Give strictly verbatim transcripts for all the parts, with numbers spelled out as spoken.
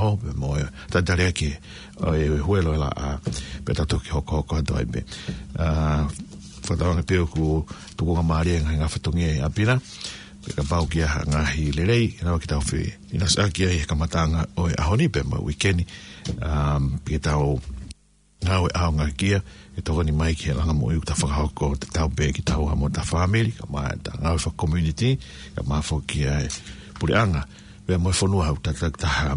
ʻo, pea mo e talitali ʻaki ʻo e huelo ʻe laʻā, pea tau toki hokohoko atu ai pē. ʻA, fakatauange pē ʻoku tukuangamālie ngaahi ngaahi fatongia ʻi ʻapi na, pea kapau ʻoku ʻi ai ha ngaahi lelei, ʻe lava ke tau feʻinaʻi ʻaki ai he kamataʻanga ʻo e ʻaho ni pea mo e uike ni, um, pea tau ngāue ʻaonga kia, ʻe tokoni mai ki he langa moʻui ʻoku ta fakahoko, te tau pē kitaua mo ʻeta fāmili, kae ʻumaʻā ʻeta ngāue faka-community, kae ʻumaʻā foki ʻa e puleʻanga, pea mo e fonua ʻoku ta takitaha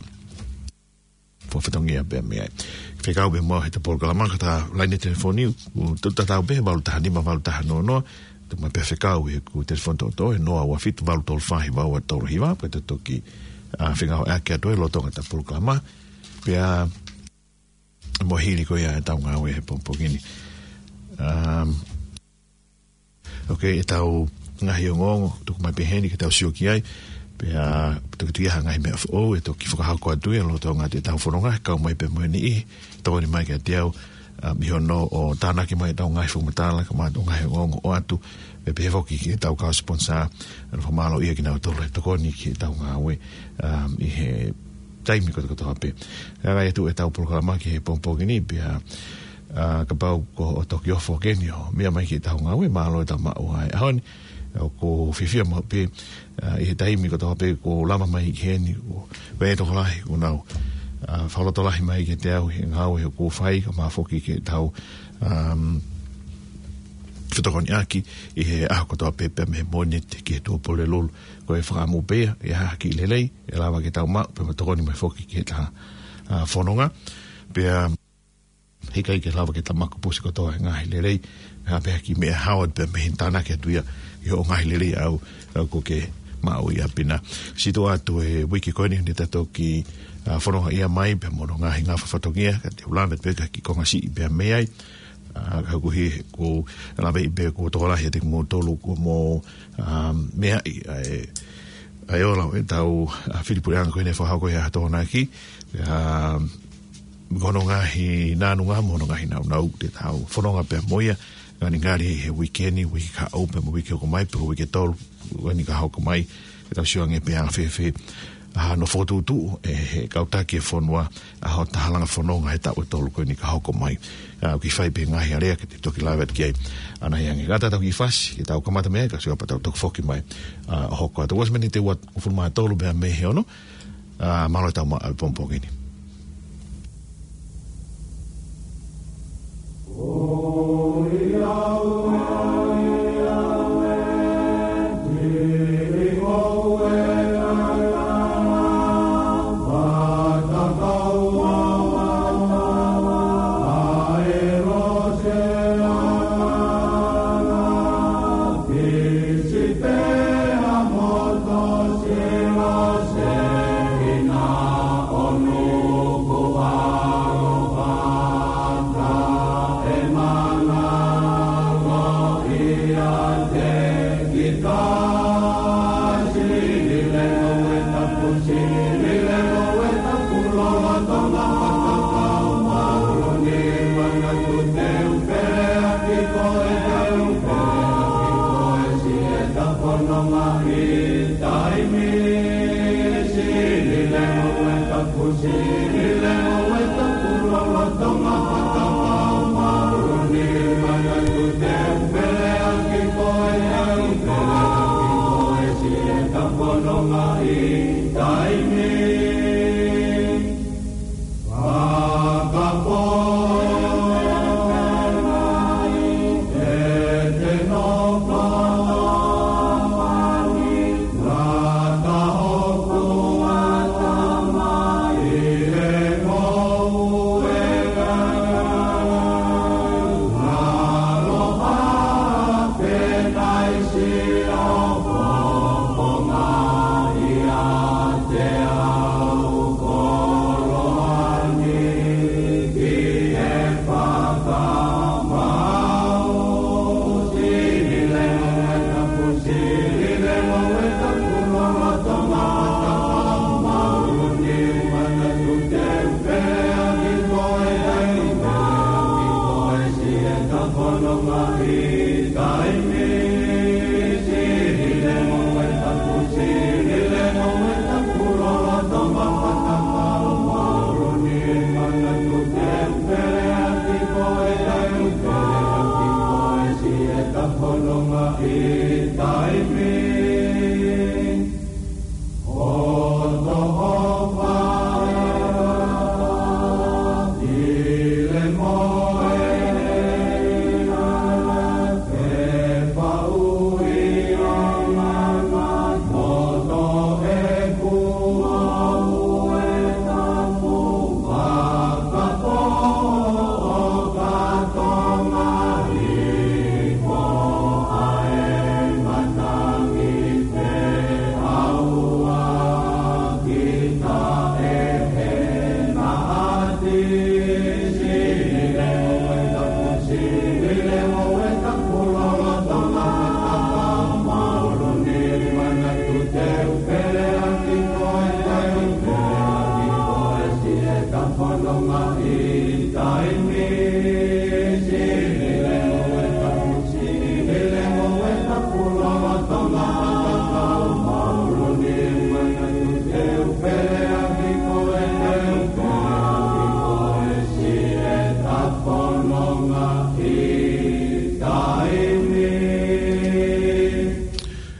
fakafatongia pē mei ai. Fekau pē mo ʻeta polokalama ki heʻeta laine telefoni, ʻoku tatau pē he valu taha nima valu taha noa noa, tuku mai pē fekau ʻi heʻeku telefoni toʻotoʻo, ʻe noa ua fitu valu tolu fā hiva ua tolu hiva, pea te toki, ʻa, fengāueʻaki atu ai lolotonga ʻeta polokalama, pea mo e hili ko ia ʻetau ngāue he pongipongi ni. Um, ʻoku ʻi ai ʻetau ngaahi ongoongo, tuku mai pē heni ke tau sio ki ai, pea toki tuʻu ia ha ngaahi meʻa foʻou, ʻe toki fakahoko atu ia lolotonga ʻetau fononga, kau mai pē mo e niʻihi, tokoni mai kiate au, um, ʻi hono ʻo tānaki mai ʻetau ngaahi fakamatala, kae ʻumaʻā ʻetau ngaahi ongoongo ʻoatu, pea pehē foki ki heʻetau kau sponsor, ʻoku fakamālō ia kinautolu he tokoni ki heʻetau ngāue, um, ʻi he taimi kotoa kotoa pē. Ka ngai atu ʻetau polokalama ki he pongipongi ni pea, ʻa, kapau ʻoku toki ofo ke ni ʻo meʻa mai ki heʻetau ngāue, mālō ʻeta maʻu ʻa e ʻaho ni, ʻoku fiefia maʻu pē, ʻa, ʻi he taimi kotoa pē ʻoku lava mai ki heni, ʻoku ʻi ai e tokolahi ʻoku nau, ʻa, fakalotolahi mai kiate au he ngāue ʻoku fai, kae ʻumaʻā foki ki heʻetau, um, fetokoniʻaki ʻi he ʻaho kotoa pē pea mei he Mōnite ki he Tuʻapulelulu. Ko e fakaʻamu pē ia, ʻi ha kiʻi lelei ʻe lava ke tau maʻu, pea mo tokoni mai foki ki heʻeta, ʻa, fononga. Pea heʻikai ke lava ke ta makupusi kotoa e ngaahi lelei, ʻa, pea ki he meʻa hao pea mei he tānaki atu ia ʻi hoʻo ngaahi lelei ʻaʻau, ʻaʻau ʻoku ke maʻu ʻi ʻapi na. Sio atu he uike ko eni, ʻe ta toki, ʻa, fononga ia mai, pea mo hono ngaahi ngafa fatongia, ka te u lave pē ki he kiʻi konga siʻi pea mei ai, ʻa, ka ʻoku ʻikai ke u lave pē ʻoku tokolahi ʻiate kimoutolu ʻoku mou, ʻa, meaʻi ʻa e, ʻa e ola ʻo ʻetau, ʻa, fili puleʻanga ko eni ʻe fakahoko ʻi he ʻaho Tokonaki, ʻa, ko hono ngaahi nāunau mo hono ngaahi nāunau te tau fononga pea mo ia, ngalingali he uike ni, uike kahaʻu, pea mo e uike hoko mai, pea uike tolu, uike ni ka hoko mai, ke tau sio ange pe ʻe anga fēfē ʻa hono fokotuʻutuʻu ʻe he kau taki e fonua ʻa hota halanga fononga he taʻu ʻe tolu ko eni ka hoko mai. ʻA, ʻoku ʻi ai pē ngaahi alea ke te toki lave atu ki ai. ʻAna ia ange, ka ta tau kiʻi fasi, ke tau kamata mei ai, kae sio pea tau toki foki mai, ʻa, ʻo hoko atu. Kuo ʻosi miniti ua hongofulu mā tolu pea mei he ono, ʻa, mālō ʻetau maʻu ʻa e pongipongi ni.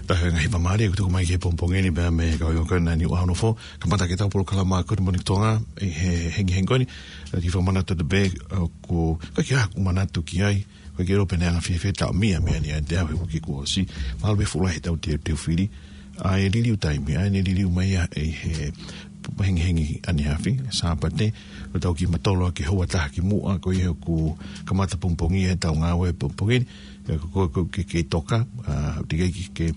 Taha e ngaahi fakamālō kuo tuku mai ki he pongipongi ni pea mei he kau ʻi ʻOkana ni ua ono fo. Kamata ke tau polokalama ko e Moni Tonga, ʻi he hengihengi ko eni, ʻi he fakamanatu atu pē, ʻoku, ka ke aku manatu ki ai, ko e ke rope ne anga fiefia tau mia, mia ni ʻa te au he uike kuo ʻosi, mahalo pē fuʻu lahi ʻetau teuteu fili, ʻa e liliu taimi, ʻa e ne liliu mai ia ʻi he hengihengi ʻaneafi, Sāpate, ʻo tau ki matolo ki he houa taha ki muʻa, ko ia ʻoku kamata pongipongi ʻetau ngāue pongipongi ni, ʻa ko, ko, ko, ke, ke toka, ʻa, te ke, ke, ke,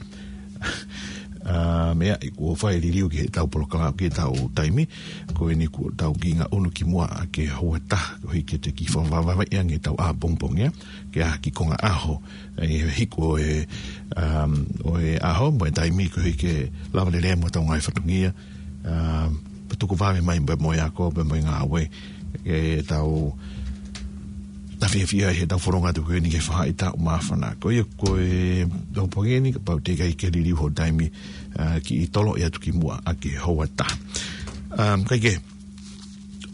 ʻa, meʻa, ʻi kuo fai liliu ki heʻetau polokalama, ki heʻetau taimi, ko eni kuo tau ki ngaʻunu ki muʻa ʻa ki he houa taha, ko e hiki te ki fakavavai ange ʻetau ʻapongipongi, ʻa, ke ʻaho ki konga ʻaho, ʻa, ʻi he hiku ʻo e, um, ʻo e ʻaho, mo e taimi ko e hiki lava lelei mo ʻetau ngaahi fatongia, um, pea tuku vave mai mo, mo e ako, pea mo e ngāue, ʻetau, ta fiefia ʻi heʻetau fononga atu ko eni ke faʻahitaʻu māfana. Ko ia ko e tau pongipongi ni, kapau te ke ʻikai ke liliu ho taimi, ʻa, kiʻi tolo ʻi atu ki muʻa ʻa ki he houa taha. Um, kae kehe,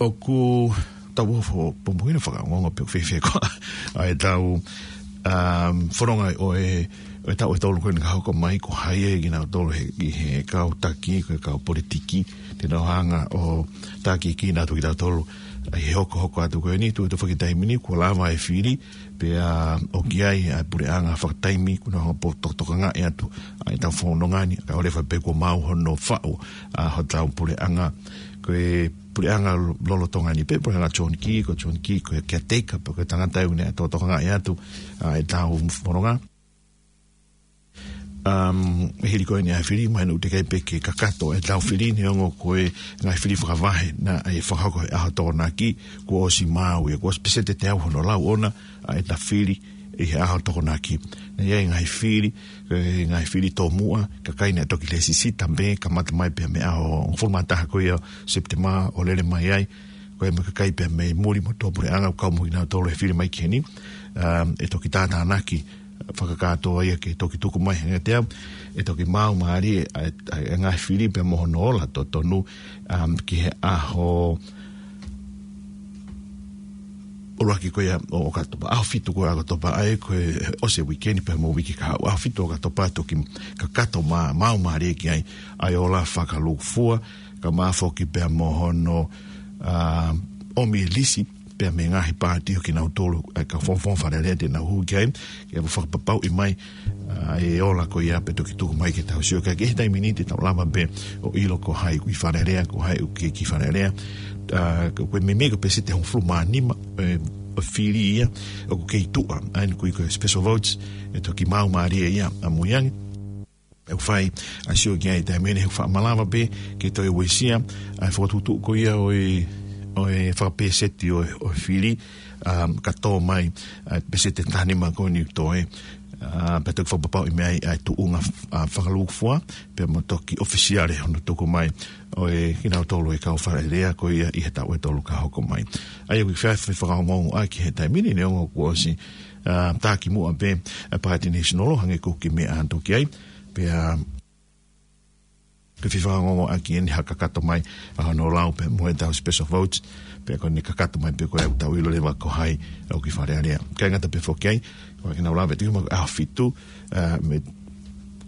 ʻoku tau ʻofa pongipongi ni fakaongoongo pē ʻoku fiefia ko ā ʻetau, um, fononga ʻo e, ʻo e taʻu ʻe tolu ko eni ka hoko mai ko hai ʻe kinautolu he, ʻi he kau taki, ko e kau politiki, te nau hanga ʻo taki kinautolu kitautolu, ʻi he hokohoko atu ko eni, tuʻu tuʻu fakataimi ni, kuo lava e fili, pea ʻoku ʻi ai ʻa e puleʻanga fakataimi, kuo nau hanga ʻo tokotokangaʻi atu, ʻa ʻetau fononga ni, ka ʻoua leva pē kuo mau hono faʻu, ʻa hotau puleʻanga, ko e puleʻanga lolotonga ni pē, puleʻanga John Key, ko John Key, ko e caretaker, pea ko e tangata ʻoku ne tokotokangaʻi atu, ʻa ʻetau fononga. Um, ʻi he hili ko eni ʻa e fili, mahino ʻoku teʻeki ai pē ke kakato ʻetau fili, neongo ko e ngaahi fili fakavahe naʻe fakahoko he ʻaho Tokonaki, kuo ʻosi maau ia, kuo ʻosi peseti teau hono lau ʻona, ʻa ʻetau fili, ʻi he ʻaho Tokonaki. Naʻe ʻi ai e ngaahi fili, e ngaahi fili tomuʻa, kakai naʻe toki lēsisita pē, kamata mai pē mei he ʻaho hongofulu mā taha ko ia ʻo Sepitema ʻo lele mai ai, ko e mo e kakai pē mei muli mo tuʻapuleʻanga ʻoku kau mo kinautolu he fili mai ki heni, um, ʻe toki tātānaki, fakakātoa ia ke toki tuku mai he ngaahi teau, ʻe toki maau mālie, ʻa, ʻa, ʻa e ngaahi fili pea mo hono ola totonu, um, ki he ʻaho ʻuluaki ko ia ʻo ʻOkatopa, ʻaho fitu ko ia ʻOkatopa, ʻa ia ko e ʻosi e uike ni pea mo e uike kahaʻu, ʻaho fitu ʻOkatopa toki kakato mā, maau mālie ki ai, ʻa e ola fakalūkufua, kae ʻumaʻā foki pea mo hono, ʻa, ʻomi e lisi, pea mei he ngaahi paati ʻo kinautolu, ʻa e kau fongofonga Fale Alea te nau hū ki ai, ke fakapapauʻi mai, ʻa, ʻe ola ko ia pea toki tuku mai ke tau sio ki ai. Ki he taimi ni te tau lava pē ʻo ʻilo ko hai ʻoku ʻi Fale Alea, ko hai ʻoku ʻikai ke ʻi Fale Alea. ʻA, ko, ko e meimei ko e peseti hongofulu mā nima, ʻe, ʻo e fili ia, ʻoku kei tuʻa, ʻa eni ʻoku ui ko e special votes, ʻe toki maau mālie ia ʻamui ange. ʻOku fai ʻa e sio ki ai he taimi ni he ʻoku faʻa malava pē ke toe uesia ʻa e fokotuʻutuʻu ko ia ʻo e, ʻo e fakapeseti ʻo e, ʻo e fili, um, ka tō mai ʻa e peseti ʻe taha nima ko eni ʻoku toe, ʻa, pea toki fakapapauʻi mei ai ʻa e tuʻunga, ʻa, fakalūkufua, pea mo toki ʻofisiale hono tuku mai ʻo e kinautolu e kau Fale Alea ko ia ʻi he taʻu ʻe tolu ka hoko mai. ʻA ia ʻoku ʻikai fai fakaongoongoʻaki he taimi ni neongo kuo ʻosi, ʻa, tā ki muʻa pē ʻa e Paati National hangē ko e kiʻi meʻa atu ki ai, pea ke fai fakaongoongoʻaki eni ha kakato mai ʻa hono lau pea mo ʻetau special votes, pea ko eni kakato mai pē ko e ʻoku tau ʻilo leva ko hai ʻoku ʻi Fale Alea. ʻIkai ngata pē foki ai, ko e ke nau lave tuku mai ʻaho fitu, ʻa, mo e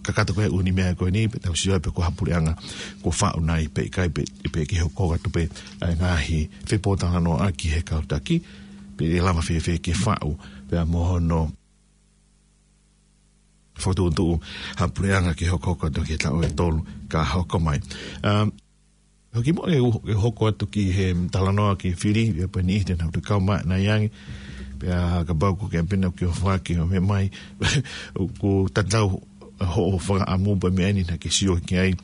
kakato ko e ʻū meʻa ko eni, pea tau sio pē ko ha puleʻanga kuo faʻu nai pe ʻikai pe, pe ke hoko atu pē ʻa e ngaahi fepōtalanoaʻaki he kau taki, pe ʻe lava fēfē ke faʻu, pea mo hono fokotuʻutuʻu ha puleʻanga ke hokohoko atu ki he taʻu ʻe tolu ka hoko mai. Um, hoki muʻa ke u-, ke hoko atu ki he talanoa ki he fili, ʻe pē niʻihi te nau toe kau mai ʻanai ange, pea kapau ko e ke pena ke ʻofa ke ʻomai, ʻoku tatau hoʻo fakaʻamu pē meʻa ni naʻa ke sio ki ai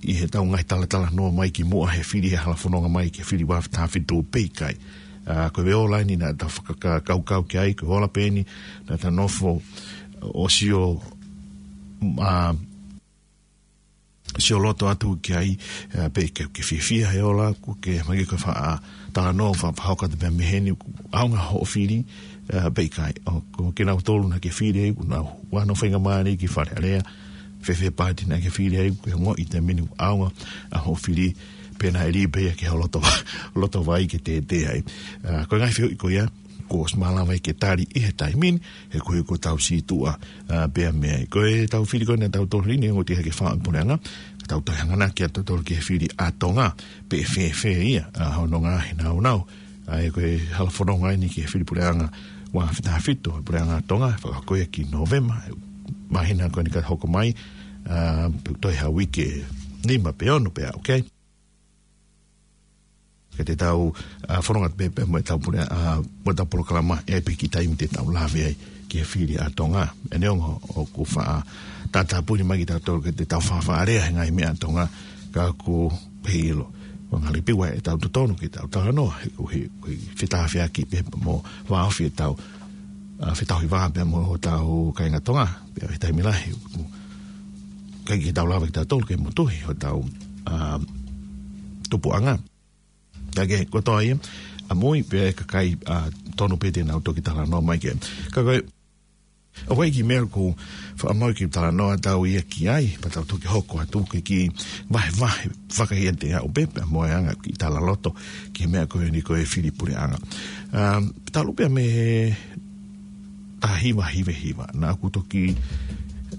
ʻi heʻetau ngaahi talatalanoa mai ki muʻa he fili he hala fononga mai ki he fili ua taha fitu pe ʻikai. ʻA, ko e ola eni naʻa ta fakakaukau ki ai, ko e ola pē eni naʻa ta nofo ʻo sio, ʻa, sioloto atu ki ai, ā, pe ke, ke fiefia he ola, ko ke mai ke faʻa talanoa, faʻa pehē atu pē mei heni, ʻoku ʻaonga hoʻo fili, ā, pe ʻikai. ʻOku kinautolu naʻa ke fili ai, ʻoku nau ʻalu ʻo faingamālie ki Fale Alea, fēfē paati naʻa ke fili ai, ke ongoʻi he taimi ni ʻoku ʻaonga ʻa hoʻo fili, pe naʻe lī pē ia ki ho loto, loto vai ke tētē ai. Ā, ko e ngaahi fehuʻi ko ia, kuo ʻosi malava ke tali ʻi he taimi ni, he ko e, ko ʻetau sītuʻa, ā, pea mei ai. Ko ʻetau fili ko eni ʻa tautolu ni, ʻoku ʻikai ke faʻa puleʻanga, ka tau toe hanganaki ʻa tautolu ki he fili ʻa Tonga, pe ʻe fēfē ia, ā, hono ngaahi nāunau. ʻA ia ko e hala fononga eni ki he fili puleʻanga ua afe taha fitu, puleʻanga Tonga, fakahoko ia ki Nōvema, māhina ko eni ka hoko mai, ā, pe toe ha uike ʻe nima pe ono pe ʻaho, okay? Ka te tau, ā, fononga pē, pē mo ʻetau pule-, ā, mo ʻetau polokalama, ʻe ʻi ai pē kiʻi taimi te tau lave ai ki he fili ʻa Tonga. ʻE neongo ʻoku faʻa tātāpuni mai kitautolu ke te tau faʻa lea he ngaahi meʻa ʻa Tonga, ka ʻoku pehē ʻilo. ʻOku ngali pē ʻoku ʻi ai ʻetau totonu ke tau talanoa, he ko e, ko e fetāfeaki pē mo vāofi ʻetau, ā, fetauhi vā pē mo hotau kāinga Tonga, pea ʻi he taimi lahi, ʻoku ʻikai ke tau lava kitautolu ke motuhi hotau, ā, tupuʻanga. Ka ko e kotoa ia, ʻamui pē ʻa e kakai, ā, tonu pē te nau toki talanoa mai ki ai. Ka ko e, ʻoku ʻi ai e kiʻi meʻa ʻoku faʻa maʻu ke talanoa atu ia ki ai, pea tau toki hoko atu ki he kiʻi vahevahe fakaʻiate ʻaʻaku pē, pea mo e anga kiʻi talaloto ki he meʻa ko eni ko e fili puleʻanga. Ā, talu pē mei he taha hiva hiva hiva. Naʻa ku toki,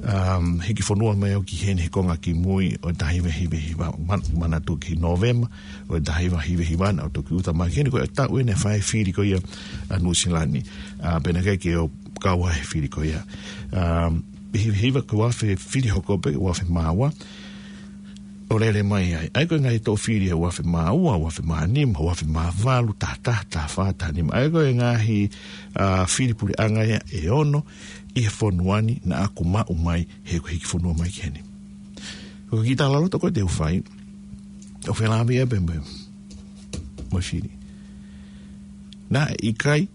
um, hiki fonua mai au ki heni he konga kimui ʻo e taha hiva hiva hiva. Man-, manatu ki Nōvema ʻo e taha hiva hiva hiva, naʻa ku toki ʻuta mai ki heni, ko e taʻu eni naʻe fai e fili ko ia ʻa Nuʻusila ni. Ā, pea naʻe ʻikai ke u kau ai he fili ko ia. Um, hiva hiva ko e ua afe fili hoko pē, ua afe mā ua. ʻO lele mai ai. ʻA ia ko e ngaahi toʻo fili ʻa e ua afe mā ua, ua afe mā nima, ua afe mā valu, taha taha, taha fā, taha nima. ʻA ia ko e ngaahi, ā, fili puleʻanga ia ʻe ono ʻi he fonua ni naʻa ku maʻu mai he ko e hiki fonua mai ki heni. Ko e kiʻi talaloto ko ē te u fai, ʻoku felāveʻi ia pē mo e, mo e fili. Naʻe ʻikai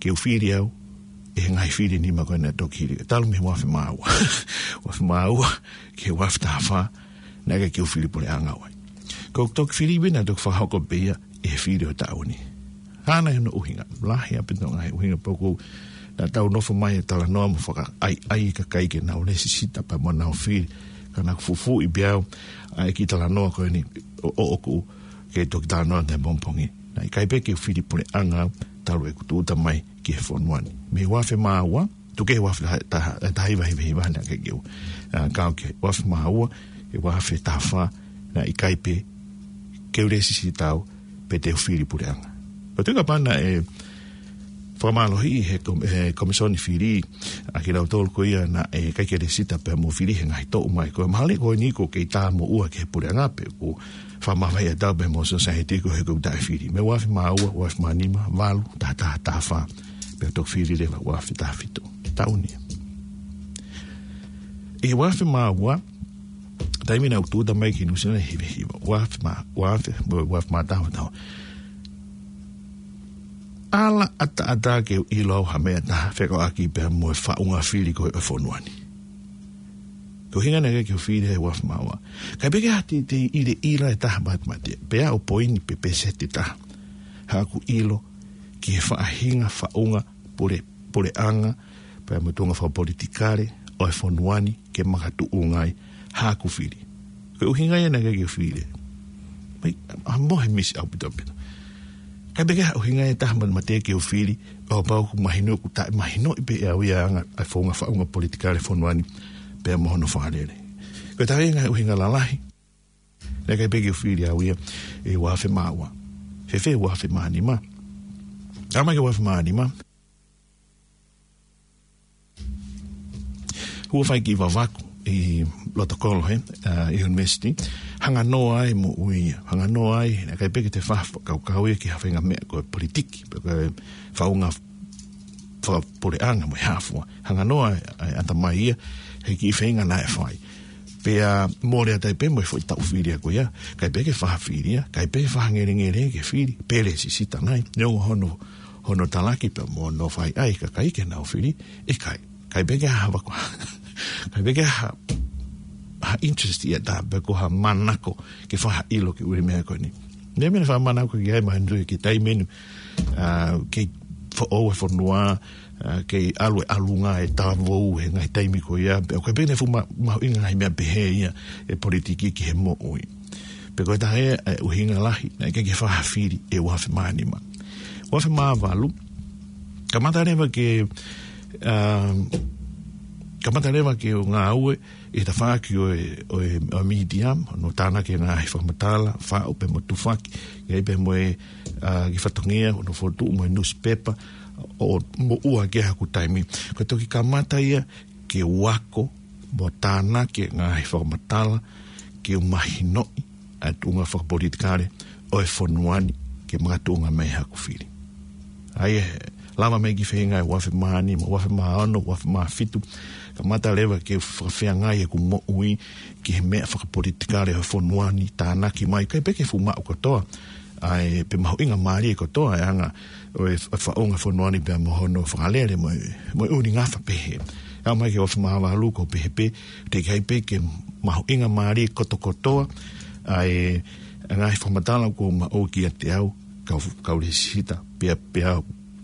ke u fili au ʻi he ngaahi fili ʻe nima ko ē naʻe toki hili. Talu mei he ua afe mā ua. Ua afe mā ua ki he ua afe taha fā, naʻe ʻikai ke u fili puleʻanga au ai. Ko ʻeku toki fili pē naʻe toki fakahoko pē ia ʻi he fili ʻo e taʻu ni. Hā nai hono ʻuhinga, lahi ʻaupito e ngaahi ʻuhinga, pea ʻoku, naʻa tau nofo mai ʻo talanoa mo fakaʻaiʻai e kakai ke nau lēsisita pea mo nau fili. Ka naʻa ku fufuuʻi pē au ʻa e kiʻi talanoa ko eni ʻo, ʻo, ʻoku ke toki talanoa atu he pongipongi. Naʻe ʻikai pē ke u fili puleʻanga au talu ʻeku tūʻuta mai ki he fonua ni. Mei he ua afe mā ua, tuku kehe ua afe taha, taha, taha hiva hiva hiva naʻe ʻikai ke u, ā, kau ki he ua afe mā ua, ki he ua afe taha fā, naʻe ʻikai pē ke u lēsisita au pe te u fili puleʻanga. Pea tuʻu kapau naʻe fakamālohiʻi he kom-, he Komisoni Fili ʻa kinautolu ko ia naʻe ʻikai ke lēsisita pea mo fili he ngaahi toʻu mai. Ko e mahalo ko eni ʻoku kei tā moʻua ki he puleʻanga pe ʻoku fakamavaheʻi ʻa tautolu pea mo e sōsaieti koeʻuhi ko e taʻefili. Mei he ua afe mā ua, ua afe mā nima, valu, taha taha, taha fā. Pea toki fili leva ua afe taha fitu. Taʻu ni. ʻI he ua afe mā ua, taimi naʻa ku tūʻuta mai ki Nuʻusila ni, hiva hiva. Ua afe mā, ua afe, ua afe mā taha, taha. Ala ʻataʻatā ke u ʻilo au ha meʻa ʻe taha fekauʻaki pea mo e faʻunga fili ko ē ʻo e fonua ni. Ko e ʻuhinga naʻe ʻikai ke u fili he ua afe mā ua. ʻIkai pē ke ha teitei ʻiloʻilo ʻe taha matemate, pe ʻo poini pe pēseti ʻe taha. Haʻaku ʻilo ki he faʻahinga faʻunga pule, puleʻanga, pea mo e tuʻunga fakapolitikale ʻo e fonua ni ke makatuʻunga ai haʻaku fili. Ko e ʻuhinga ia naʻe ʻikai ke u fili. Mai, ʻa mohe misi ʻaupito ʻaupito. ʻIkai pē ke ha ʻuhinga ʻe taha matemate ke u fili, ʻo pau ʻoku mahino ʻoku taʻemahinoʻi pē ʻe au ia ʻa e anga, ʻa e founga faʻunga politikale fonua ni, pea mo hono fakalele. Ko e taha ia e ngaahi ʻuhinga lalahi, naʻe ʻikai pē ke u fili au ia ʻi he ua afe mā ua. Fēfē ua afe mā nima. Aʻu mai ki he ua afe mā nima. Hū ʻo fai e kiʻi vavaku ʻi loto kolo he, ā, ʻi he university. Hanga noa ai mo ui, hanga noa ai, naʻe ʻikai pē ke te fakakaukau ia ki ha faʻahinga meʻa ko e politiki, pe ko e faʻunga fakapuleʻanga mo e hā fua. Hanga noa ai, ai ʻatamai ia, he kiʻi feinga naʻe fai. Pea mole atu ai pē mo e foʻi taʻu fili ko ia, ʻikai pē ke faʻa fili ia, ʻikai pē faʻa ngelengele ke fili, pe lēsisita nai, neongo hono, hono talaki pea mo hono fai ai, kakai ke nau fili, ʻikai, ʻikai pē ke ha vako, ʻikai pē ke ha ha interest ia ta pe ko ha manako ke fakaʻilo ki he ʻū meʻa ko eni. Meʻa meʻa fakamanako ki ai mahino ki he taimi ni, ʻa, kei foʻou e fonua, ʻa, kei ʻalu e ʻalunga e talavou he ngaahi taimi ko ia, pe ko e pehē naʻe fuʻu ma-, mahuʻinga ngaahi meʻa pehē ia e politiki ki he moʻui. Pe ko e taha e, e ʻuhinga lahi, naʻe ʻikai ke fakafili e ua afe mā nima. Ua afe mā valu, kamata leva ke, ʻa, kamata leva ke u ngāue ʻi he tafaʻaki ʻo e, ʻo e, ʻo e media, ʻo tānaki e ngaahi fakamatala, faʻu pea mo tufaki, ʻi ai pea mo e, ʻa, ki he fatongia, ʻo fokotuʻu mo e newspaper, ʻo moʻua ki ai haku taimi. Ko e toki kamata ia ke u ako mo tānaki e ngaahi fakamatala, ke u mahinoʻi ʻa e tuʻunga fakapolitikale ʻo e fonua ni ke makatuʻunga mai haku fili. ʻA ia, lava mai ki he feinga ʻi he ua afe mā nima, ua afe mā ono, ua afe mā fitu, kamata leva ke fakafeangai ʻeku moʻui ki he meʻa fakapolitikale ʻo e fonua ni, tānaki mai, ʻikai pē ke fuʻu maʻu kotoa, ʻa e, pe mahuʻinga mālie kotoa e anga ʻo e fa-, faʻunga fonua ni pea mo hono fakalele mo e, mo e ʻū ngafa pehē. Aʻu mai ki he ua afe mā valu ʻoku ou pehē pē, teʻeki ai pē ke mahuʻinga mālie kotokotoa ʻa e, ʻa e ngaahi fakamatala kuo u maʻu kiate au, kau, kau lēsisita, pea, pea,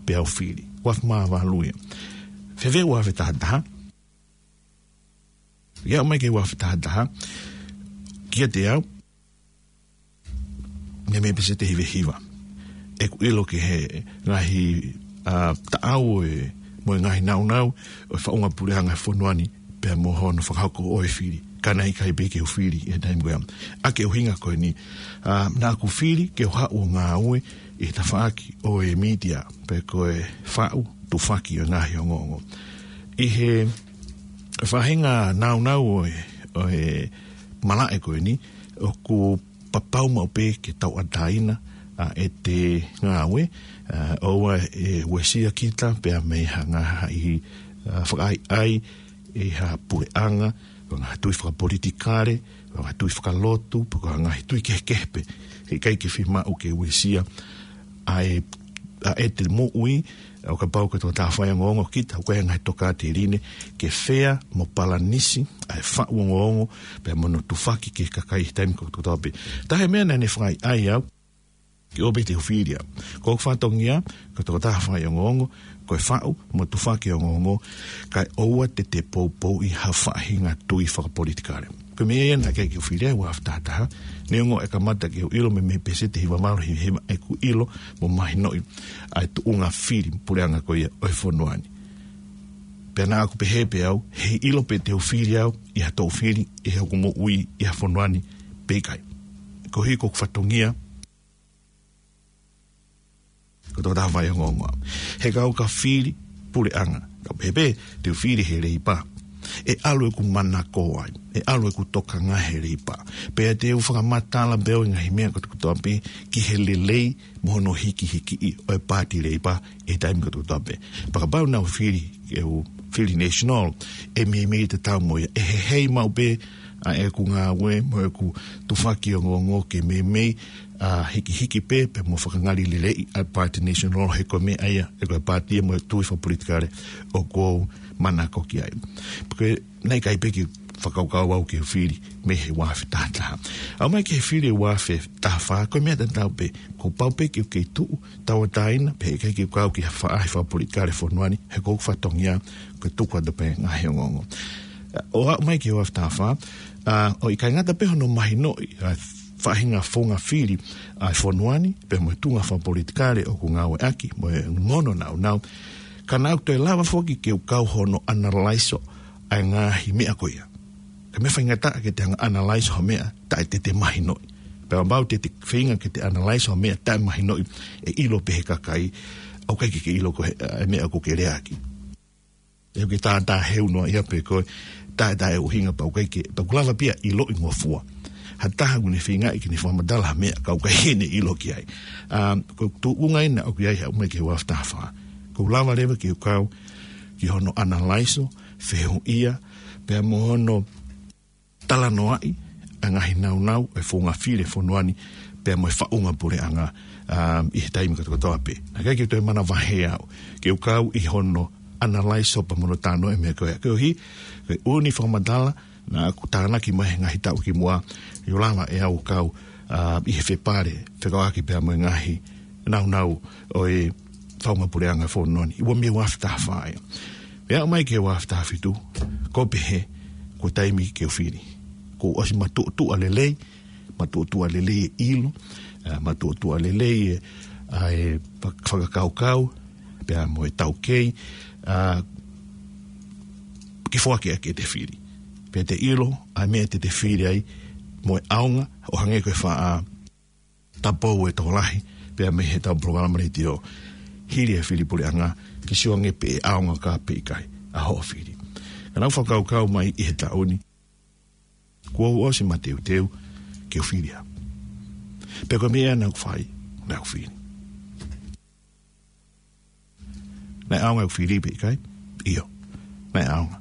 pea u fili. Ua afe mā valu ia. Fēfē ua afe taha taha? Ia aʻu mai ki he ua afe taha taha, kiate au, meimei pēseti ʻe hiva hiva ʻeku ʻilo ki he ngaahi, ʻa, taʻau ʻo e, mo e ngaahi naunau ʻo e faʻunga puleʻanga fonua ni, pea mo hono fakahoko ʻo e fili. Ka naʻe ʻikai pē ke u fili ʻi he taimi ko ia. ʻA e ʻuhinga ko eni, ʻa, naʻa ku fili ke u haʻu ʻo ngāue ʻi he tafaʻaki ʻo e media, pe ko e faʻu, tufaki ʻo e ngaahi ongoongo. ʻI he faʻahinga naunau ʻo e, ʻo e malaʻe ko eni, ʻoku papau maʻu pē ke tauʻatāina ʻa ʻete ngāue, ʻa, ʻoua ʻe uesia kita pea mei ha ngaahi, ʻa, fakaʻaiʻai ʻi ha puleʻanga, pe ko ha ngaahi tui fakapolitikale, pe ko ha ngaahi tui fakalotu, pe ko ha ngaahi tui kehekehe pē. He ʻikai ke fiemaʻu ke uesia ʻa e, ʻa ʻete moʻui, ʻo kapau ko e tokotaha fai ongoongo kita, ʻoku ʻi ai e ngaahi tokāteline ke fea mo palanisi ʻa e faʻu ongoongo, pea mo hono tufaki ki he kakai he taimi kotoa pē. Taha e meʻa naʻa ne fakaʻaiʻai au, ke ʻoua pē te u fili au. Ko hoku fatongia, ko e tokotaha fai ongoongo, ko e faʻu mo tufaki ongoongo, kae ʻoua te te poupouʻi ha faʻahinga tui fakapolitikale. Ko e meʻa ia naʻe ʻikai ke u fili ai ua afe taha taha, neongo e kamata ke u ʻilo meimei pēseti ʻe hiva valu, hiva hiva ʻeku ʻilo mo mahinoʻi ʻa e tuʻunga fili puleʻanga ko ia ʻo e fonua ni. Pea naʻa ku pehē pē au, heʻikai ʻilo pē te u fili au ʻi ha toʻu fili ʻi hoku moʻui ʻi ha fonua ni pe ʻikai. Koeʻuhi ko hoku fatongia, ko e tokotaha fai ongoongo au. He kapau ka fili puleʻanga, ka pehē pē te u fili he Leipa, ʻe ʻalu ʻeku manako ai, ʻe ʻalu ʻeku tokanga he Leipa. Pea te u fakamatala pē au e ngaahi meʻa kotokotoa pē ki he lelei mo hono hikihikiʻi ʻo e Paati Leipa ʻi he taimi kotokotoa pē. Pea kapau naʻa ku fili, ke u fili National, ʻe meimei tatau mo ia, ʻe heheʻi maʻu pē ʻa ʻeku ngāue mo ʻeku tufaki ongoongo ke meimei, ʻa, hikihiki pē, pea mo fakangalileleʻi ʻa e Paati National, he ko e meʻa ia, he ko e paati ia mo e tui fakapolitikale ʻoku ou manako ki ai. Pea ko e, naʻe ʻikai pē ke fakakaukau au ke fili mei he ua afe taha taha. Aʻu mai ki he fili ua afe taha fā, ko e meʻa tatau pē, kuo pau pē ke u kei tuʻu tauʻatāina, pea ʻikai ke u kau ki ha faʻahi fakapolitikale fonua ni, he ko hoku fatongia, ko e tuku atu pē ngaahi ongoongo. ʻO aʻu mai ki he ua afe taha fā, ʻa, ʻo ʻikai ngata pē hono mahinoʻi ʻa e faʻahinga founga fili ʻa e fonua ni, pea mo e tuʻunga fakapolitikale ʻoku ngāueʻaki, mo e ngono naunau, ka naʻa ku toe lava foki ke u kau hono ʻanalaiso ʻa e ngaahi meʻa ko ia. Ko e meʻa faingataʻa ke te hanga ʻanalaiso ha meʻa taʻe te te mahinoʻi. Pea kapau te te feinga ke te ʻanalaiso ha meʻa taʻe mahinoʻi, ʻe ʻilo pē he kakai, ʻoku ʻikai ke ke ʻilo ko e hā e meʻa ʻoku ke leaʻaki. ʻE ke tātāheu noa ia pē koe, taʻe taʻe ʻuhinga pea ʻoku ʻikai ke, pea ʻoku lava pē ia ʻiloʻi ngofua ha taha ʻoku ne feingaʻi ke ne fakamatala ha meʻa ka ʻoku ʻikai ke ne ʻilo ki ai. ʻA, ko e tuʻunga ia naʻa ku ʻi ai aʻu mai ki he ua afe taha fā. Ko e lava leva ke u kau ki hono ʻanalaiso, fehuʻia, pea mo hono talanoaʻi ʻa e ngaahi naunau ʻo e founga fili ʻo e fonua ni, pea mo e faʻunga puleʻanga, ʻa, ʻi he taimi kotokotoa pē. Naʻe ʻikai ke u toe manavahē au ke u kau ʻi hono ʻanalaiso pea mo hono talanoaʻi e meʻa ko ia. Koeʻuhi, ko e ʻū fakamatala Naʻa ku tānaki mai he ngaahi taʻu kimuʻa, ʻi he lava ʻe au ʻo kau, ā, ʻi he fepale, fekauʻaki pea mo e ngaahi naunau ʻo e faʻunga puleʻanga fonua ni, ua mei ua afe taha fā ia. Pea aʻu mai ki he ua afe taha fitu, ko e pehē, ko e taimi ke u fili. Kuo ʻosi matuʻotuʻa lelei, matuʻotuʻa lelei e ʻilo, ā, matuʻotuʻa lelei e, ā, e fak-, fakakaukau, pea mo e taukei, ā, ke foaki ʻaki ʻete fili. Pea te ʻilo, ʻa e meʻa te te fili ai, mo e ʻaonga, ʻo hangē ko e faʻa tapou e tokolahi, pea mei heʻetau polokalama letiō, hili e fili puleʻanga, ke sio ange pe ʻe ʻaonga ka pe ʻikai, ʻa hoʻo fili. Ka naʻa ku fakakaukau mai ʻi he taʻu ni, kuo u ʻosi mateuteu, ke u fili au. Pea ko e meʻa naʻa ku fai, naʻa ku fili. Naʻe ʻaonga ʻeku fili pe ʻikai? ʻIo. Naʻe ʻaonga.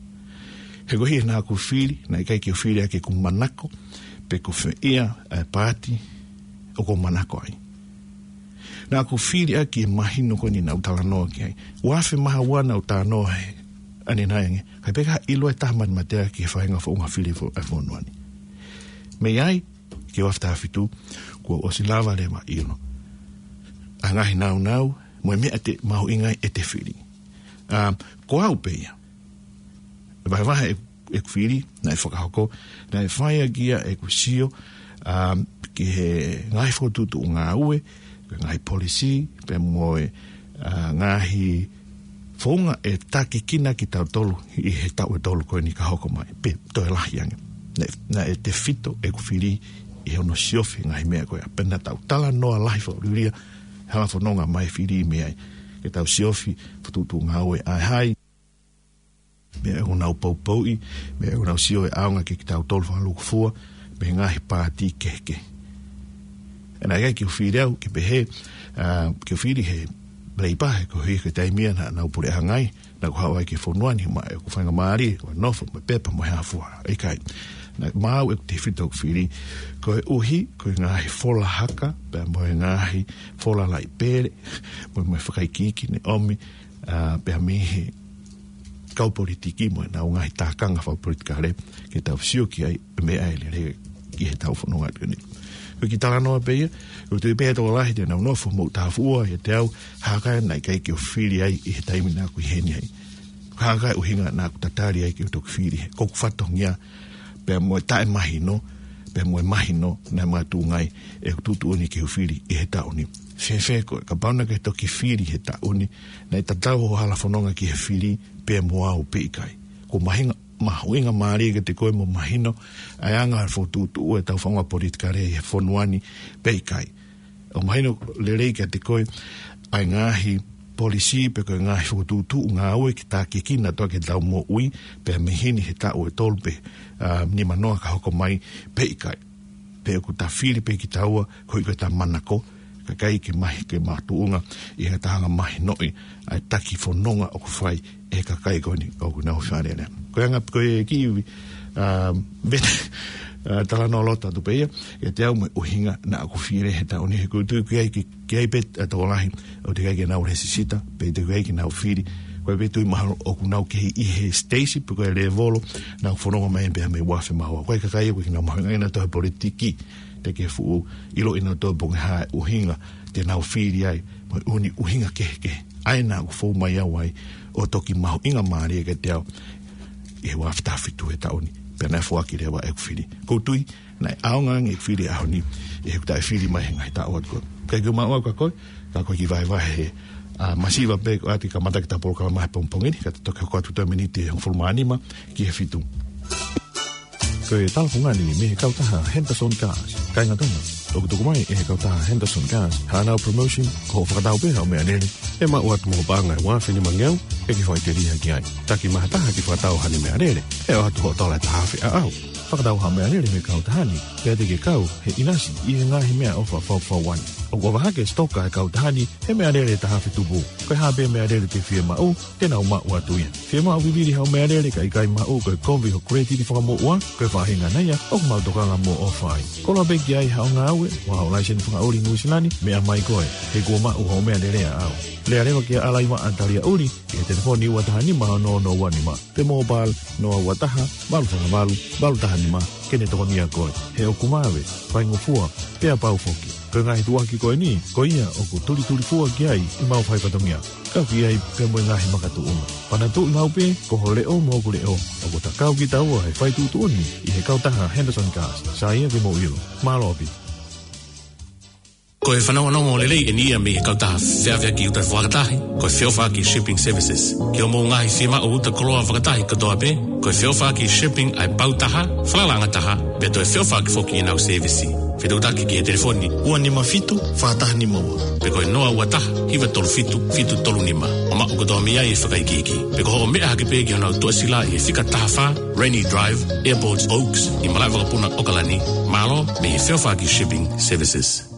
He ko e hā naʻa ku fili, naʻe ʻikai ke u fili ʻaki ʻeku manako, pe ko fē ia, ē, paati, ʻoku ou manako ai. Naʻa ku fili ʻaki e mahino ko eni naʻa ku talanoa ki ai. Ua afe mā ua naʻa ku talanoa he, ʻanenai ange. Kae pehē ʻikai ʻilo e taha matematea ki he faʻahinga founga fili fo-, ʻa e fonua ni. Mei ai, ki he ua afe taha fitu, kuo ʻosi lava leva ʻilo ʻa e ngaahi naunau, mo e meʻa te mahuʻinga ai ʻete fili. Ā, ko au pē ia. Vahevahe ʻe, ʻeku fili, naʻe fakahoko, naʻe fai ʻaki ia ʻeku sio, ā, ki he ngaahi fokotuʻutuʻu ngāue, ki he ngaahi polisī, pea mo e, ā, ngaahi founga ʻe takikina kitautolu ʻi he taʻu ʻe tolu ko eni ka hoko mai, pe toe lahi ange. Naʻe, naʻe tefito ʻeku fili ʻi hono siofi ngaahi meʻa ko ia. Pea naʻa tau talanoa lahi fakaliliu, hala fononga mai fili mei ai. Ke tau siofi, fokotuʻutuʻu ngāue ʻa e hai. Meʻa ʻoku nau poupouʻi, meʻa ʻoku nau sio ʻe ʻaonga kiate kitautolu fakalūkufua, mei he ngaahi paati kehekehe. Naʻe ʻikai ke u fili au, ke pehē, ā, ke u fili he Leipa he ko e hā e taimi ia naʻa nau puleʻanga ai, naʻa ku haʻu ai ki he fonua ni, maʻa ʻeku faingamālie, ko e nofo, mo e pepa, mo e hā fua, ʻikai. Naʻe maʻu ʻeku tefito ʻeku fili, koeʻuhi, ko e ngaahi fola haka, pea mo e ngaahi fola laʻi pele, mo e, mo e fakaikiiki ne ʻomi, ā, pea mei he kau politiki mo ʻenau ngaahi tākanga fakapolitikale, ke tau sio ki ai, meʻa ʻe lelei ki heʻetau fononga atu ni. Ko e kiʻi talanoa pē ia, ʻoku ou tui pē ʻe tokolahi te nau nofo mo tafuʻa ʻiate au, hā e kakai naʻe ʻikai ke u fili ai ʻi he taimi naʻa ku ʻi heni ai. Hā e ʻuhinga naʻa ku tatali ai ke u toki fili he, ko ʻeku fatongia, pea mo e taʻemahino, pea mo e mahino, naʻe makatuʻunga ai ʻeku tuʻutuʻuni ke u fili ʻi he taʻu ni. Fēfē koe, kapau naʻa ke toki fili he taʻu ni, naʻe tatau hoʻo hala fononga ki he fili, pea mo au pe ʻikai. Ko e mahuʻinga, mahuʻingamālie kiate koe mo mahino, ʻa e anga e fokotuʻutuʻu ʻetau faʻunga politikale ʻi he fonua ni pe ʻikai. ʻO mahino lelei kiate koe, ʻa e ngaahi polisī pe ko e ngaahi fokotuʻutuʻu ngāue ke takikina ʻaki ʻetau moʻui, pea mei heni he taʻu ʻe tolu pe, ā, nima noa ka hoko mai pe ʻikai. Pe ʻoku ta fili pē kitaua, koeʻuhi ko ʻeta manako, kae ʻikai ke mahi, ke makatuʻunga ʻi he taha ʻo mahinoʻi ʻa e taki fononga ʻoku fai ʻe he kakai ko eni ʻoku nau fālele. Ko e anga ko e kiʻi, ā, vete, ā, talanoa loto atu pē ia, ʻiate au mo e ʻuhinga naʻa ku fili he taʻu ni he ʻoku ou tui ʻoku ʻi ai ki, ki ai pē ʻa e tokolahi, ʻoku teʻeki ai ke nau lēsisita, pe teʻeki ai ke nau fili, ko e pē tui mahalo ʻoku nau kei ʻi he siteisi, pe ko e lēvolo, naʻa ku fononga mai pē mei ua afe mā ua. Ko e kakai ʻoku ʻikai ke nau mahuʻinga ʻenautolu he politiki, teʻeki ke fuʻu ʻiloʻi ʻenautolu pe ko e hā e ʻuhinga te nau fili ai, mo e ʻū ʻuhinga kehekehe. ʻA ia naʻa ku fou mai au ai, ʻo toki mahuʻingamālie kiate au, ʻi he ua afe taha fitu he taʻu ni, pea naʻe foaki leva ʻeku fili. ʻOku ou tui, naʻe ʻaonga ange ʻeku fili he ʻaho ni, ʻi heʻeku taʻefili mai he ngaahi taʻu atu ko ē. Kae ʻikai ke u maʻu au ka ko e, ka ko e kiʻi vahevahe, ā, masiva pē ko ē ʻa e kamata ʻetau polokalama he pongipongi ni, ka ta toki hoko atu ʻa e miniti ʻe hongofulu mā nima ki he fitu. Ko e talafungani mei he kautaha Henderson Cars. Kāinga Tonga, ʻoku tuku mai ʻe he kautaha Henderson Cars haʻanau promotion, ko hoʻo fakatau pē haʻo meʻalele, ʻe maʻu atu mo ho paʻanga ʻe ua afe nima ngeau, ʻe ke fai telia ki ai. Taki maha taha ke fakatau haʻane meʻalele, ʻe ʻoatu hoʻo tola ʻe taha afe ʻaʻau. Fakatau ha meʻalele mei he kautaha ni, pea te ke kau he ʻinasi ʻi he ngaahi meʻaʻofa fakafaifekau ni. ʻOku ʻofa hake e sitoka ʻa e kautaha ni he meʻalele taha afe tupu. Ko e hā pē meʻalele te ke fiemaʻu, te nau maʻu atu ia. Fiemaʻu vivili haʻo meʻalele kae ʻikai maʻu, ko e kovi hoʻo koleti fakamoʻua, ko e faʻahinga ia ʻoku mau tokanga mo ʻofa ai. Koloa pē ki ai haʻo ngāue, mo haʻo laiseni fakaʻuli ʻi Nuʻu Sila ni, meʻa mai koe, he kuo maʻu hoʻo meʻalele ʻaʻau. Lea leva kia Alaiva ʻAtalia ʻUli, ki he telefoni ua taha nima ono ono ua nima, pe mobile noa ua taha, valu fā valu, valu taha nima, ke ne tokonia koe. He ʻoku vave, faingofua, pea pau foki. Ko e ngaahi tuʻuaki ko eni, ko ia ʻoku tulitulifua ki ai ʻemau faifatongia. Kau ki ai pea mo e ngaahi makatuʻunga. Panatuʻi maʻu pē, ko ho leʻo mo hoku leʻo, ʻoku ta kau kitaua he fai tuʻutuʻuni ʻi he kautaha Henderson Cars. Sai ia ke mou ʻilo. Mālō ʻaupito. Ko e fanongonongo lelei eni ia mei he kautaha feʻaveʻaki uta fakatahi, ko e Feʻofaʻaki Shipping Services. Ki hoʻomou ngaahi fiemaʻu uta koloa fakatahi kotoa pē, ko e Feʻofaʻaki Shipping ʻa e pau taha, falalaʻanga taha, pea toe feʻofaʻaki foki ʻenau sēvisi. Fetuʻutaki ki he telefoni ua nima fitu, fā taha nima ua, pe ko e noa ua taha, hiva tolu fitu, fitu tolu nima. ʻO maʻu kotoa mei ai e fakaikiiki. Pe ko hoʻo meʻa hake pē ki honau tuʻasila ʻi he fika taha fā, Rennie Drive, Airport Oaks, ʻi Malaʻevakapuna, ʻAokalani. Mālō mei he Feʻofaʻaki Shipping Services.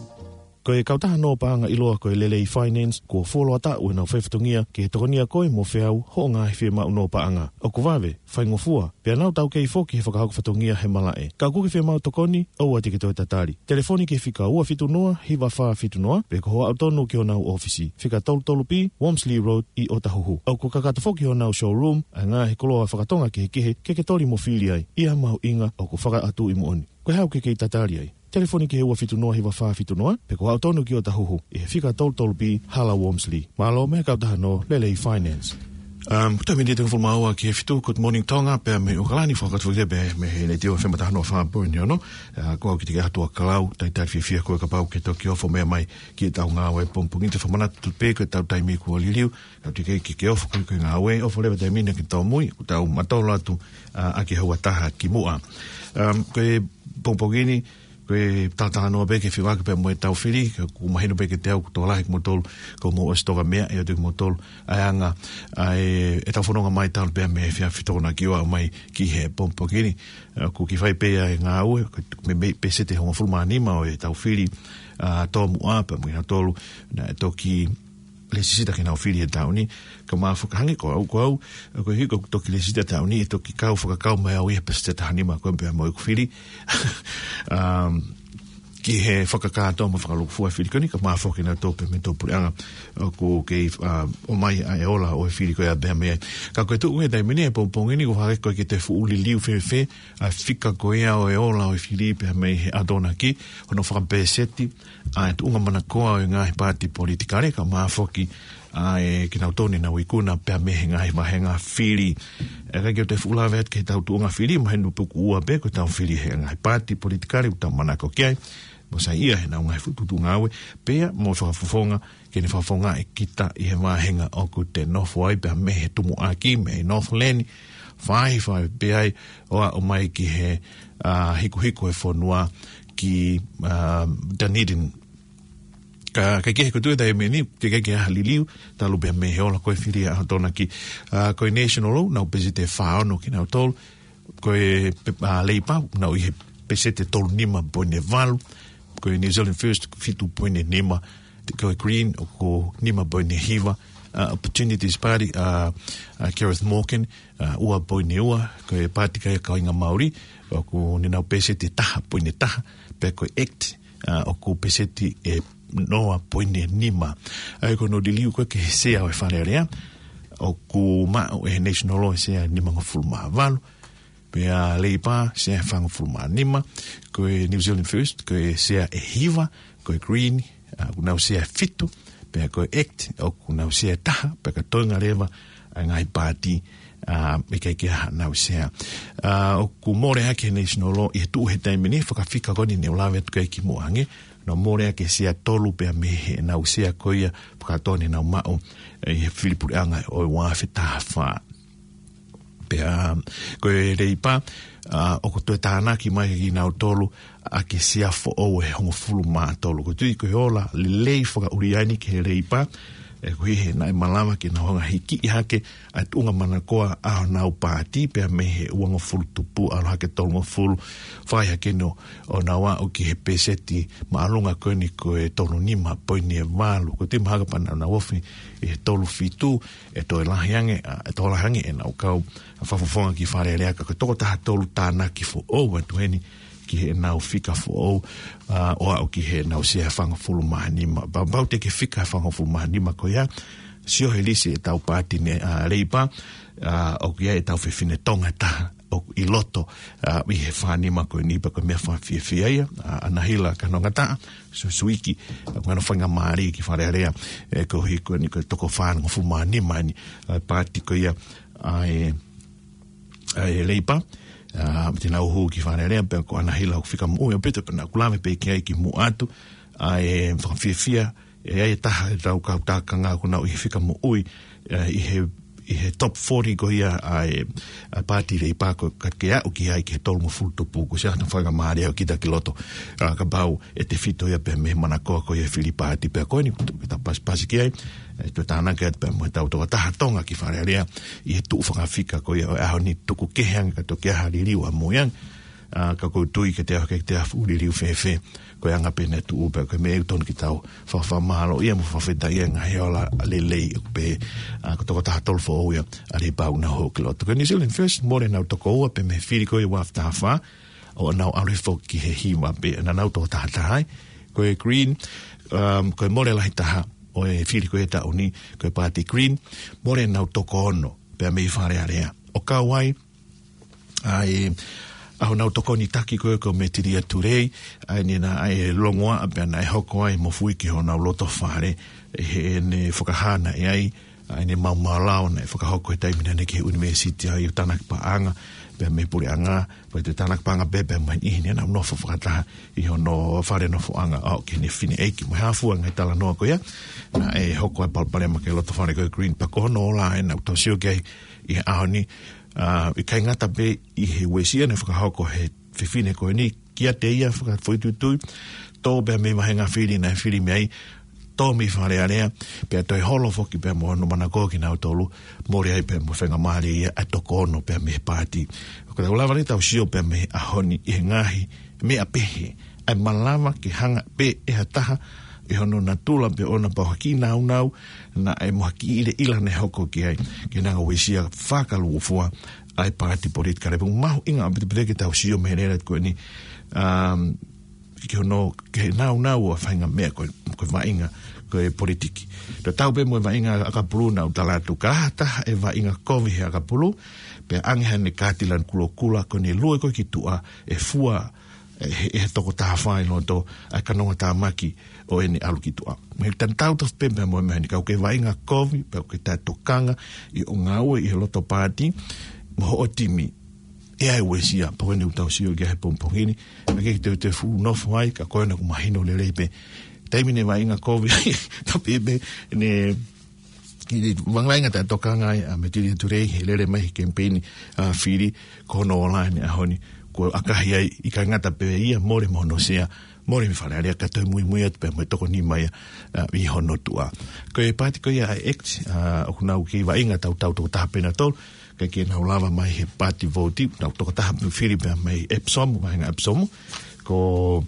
Ko e kautaha nō paʻanga ʻiloa ko e Lelei Finance, kuo fuoloa taʻu ʻenau faifatongia ke tokonia koe mo feau hoʻo ngaahi fiemaʻu nō paʻanga. ʻOku vave, faingofua, pea nau taukei foki he fakahoko fatongia he malaʻe. Ka ʻoku ke fiemaʻu tokoni, ʻoua te ke toe tatali. Telefoni ki he fika ua fitu noa, hiva fā fitu noa, pe ko hoʻo aʻu tonu ki honau ʻōfisi, fika tolu tolu B, Wormsley Road, ʻi ʻOtahuhu. ʻOku kakato foki honau showroom ʻa e ngaahi koloa fakatonga kehekehe ke ke toli mo fili ai. ʻI ha mahuʻinga ʻoku fakaʻatu ʻi muʻa ni. Ko e hā ʻoku ke kei tatali ai? Telefoni ki he ua fitu noa hiva fā fitu noa, pe ko hoʻo aʻu tonu ki ʻOtahuhu, ʻi he fika tolu tolu B Hala Wormsley. Mālō mei he kautaha nō Lelei Finance. Um, ko e taimi ni ʻe toko hongofulu mā ua ki he fitu, Good Morning Tonga, pea mei ʻAokalani, fakakātoa foki pē mei he Letiō F M taha noa fā poini ono, uh, ko au ki te ke hatua kalau, talitali fiefia koe kapau ʻoku ke toki ofo mai ki heʻetau ngāue he pongipongi ni. Te u fakamanatu pē ko ʻetau taimi kuo liliu, ka ʻoku teʻeki ke ke ofo koe ki he ngāue, ofo leva he taimi ni ke tau mui, kuo tau mātolo atu, uh, ʻaki e houa ʻe taha ki muʻa. Um, ko e pongipongi ni, ko e talatalanoa pē ke feʻofaʻaki pea mo ʻetau fili, ka ʻoku mahino pē kiate au ʻoku tokolahi kimoutolu, kuo mou ʻosi toka meʻa, ʻe ʻoatu kimoutolu ʻa e anga ʻa e, ʻetau fononga mai talu pē mei he efiafi Tokonaki ʻo aʻu mai ki he pongipongi ni. ʻOku kiʻi fai pē ʻa e ngāue, ko e, mei, mei he pēseti ʻe hongofulu mā nima ʻo ʻetau fili, ʻa, tōmuʻa pea mo kinautolu naʻe toki lēsisita ke nau fili he taʻu ni, ka māfo-, hangē ko au, ko au, ko e hiko ʻoku toki lēsisita he taʻu ni, ʻe toki kau fakakau mai au ia he pēseti ʻe taha nima ko ē pea mo ʻeku fili. Um, ki he fakakātoa mo fakalūkufua e fili ko eni, ka māfo-, kinautolu pē mei he tō puleʻanga ʻoku kei, uh, ʻomai ʻa e ola ʻo e fili ko ia pea mei ai. Ka ko e tuʻu he taimi ni he pongipongi ni, ʻoku ʻikai ke toe fuʻu liliu fēfē ʻa e fika ko ia ʻo e ola ʻo e fili pea mei he Atonaki, hono fakapēseti, ʻa e tuʻunga manakoa ʻo e ngaahi paati politikale, kae ʻumaʻā foki ʻa e kinautolu ne nau ikuna pea mei he ngaahi vāhenga fili. ʻE ʻikai ke u toe fuʻu lave atu ki heʻetau tuʻunga fili, mahino pē ʻoku ua pē ko ʻetau fili he ngaahi paati politikale ʻoku tau manako ki ai, mo saiʻia heʻenau ngaahi fuʻu tuʻutuʻuni ngāue, pea mo e fakafofonga ke ne fakafofongaʻi kita ʻi he vāhenga ʻoku te nofo ai pea mei he tumuʻaki, mei Northland, fai, fai pē ai, ʻo aʻu mai ki he, ʻa, hikuhiku e fonua ki, ʻa, Dunedin. Ka, ka ʻikai ke he ko e tuʻu he taimi ni, teʻeki ke ʻi ai ha liliu, talu pē mei he ola ko ē fili ʻa e Atonaki. ʻA, ko e National, nau pēseti ʻe fā ono kinautolu, ko e pe-, ʻa, Labour, nau ʻi he pēseti ʻe tolu nima poini valu, ko e New Zealand First, fitu poini nima, ko e Green, ʻoku nima poini hiva, ʻa, Opportunities Party, ʻa, ʻa Gareth Morgan, ʻa, ua poini ua, ko e Paati Kāinga Māori, ʻoku ne nau pēseti ʻe taha poini taha, pea ko e act, ʻa, ʻoku pēseti ʻe noa poini nima. ʻA ia ko hono liliu ko ē ki he sea ʻo e Fale Alea, ʻoku maʻu ʻe he National ʻa e sea ʻe nimangofulu mā valu, pea Labour sea ʻe fāngofulu mā nima, ko e New Zealand First, ko e sea ʻe hiva, ko e Green, ʻa, ʻoku nau sea ʻe fitu, pea ko e act, ʻoku nau sea ʻe taha, pea ka toenga leva ʻa e ngaahi paati, ʻa, ʻikai ke ʻi ai haʻanau sea. ʻA, ʻoku mole ʻaki ʻe he National ʻi he tuʻu he taimi ni, fakafika ko eni ne u lave atu ki ai kimuʻa ange, nau mole ʻaki e sea ʻe tolu pea mei heʻenau sea ko ia, fakatonu ʻenau maʻu, ʻi he fili puleʻanga ʻo e ua afe taha fā. Pea, ko e Labour, ʻa, ʻoku toe tānaki mai kinautolu ʻaki e sea foʻou ʻe hongofulu mā tolu. ʻOku ou tui ko e ola lelei fakaʻuli eni ki he Labour, ʻE koeʻuhi he naʻe malava ke nau hanga ʻo hikiʻi hake ʻa e tuʻunga manakoa ʻa honau paati pea mei he uangofulu tupu ʻo aʻu hake tolungofulu, fai hake ʻo nau aʻu ki he peseti māʻolunga ko eni ko e tolu nima poini ʻe valu. Ko e timi haka pea nau ofi ʻi he tolu fitu, ʻe toe lahi ange, ʻa, ʻe toe lahi ange ʻenau kau fakafofonga ki Fale Alea, ka ko e toko taha tolu tānaki foʻou atu eni ki heʻenau fika foʻou, ʻa, ʻo aʻu ki heʻenau sea ʻe fāngofulu mā nima. Pea, pea ʻoku teʻeki fika ʻe fāngofulu mā nima ko ia, sio he lisi ʻetau paati ni, ʻa, Leipa, ʻa, ʻoku ʻi ai ʻetau fefine Tonga ʻe taha ʻoku ʻi loto, ʻa, ʻi he fā nima ko eni, pea ko e meʻa fakafiefia ia, ʻa, ʻAnahila Kanongataʻa, Su-, Suiki, ʻa, ko hono faingamālie ki Fale Alea, ʻe koeʻuhi ko eni ko e toko fāngofulu mā nima eni, ʻa, paati ko ia, ʻa e, ʻa e Leipa, ʻa, te nau hū ki Fale Alea, pea ko ʻAnahila ʻoku fika moʻui ʻaupito, pea naʻa ku lave pē ki ai kimuʻa atu, ʻa e fakafiefia, ʻe ʻi ai e taha ʻetau kau tākanga ʻoku nau ʻi he fika moʻui, ʻa, ʻi he, ʻi he top forty ko ia ʻa e, ʻa e paati Leipa ko ka ke aʻu ki ai ki he tolungofulu tupu, kuo ʻosi ʻi ai hano faingamālie ʻo kita ki loto. ʻA, kapau ʻe tefito ia pea mei he manakoa ko ia e fili paati pea ko eni, ʻoku tau pasipasi ki ai, ʻe toe tānaki atu pea mo ʻetau toko taha Tonga ki Fale Alea, ʻi he tuʻu fakafika ko ia ʻo e ʻaho ni, tuku kehe ange ka toki ʻi ai ha liliu ʻamui ange, ʻa, ka ʻoku ou tui ke te afe, ke te afe ʻo liliu fēfē, ko e anga pē ʻene tuʻu pea ko e meʻa ʻoku totonu ke tau fakafakamālōʻia mo fakafetaʻia he ngaahi ola lelei pē, ʻa, ko e toko taha tolu foʻou ia ʻa Leipa ʻoku nau hū ki loto. Ko e New Zealand First, mole ʻenau toko ua pea mei he fili ko ia ʻa Tafā, ʻo nau ʻalu foki ki he hiva pē ʻenau toko taha taha ai. Ko e Green, um, ko e mole lahi taha ʻo e fili ko ia ʻo e taʻu ni, ko e paati Green, mole ʻenau toko ono pea mei Fale Alea. ʻO kau ai ʻa e, ʻa honau tokoni taki ko ē ko Metilia Tulei, ʻa ē naʻe longoaʻa pea naʻe hoko ai e mofuike ʻo honau loto fale, ʻi heʻene fakahā naʻe ʻi ai ʻa ʻene maumau lao naʻe fakahoko he taimi naʻa ne ki he ʻunivēsiti ai ʻo tānaki paʻanga pea mei he puleʻanga, pea toe tānaki paʻanga pē pea mei he niʻihi naʻa nau nofo fakataha ʻi hono fale nofoʻanga ʻo aʻu ki heʻene fineʻeiki. Mo e hā fua e ngaahi talanoa ko ia, naʻe hoko ai e palopalema ki he loto fale ko e Green, pea ko hono ola ʻena ʻoku tau sio ki ai ʻi he ʻaho ni, ʻa, ʻikai ngata pē ʻi he uesia naʻe fakahoko ʻe he fefine ko eni kiate ia fakafoʻituitui, tō pea mei he vāhenga fili naʻe fili mei ai, tō mei Fale Alea, pea toe holo foki pea mo hono manakoa kinautolu, mole ai pea mo e faingamālie ia ʻa e toko ono pea mei he paati. ʻOku tau lava leva ʻetau sio pea mei he ʻaho ni ʻi he ngaahi meʻa pehē, ʻa e malava ke hanga pē ʻe ha taha ʻi hono natula pē ʻoʻona pea ʻi ha kiʻi nāunau naʻe mo ha kiʻi ʻilaʻila naʻe hoko ki ai, ke ne hanga ʻo uesia fakalūkufua ʻa e paati politikale. Pea ʻoku mahuʻinga ʻaupito pē ke tau sio mei he lēleti ko eni, um, ki hono, ki he nāunau ʻo e faʻahinga meʻa ko e, ko e vaʻinga ko e politiki. Tau tatau pē mo e vaʻinga ʻakapulu naʻa ku tala atu, ka ʻi ai ha taha ʻe vaʻinga kovi he ʻakapulu, pea ʻange haʻane kaati lanu kulokula ko ʻene lue ko ē ki tuʻa, ʻe fua ʻe he, ʻe he toko taha fā ʻi loto ʻa e kanongatāmaki ʻo ʻene ʻalu ki tuʻa. Mei he tatau tofu pē pea mo e meʻa ni, kapau ʻoku ke vaʻinga kovi, pea ʻoku ke taʻetokanga ʻi hoʻo ngāue ʻi he loto paati mo hoʻo timi, ʻe ʻi ai e uesia, pea ko eni ʻoku tau sio ki ai he pongipongi ni, ʻa ia ke te, te fuʻu nofo ai, ka ko ena ʻoku mahino lelei pē. Taimi naʻe vaʻinga kovi ai, ka pehē pē, naʻe, ki he vaʻinga taʻetokanga ai ʻa Metilia Tulei he lele mai he kemipeini, ʻa, fili, ko hono ola ʻi he ʻaho ni, kuo ʻakahi ai, ʻikai ngata pē ia, mole mo hono sea, mole mei Fale Alea, ka toe muimui atu pea mo e toko nima ia, ʻa, ʻi hono tuʻa. Ko e paati ko ia ʻa e ACT, ʻa, ʻoku nau kei vaʻinga tautau toko taha pē ʻe nautolu, ʻikai ke nau lava mai he paati vouti, nau toko taha pē fili pea mei Epsom, vāhenga Epsom, ko,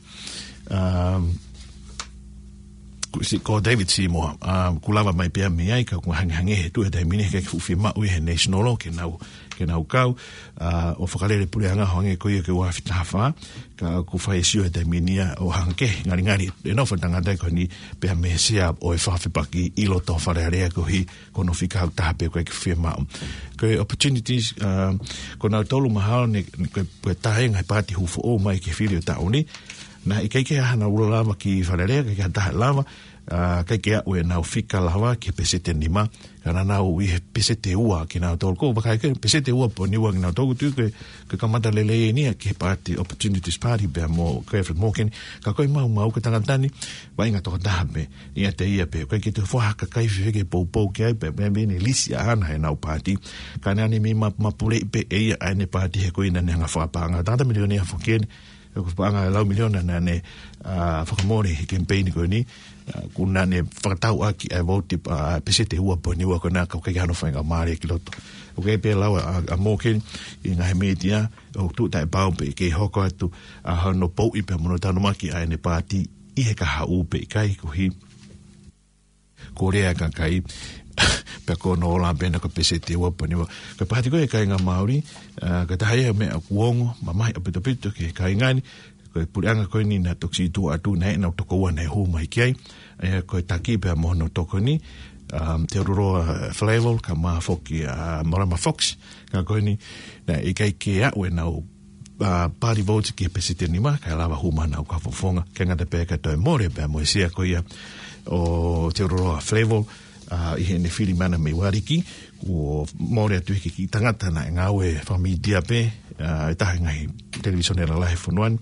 um, ko si-, ko David Seymour, um, kuo lava mai pē ia mei ai, ka ʻoku hangehangē he tuʻu he taimi ni, he ʻikai ke fuʻu fiemaʻu ia ʻe he National ke nau, ke nau kau, ʻa, ʻo fakalele puleʻanga hangē ko ia ki he ua afe taha fā, ka ʻoku fai e sio he taimi ni ia ʻo hangē ngalingali ʻe nofo e tangata ko eni pea mei he sea ʻo e fakafepaki ʻi loto Fale Alea koeʻuhi ko hono fika ʻe taha pē ʻoku ʻikai ke fiemaʻu. Ko e opportunities, ʻa, ko nautolu mahalo ne, ko e, ko e taha ia e ngaahi paati hū foʻou mai ki he fili ʻo e taʻu ni, naʻe ʻikai ke ʻi ai hanau lava ki Fale Alea, ʻikai ke ʻi ai ha taha lava, ʻa, ʻikai ke aʻu ʻenau fika lava ki he peseti ʻe nima, ka naʻa nau ʻi he peseti ʻe ua kinautolu. Ko e vakai ko e peseti ʻe ua poini ua kinautolu, ʻoku ou tui ko e, ko e kamata lelei eni ia ki he paati Opportunities Party pea mo Clifford Morgan, ka ko e maumau ko e tangata ni, vaʻinga toko taha pē, ʻiate ia pē, ʻikai ke toe fua ha kakai fefeka ke poupou ki ai pea, pea mei he lisi ʻaʻana heʻenau paati, ka naʻa ne meimei ma-, mapuleʻi pē ʻe ia ʻa ʻene paati he ko ia naʻa ne hanga ʻo fakapaʻanga. Tangata milionea foki eni, ʻOku paʻanga lau miliona naʻa ne, ʻa, fakamole he kemipeini ko eni, ʻa, ʻoku naʻa ne fakatau ʻaki ʻa e vouti, ʻa, peseti ua poini ua ko ena ka ʻoku ʻikai hano faingamālie ki loto. ʻOku ʻikai pē lau ʻa, ʻa Morgan ʻi he ngaahi mītia, ʻoku tuʻu taʻepau pe ʻe kei hoko atu ʻa hono pouʻi pea mo hono tanumaki ʻa ʻene paati ʻi he kahaʻu pe ʻikai koeʻuhi ko e lea ʻa e kakai, pea ko hono ola pē ena ko e peseti ua poini ua. Ko e paati ko ē ʻa e kāinga Māori, ʻa, ko e taha ia e meʻa ʻoku ongo mamahi ʻaupito ki he kāinga ni, ko e puleʻanga ko eni naʻe toki situʻa atu naʻe ʻi ai ʻenau tokoua naʻe hū mai ki ai, ʻa ia ko e taki pea mo hono tokoni, um, Teodoro, ʻa, Flavell, kae ʻumaʻā foki, ʻa, Morama Fox, ka ko eni naʻe ʻikai ke aʻu ʻenau, ʻa, party vote ki he peseti ʻe nima, kae lava hū mai ʻenau kau fakafofonga, ʻikai ngata pē kae toe mole pē mo e sea ko ia ʻo Teodoro Flavell, ʻa, ʻi heʻene fili mai ʻana mei Uariki, kuo mole atu ʻi he kiʻi tangata naʻe ngāue fakamītia pē, ʻa, ʻi he taha e ngaahi televīsone lalahi he fonua ni,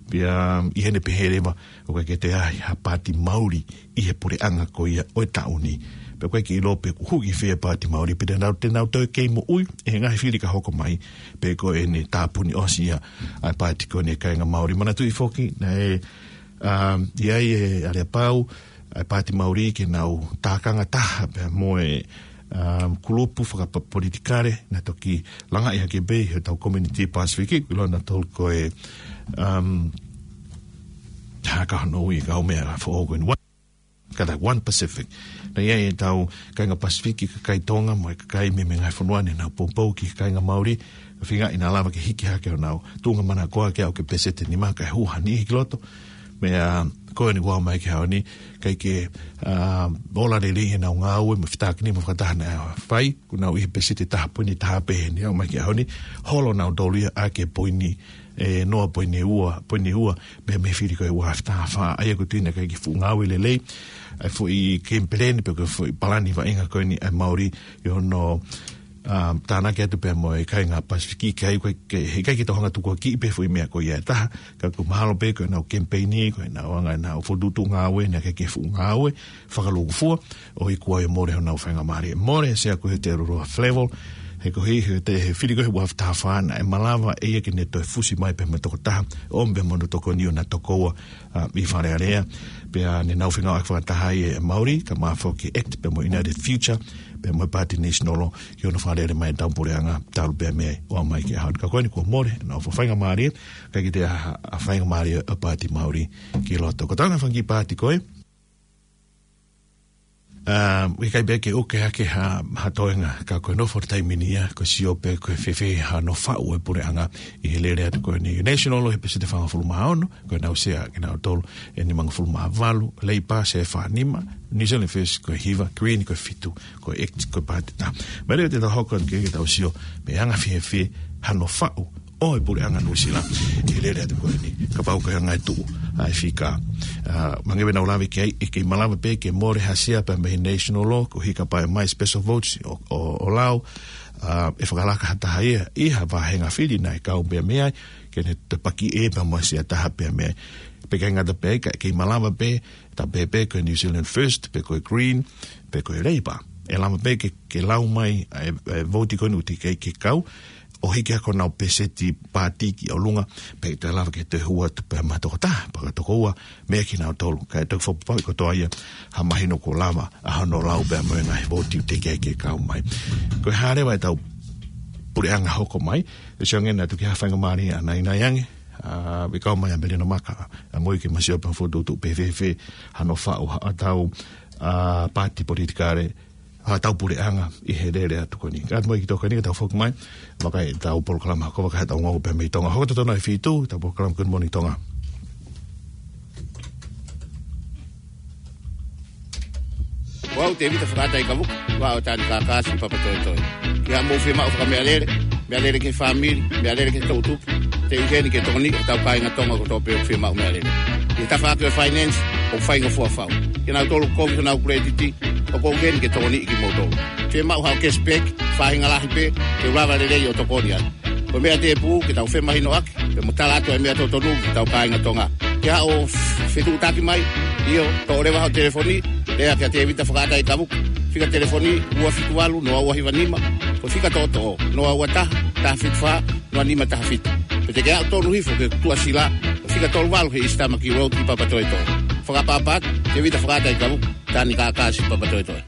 pea ʻi heʻene pehē leva ʻoku ʻikai ke toe ʻi ai ha paati Māori ʻi he puleʻanga ko ia ʻo e taʻu ni. Pea ʻoku ʻikai ke ʻilo pe kuo hū ki fē e paati Māori, pe te nau, te nau toe kei moʻui ʻi he ngaahi fili ka hoko mai, pe ko ʻene tāpuni ʻosi ia ʻa e paati ko eni ʻa e kāinga Māori. Manatuʻi foki, naʻe, um, ʻi ai e aleapau ʻa e paati Māori ke nau tākanga taha pea mo e, um, kulupu fakapolitikale naʻe toki langaʻi hake pē ʻi hotau community Pasifiki, ʻoku ʻiloa nautolu ko e, um, hā ka hono ui, kau meʻa foʻou ko eni, One, ka ta One Pacific. Naʻe ʻi ai ʻetau kāinga Pasifiki, kakai Tonga mo e kakai mei he ngaahi fonua ni naʻa nau poupou ki he kāinga Māori, feinga ʻenau lava ke hiki hake honau tuʻunga manakoa ke aʻu ki he peseti ʻe nima kae hū ha niʻihi ki loto. Meʻa ko eni kuo aʻu mai ki he ʻaho ni, ʻikai ke, ʻa, ola lelei ʻenau ngāue mo e fetaulaki ni mo e fakataha naʻe fai, kuo nau ʻi he peseti ʻe taha poini taha pē heni aʻu mai ki he ʻaho ni, holo nautolu ia ʻaki e poini ʻe noa poini ua, poini ua, mei he, mei he fili ko ē ua afe taha fā, ʻa ia ʻoku ou tui naʻe ʻikai ke fuʻu ngāue lelei ʻa e foʻi game plan pe ko e foʻi palani vaʻinga ko eni ʻa e Māori ʻi hono, ʻa, tānaki atu pea mo e kāinga Pasifiki, ʻikai ke, ke, he ʻikai ke tau hanga tukuakiʻi pē foʻi meʻa ko ia ʻe taha, ka ʻoku mahalo pē ko ʻenau kemipeini, ko ʻenau anga ʻenau fokotuʻutuʻu ngāue, naʻe ʻikai ke fuʻu ngāue fakalūkufua, ʻo ʻikai ke mole honau faingamālie. Mole e sea ko ē ʻo Teodoro Flavell, he koeʻuhi he te, he fili ko ē ua afe taha fā naʻe malava ʻe ia ke ne toe fusi mai pea mo e tokotaha, ʻo ʻomi pea mo hono tokoni ʻo na tokoua, ʻa, ʻi Fale Alea, pea ne nau fengāueʻaki fakataha ai e Māori, kae ʻumaʻā foki e ACT pea mo e United Future, pea mo e Paati National, ki hono fakalele mai ʻetau puleʻanga, talu pē mei ai ʻo aʻu mai ki he ʻaho ni. Ka ko eni kuo mole honau faingamālie, ʻikai ke toe ʻi ai ha, ha faingamālie ʻa e paati Māori ki loto. Ko e taha e fanga kiʻi paati ko ē, ʻa, ʻikai pē ke ʻuke hake ha, ha toenga, ka ko e nofo ʻo e taimi ni ia, ko e sio pē ko e fēfē hano faʻu e puleʻanga ʻi he lele atu ko eni National ʻi he peseti ʻe fāngofulu mā ono, ko ʻenau sea kinautolu ʻe nimangofulu mā valu, Labour sea ʻe fā nima, New Zealand First ko e hiva, Green ko e fitu, ko e ACT ko e paati ʻe taha. Meʻa leva te tau hoko atu ki ai ke tau sio, meʻa anga fēfē hano faʻu ʻo e puleʻanga Nuʻusila ʻi he lele atu ko eni, kapau ko e anga e tuʻu ʻa e fika. ʻA, mangi pē ʻenau lave ki ai, ʻe kei malava pē ke mole ha sea pea mei he National, koeʻuhi kapau ʻe ʻomai special votes ʻo, ʻo, ʻo lau, ʻa, ʻe fakalaka ha taha ia ʻi ha vāhenga fili naʻe kau pē mei ai, ke ne toe paki ʻe pea mo ha sea ʻe taha pea mei ai. Pea ʻikai ngata pē ai, ka ʻe kei malava pē, tā pē pe ko e New Zealand First, pe ko e Green, pe ko e Labour, ʻe lava pē ke, ke lau mai ʻa e, ʻa e vouti ko eni ʻoku teʻeki ai ke kau, ʻo hiki hake honau peseti paati ki ʻolunga, pea ʻe toe lava ke toe hū atu pea mo ha tokotaha pe ko ha tokoua mei ai kinautolu, kae toki fakapapauʻi kotoa ia ha mahino kuo lava ʻa hono lau pea mo e ngaahi vouti ʻoku teʻeki ai ke kau mai. Ko e hā leva ʻetau puleʻanga hoko mai, ʻe sio ange naʻa tuku ha faingamālie ʻanainai ange, ʻa, ʻe kau mai ʻa Melino Maka, ʻa, mo ia ke ma sio pea fokotuʻutuʻu pe fēfē hano faʻu ʻa hotau, ʻa, paati politikale, ʻa hotau puleʻanga ʻi he lele atu ko eni. Ka ʻoatu mo e kiʻi tokoni ka tau foki mai, vakai ʻetau polokalama ko e Vakai Haʻatau Ongoongo pea mei Tonga. Hoko totonu e fitu, ʻetau polokalama Good Morning Tonga. Ko au Tēvita Fakaʻata ʻIkavuka, ua ʻo Tani Kākā, Siʻi Papatoetoe. Ke ʻi ai haʻamou fiemaʻu fakameʻalele, meʻalele ki he fāmili, meʻalele ki he toʻutupu, te u ʻi heni ke tokoniʻi hotau kāinga Tonga kotoa pē ʻoku fiemaʻu meʻalele. ʻI he tafaʻaki ʻo e finance, ʻoku faingofua fau. Kinautolu ʻoku kovi honau kuletiti, ʻoku ou ʻi heni ke tokoniʻi kimoutolu. Fiemaʻu haʻo cashback, faʻahinga lahi pē, te u lava lelei ʻo tokoni atu. Ko e meʻa tēpū, ke tau femahinoʻaki, pea mo tala atu e meʻa totonu ki hotau kāinga Tonga. Ke haʻu ʻo fetuʻutaki mai, ʻio, toʻo leva hoʻo telefoni, lea kia Tēvita Fakaʻata ʻIkavuka. Fika telefoni, ua fitu valu, noa ua hiva nima, ko e fika toʻotoʻo, noa ua taha, taha fitu fā, noa nima taha fitu. Pe Te ke aʻu tonu hifo ki he tuʻasila, fika tolu valu he East Tamaki Road ʻi Papatoetoe. Fakaʻapaʻapa atu, Tevita Fakaʻataʻeikalu, Tani Kākasi Papatoetoe.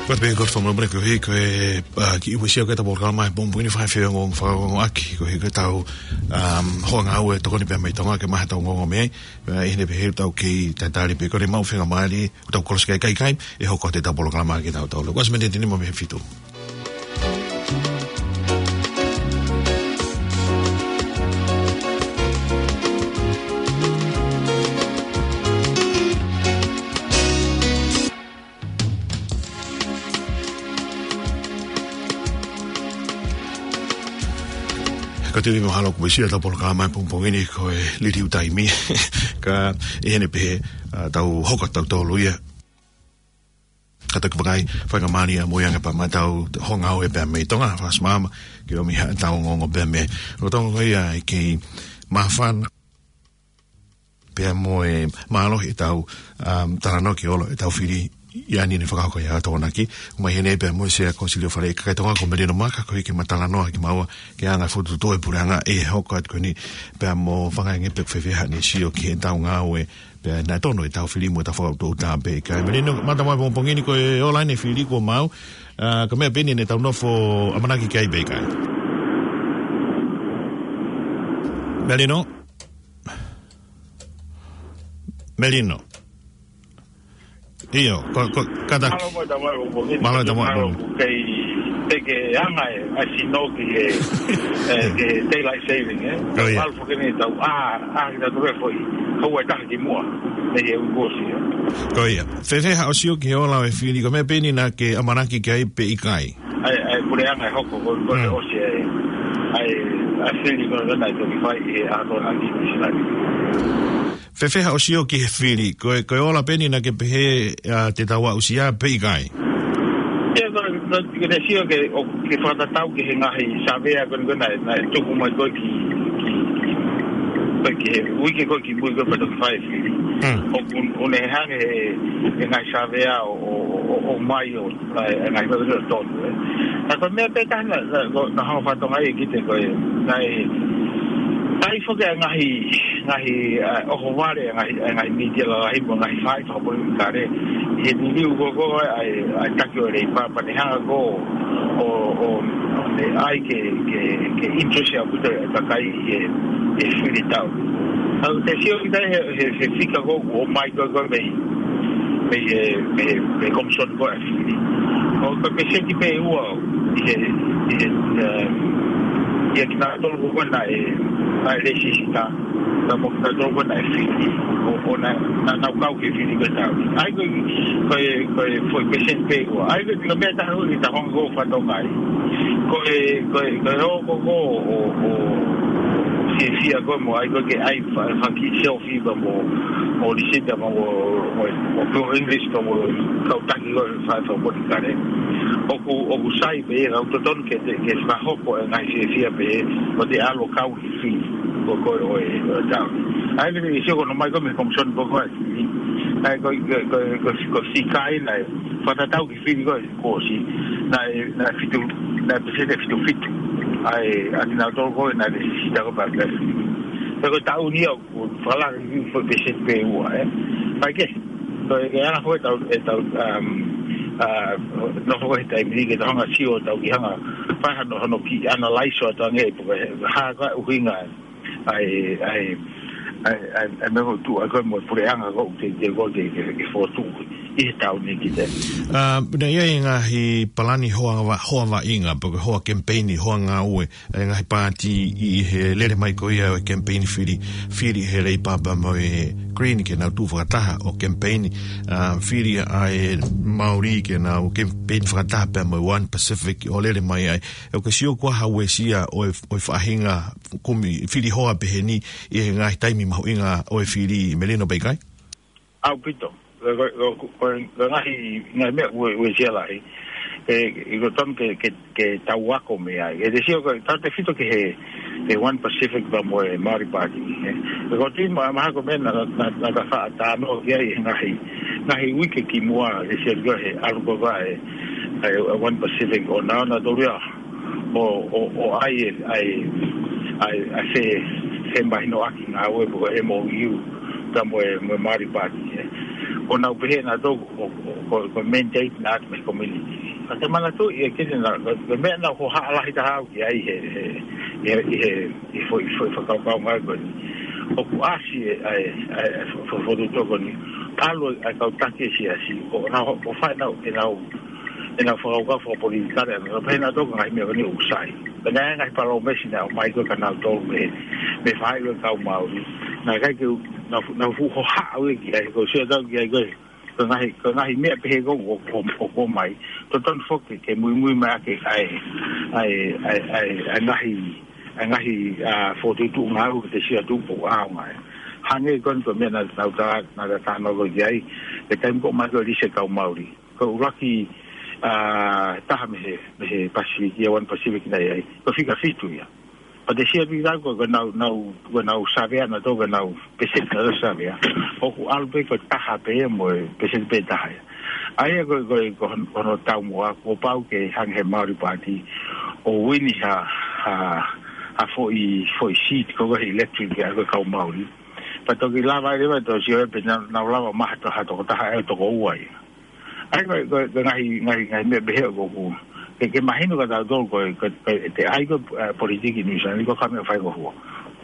Ko e pē ko e fakamolemole koeʻuhi ko e, ā, kiʻi uesia ko e ʻetau polokalama he pongipongi ni, fai feongo fakaongoongoaki koeʻuhi ko ʻetau, um, hoa ngāue tokoni pē mei Tonga ke maʻu haʻatau ongoongo mei ai. Ā, ʻi heʻene pehē ʻoku tau kei tatali pē ko ʻene maʻu faingamālie ʻo tau kolosi ki he kakai, ʻe hoko atu ʻetau polokalama kitautolu. Ko e miniti nima mei he fitu. Ka te ui mahalo ko e sia tau polokalama e pongipongi ni ko e liliu taimi. Ka ʻi heʻene pehē, ʻa, tau hoko atu tautolu ia. Ka toki vakai, faingamālie ia mo e anga pē ʻetau houngaʻia pē mei Tonga, fakasimama, ke ʻomi haʻatau ongoongo pē mei loto, ko ia ʻe kei māfana pea mo e mālohi ʻetau, um, talanoa ki he ola ʻetau fili ʻi he ʻaho ni, ne fakahoko ʻe he Tokonaki. Mai heni pea mo e Sea Kōsilio Fale, kakai Tonga, ko Melino Maka, ko e kei ma talanoa kimaua ki he anga e fokotuʻutuʻu e puleʻanga ʻi he hoko atu ko eni, pea mo fakaʻaongaʻi pē ko fē fē haʻane sio ki heʻetau ngāue, pea naʻe tonu ʻetau fili mo ʻetau fakaʻutoʻuta pē ʻikai. Melino, mālō e pongipongi ni, ko e ola ʻeni e fili kuo maʻu, ʻa, ko e meʻa pē ʻeni ne tau nofo ʻamanaki ki ai pē ʻikai. Melino? Melino. ʻIo, ko, ko, kātaki. Mālō mo e tau mai o ko. Mālō e tau mai. Mālō, kei te ke anga e, ʻa e sino ki he, ʻe, ki he daylight saving, ē? Ko ia. Mālō foki ʻeni tau, ʻa, ʻa, ki tau tuku e foʻi, kau e taha ki muʻa, ʻi he uike kuo ʻosi, ē? Ko ia. Fēfē haʻo sio ki he ola ʻo e fili, ko e meʻa pē ʻeni naʻa ke ʻamanaki ki ai pē ʻikai? ʻA e, ʻa e puleʻanga ʻe hoko, ko, ko e Mm. ʻosi ʻa e, ʻa e, ʻa e fili ko ē naʻe toki fai ʻi he ʻaho Tokonaki ʻi Nuʻusila ni. Fēfē haʻo sio ki he fili, ko e, ko e ola pē ʻeni naʻa ke pehē, ʻa, te tau aʻusia pē ʻikai? ʻIa, ko, ko, ko e sio ke, ʻo, ke fakatatau ki he ngaahi savea ko ē naʻe, naʻe tuku mai ko ē ki, ki, ki, ko e ki he uike ko ē kimui ko ē pea toki fai e fili. Mm. ʻOku, ʻoku ne hanga ʻe he, he ngaahi savea ʻo, ʻo, ʻo, ʻo, ʻomai ʻo, ʻa e, ʻa e ngaahi meʻa ʻoku tonu, ē. Ka ko e meʻa pē taha naʻa, naʻa, naʻa, naʻa hanga ʻe he Tokonaki ʻo kiʻi te ko e, naʻe, naʻe ʻi ai foki e ngaahi, ngaahi, ʻa, ʻohovale, ngaahi, ʻa e ngaahi mītia lalahi mo e ngaahi faʻahi fakapolitikale. ʻI he liliu ko ē ko ē ʻa e, ʻa e taki ʻo e Leipa, pea ne hanga ko ē ʻo, ʻo, ʻo ne ʻai ke, ke, ke interest ʻaupito e kakai ʻi he, he fili tau. ʻOku te sio ki ai he, he, he fika ko ē ʻoku ʻomai ko ē ko ē mei, mei he, mei he, mei he Komisoni ko ē ʻa e Fili. ʻOku ko e peseti pē ʻe ua ʻi he, ʻi he, ʻa, ʻia kinautolu ko ē naʻe, naʻe lēsisita, pea mo kinautolu ko ē naʻe fili, ʻo, ʻo naʻa, naʻa nau kau ki he fili ko ē tau. ʻA ia ko e, ko e, ko e foʻi peseti pē ʻe ua. ʻA ia ko e, ko e meʻa taha ʻoku tau hanga ko ē ʻo fakatokangaʻi. Ko e, ko e, ko e ʻoku ko ē ʻo, ʻo, fiefia ko ē mo ʻai ko ē ke ʻai fa-, faki selfie pea mo, mo lisita pea mo, mo, mo ko English pea mo kau taki ko ē faʻahi fakapolitikale. ʻOku, ʻoku sai pē ia, ʻoku totonu ke te, ke fakahoko e ngaahi fiefia pehē, ʻo te ʻalu ʻo kau ki he fili ko ē ʻo e, ʻo e tau. ʻA ia ko e sio ko ē naʻe ʻomai ko ē mei he Komisoni ko ē ʻa e Fili. ʻA ia ko e, ko e, ko e, ko e, ko e fika ia naʻe fakatatau ki he fili ko ē kuo ʻosi. Naʻe, naʻe fitu, naʻe peseti ʻe fitu fitu ʻa e, ʻa kinautolu ko ē naʻe lēsisita ko ē pea, pea fili. Pea ko e taʻu ni ʻoku fakalaka ki he foʻi peseti pē ʻe ua, ē. Pea ke, ko e, ko e anga ko ē ʻetau, ʻetau, um, ʻa, nofo ko ē he taimi ni ke tau hanga ʻo sio, tau kiʻi hanga ʻo fai hano, hano kiʻi analyze ʻo atu ange pe ko e hā ko ā e ʻuhinga ʻa e, ʻa e, ʻa e, ʻa e, ʻa e meʻa ʻoku tuʻu ai ko ē mo e puleʻanga ko ē ʻoku teuteu ko ē ke, ke, ke fokotuʻu ʻi he taʻu ni ki he taimi. ʻA, naʻe ʻi ai e ngaahi palani hoa va-, hoa vaʻinga, pe ko e hoa kemipeini, hoa ngāue, e ngaahi paati ʻi he lele mai ko ia ʻo e kemipeini fili, fili ʻe he Leipa pea mo e Green ke nau tuʻu fakataha ʻo kemipeini, ʻa, fili ʻa e Māori ke nau kemipeini fakataha pea mo e One Pacific ʻo lele mai ai. ʻOku ke sio ko e hā e uesia ʻo e, ʻo e faʻahinga kumi fili hoa pehē ni ʻi he ngaahi taimi mahuʻinga ʻo e fili, Melino, pe ʻikai? ʻAupito. Ko, ko, ko, ko, ko e ngaahi, ngaahi meʻa ue, uesia lahi. ʻE, ʻe ko e tonu ke, ke, ke tau ako mei ai. ʻE te sio ko e, tautefito ki he, he One Pacific pea mo e Māori Paati, ē. ʻE ko e tui ma-, mahalo ko e meʻa naʻa, naʻa, naʻa ta faʻa talanoa ki ai he ngaahi, ngaahi uike kimuʻa, ʻe sio ko ē he ʻalu ko ē ʻa e, ʻa e One Pacific ʻo nau, nautolu ia ʻo, ʻo, ʻo ʻai e, ʻai, ʻai, ʻai e fe-, femahinoʻaki ngāue pe ko e M O U pea mo e, mo e Māori Paati, ē. ʻO nau pehē nautolu ko, ko, ko, ko e mandate naʻe ʻoatu mei he community. Ka te manatuʻi ʻe kete naʻa, ko e, ko e meʻa naʻe hohaʻa lahi taha au ki ai he, he, he, he, he foʻi, foʻi fakakaukau ngāue ko eni. ʻOku ʻasi e, ʻa e, ʻa e, ʻa e fo-, fo-, fokotuʻutuʻu ko eni. ʻAlu e kau taki e siasi, ʻo nau, ʻo fai nau, ʻenau, ʻenau fakakaukau fakapolitikale, ʻa e, pehē nautolu ko e ngaahi meʻa ko eni ʻoku sai. Pea naʻe ngaahi palōmesi naʻe ʻomai ko ē kia nautolu mei, mei he faʻahi ʻo e kau Māori. Naʻe ʻikai ke, naʻa, naʻa fuʻu hohaʻa au ia ki ai, ko e sio atu au ki ai ko e, ko e ngaahi, ko e ngaahi meʻa pehē ko ē ʻoku, ʻoku, ʻoku ʻomai. Totonu foki ke muimui mai ʻaki ʻa e, ʻa e, ʻa e, ʻa e, ʻa e ngaahi ʻa e ngaahi, ā, fokotuʻutuʻu ngāue ke te sio atu ʻoku ʻaonga ē. Hangē ko eni ko e meʻa naʻa, naʻa ta, naʻa ta talanoa ki ai, he taimi ko ē ʻomai ko ē e lisi e kau Maori. Ko e ʻuluaki, ā, taha mei he, mei he Pasifiki, ʻa e One Pacific naʻe ʻi ai. Ko e fika fitu ia. Pea te sio atu ki ai ko e, ko ʻenau, nau, ko ʻenau savea naʻe tō, ko ʻenau peseti naʻe savea. ʻOku ʻalu pē ko e taha pē ia mo e peseti pē taha ia. ʻA ia ko e, ko e, ko hono, ko hono taumuʻa, kuo pau ke hangē he Maori Party ʻo uini ha, ha, ha foʻi, foʻi seat ko e electorate ia ko e kau Maori. Pea toki lava ai leva ʻo sio ai pe naʻa nau lava ʻo maʻu ha to-, ha tokotaha ʻe toko ua ia. ʻA ia ko e, ko e, ko e ngaahi, ngaahi, ngaahi meʻa pehē ʻoku, ke, ke mahino kia tautolu ko e, ko e, ko e, te ai ko e, ā, politiki Nuʻu Sila ni ko e meʻa faingofua.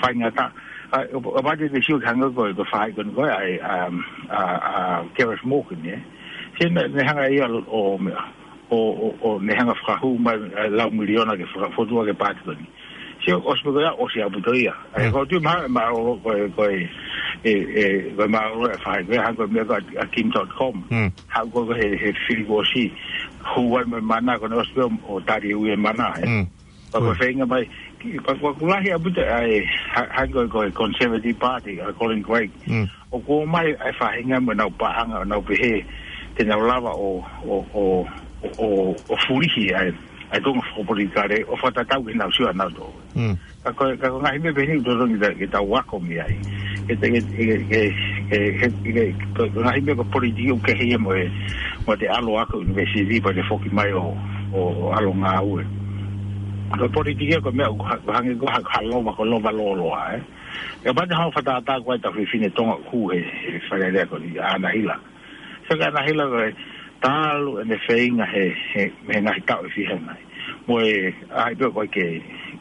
Faingataʻa, ā, ʻo, ʻo pati te sio ki he hangē ko e, ko e faʻahi ko eni ko ē ʻa e, ā, ā, ā, Gareth Morgan, ē. Sio naʻe, naʻe hanga ia ʻo, ʻo meʻa, ʻo, ʻo, ʻo ne hanga fakahū mai, ā, lau miliona ke faka-, fokotuʻu ʻaki e paati ko eni. Sio, ʻosi pē ko ia, ʻosi ʻaupito ia. ʻA ia, Mm. ko e tuʻu mai, mālōlō ko e, ko e, ē, ē, ko e mālōlō e faʻahi, ko e hangē ko e meʻa ko ē ʻa Kim dot com. Mm. Haʻu ko ē he, he fili kuo ʻosi, hū ai mo e mana, ko ʻene ʻosi pē ʻo tali e ui e mana, ē. Mm. Pea ko e Ko e. feinga mai, ki, pea ko e ʻoku lahi ʻaupito ʻa e, ha-, hangē ko e, ko e Conservative Party, ʻa Colin Craig. Mm. ʻOku ʻomai ʻa e faʻahinga mo ʻenau paʻanga, ʻenau pehē, te nau lava ʻo, ʻo, ʻo, ʻo, ʻo, ʻo fulihi ʻa e, ʻa e tuʻunga fakapolitikale, ʻo fakatatau ki heʻenau sio ʻanautolu. Mm. Ka ko e, ka ko e ngaahi meʻa pehē ni ʻoku totonu ke ta, ke tau ako mei ai. Ke te, ke, ke, ke, ke, ke, ke, ko e ngaahi meʻa ko e politiki ʻoku kehe ia mo e, mo e te ʻalu ʻo ako university pea te foki mai ʻo, ʻo, ʻo ʻalu ʻo ngāue. Ko e politiki ia ko e meʻa ʻoku ha-, hangē ko ha, ha lova, ko e lova lōloa, ē. Kapau te hao fakatātā ko ē ʻetau fefine Tonga ʻoku hū he, he Fale Alea ko eni, ʻa ʻAnahila. Sio kia ʻAnahila ko e talu ʻene feinga he, he, he ngaahi taʻu ʻe fiha nai. Mo e, ʻai pē ko e ke,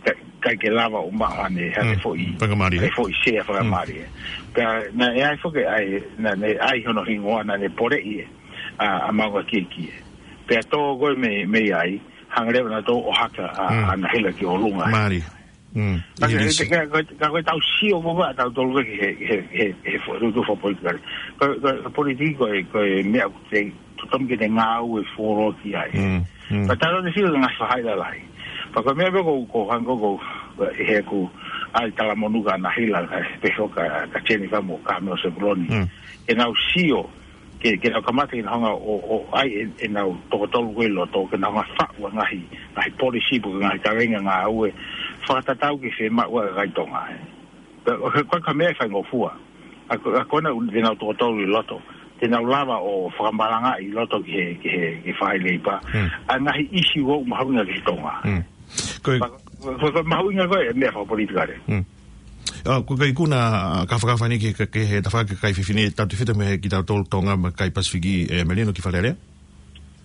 ka, ʻikai ke lava ʻo maʻu haʻane, haʻane Mm. foʻi, Faingamālie. haʻane foʻi sea Mm. faingamālie. Pea naʻe ʻi ai foki ʻa e, naʻa ne ʻai hono hingoa naʻa ne poleʻi ē, ʻa, ʻa Maungakiekie. Pea tō ko ē mei, mei ai, hanga leva nautolu ʻo haka ʻa, Mm. ʻa ʻAnahila ki ʻolunga. Mālie. Mm. Ka Easy ko e, peasy. ka, ka, ka ko ʻetau sio ko ē ʻatautolu ki he, he, he, he fo-, tuʻunga fakapolitikale. Ka, ka, ka politiki ko e, ko e meʻa ʻoku te, totonu ke te ngāue fuoloa ki ai. Mm, mm. Ka talo te sio ki he ngaahi faʻahi lalahi. Pea ko e meʻa pē ko, ko hangē ko, ko, he ʻoku ʻai talamonū kia ʻAnahila, ka pehē kia, kia Jennifer mo Carmel Sepuloni. Mm. Ke nau sio, ke, ke nau kamata ke nau hanga ʻo, ʻo ʻai ʻe, ʻenau toko tolu ko ē ʻi loto, ke nau hanga faʻu ʻa e ngaahi, ngaahi policy pe ko e ngaahi kaveinga ngāue, fakatatau ki he fiemaʻu ʻa e kakai Tonga, ē. Ko, ko, ko e meʻa faingofua. ʻA ko, ʻa ko ena ʻoku te nau toko tolu ʻi loto. Te nau lava ʻo fakamalangaʻi ʻi loto ki he, ki he, ki he faʻahi Leipa. Hmm. ʻA e ngaahi ʻisiū ʻoku mahuʻinga ki he Tonga. Hmm. Ko e Pea, ko, ko, ko e mahuʻinga ko ē e meʻa fakapolitikale. Hmm. ʻA, ko e ikuna, ʻa, ka fakafani ki, ki, ki he tafaʻaki kakai fefine, tautefito mei he kitautolu Tonga mo e kakai Pasifiki, ē, Melino ki Fale Alea?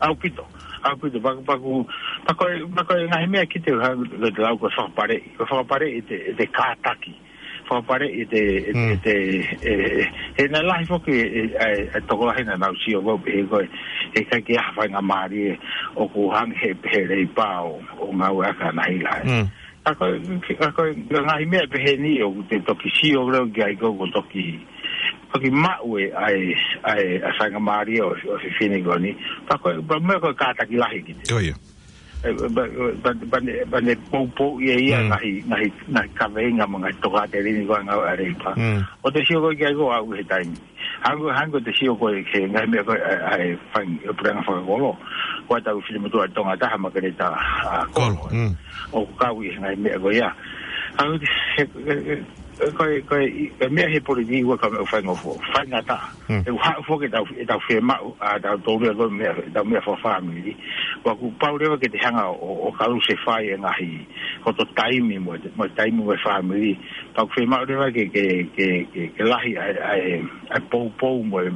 ʻAupito, ʻaupito, paku, paku, paku, paku e ngaahi meʻa ki te ha, ko e te lau ko e fakapaleʻi, ko e fakapaleʻi ʻete, ʻete kātaki, fakapaleʻi ʻete, ʻete, Mm. ʻete, ē, he naʻe lahi foki, ē, ē, ē, tokolahi naʻa nau sio ko ē, he ko e, he ʻikai ke ʻi ai ha faingamālie ʻoku hangē he, he Leipa ʻo, ʻo ngāueʻaki ʻa ʻAnahila. Mm. Ka ko e, ka ko e, ka ngaahi meʻa pehē ni ʻoku te toki sio leva ki ai ko e, ko e toki, toki maʻu ʻe, ʻa e, ʻa e, ʻa e faingamālie ʻo, ʻo e fefine ko eni. Pea ko e, pea meʻa ko e kātaki lahi ki te. Ko ia. Ē, pea, pea, pea ne, pea ne poupou ia ia Mm. ngaahi, ngaahi, ngaahi kaveinga mo e ngaahi tokāteline ko ē ʻa e ngāue ʻa Leipa. Mm. ʻO te sio ko ē ki ai ko e aʻu he taimi. Hangē, hangē ko e te sio ko ē ki he ngaahi meʻa ko ē ʻa, ʻa e fai, ʻa e puleʻanga fakakolo. Ko ʻetau finemotuʻa Tonga ʻe taha Makeleta, ʻa, Kolo, Kolo. Mm. ʻOku kau ʻi he ngaahi meʻa ko ia. Hangē he, he, he, ko e, ko e, ʻi, e meʻa he politiki ʻoku ʻikai ko e meʻa faingofua. Faingataʻa. Mm. ʻE ʻoku haʻu foki ʻetau, ʻetau fiemaʻu, ʻa, ʻetau tōlia ko e meʻa, ʻetau meʻa fakafāmili. ʻOku pau leva ke te hanga ʻo, ʻo kalusefai e ngaahi, hoto taimi mo e, mo e taimi mo e fāmili. Pea ʻoku fiemaʻu leva ke, ke, ke, ke, ke lahi ʻa e, ʻa e, ʻa e poupou mo e,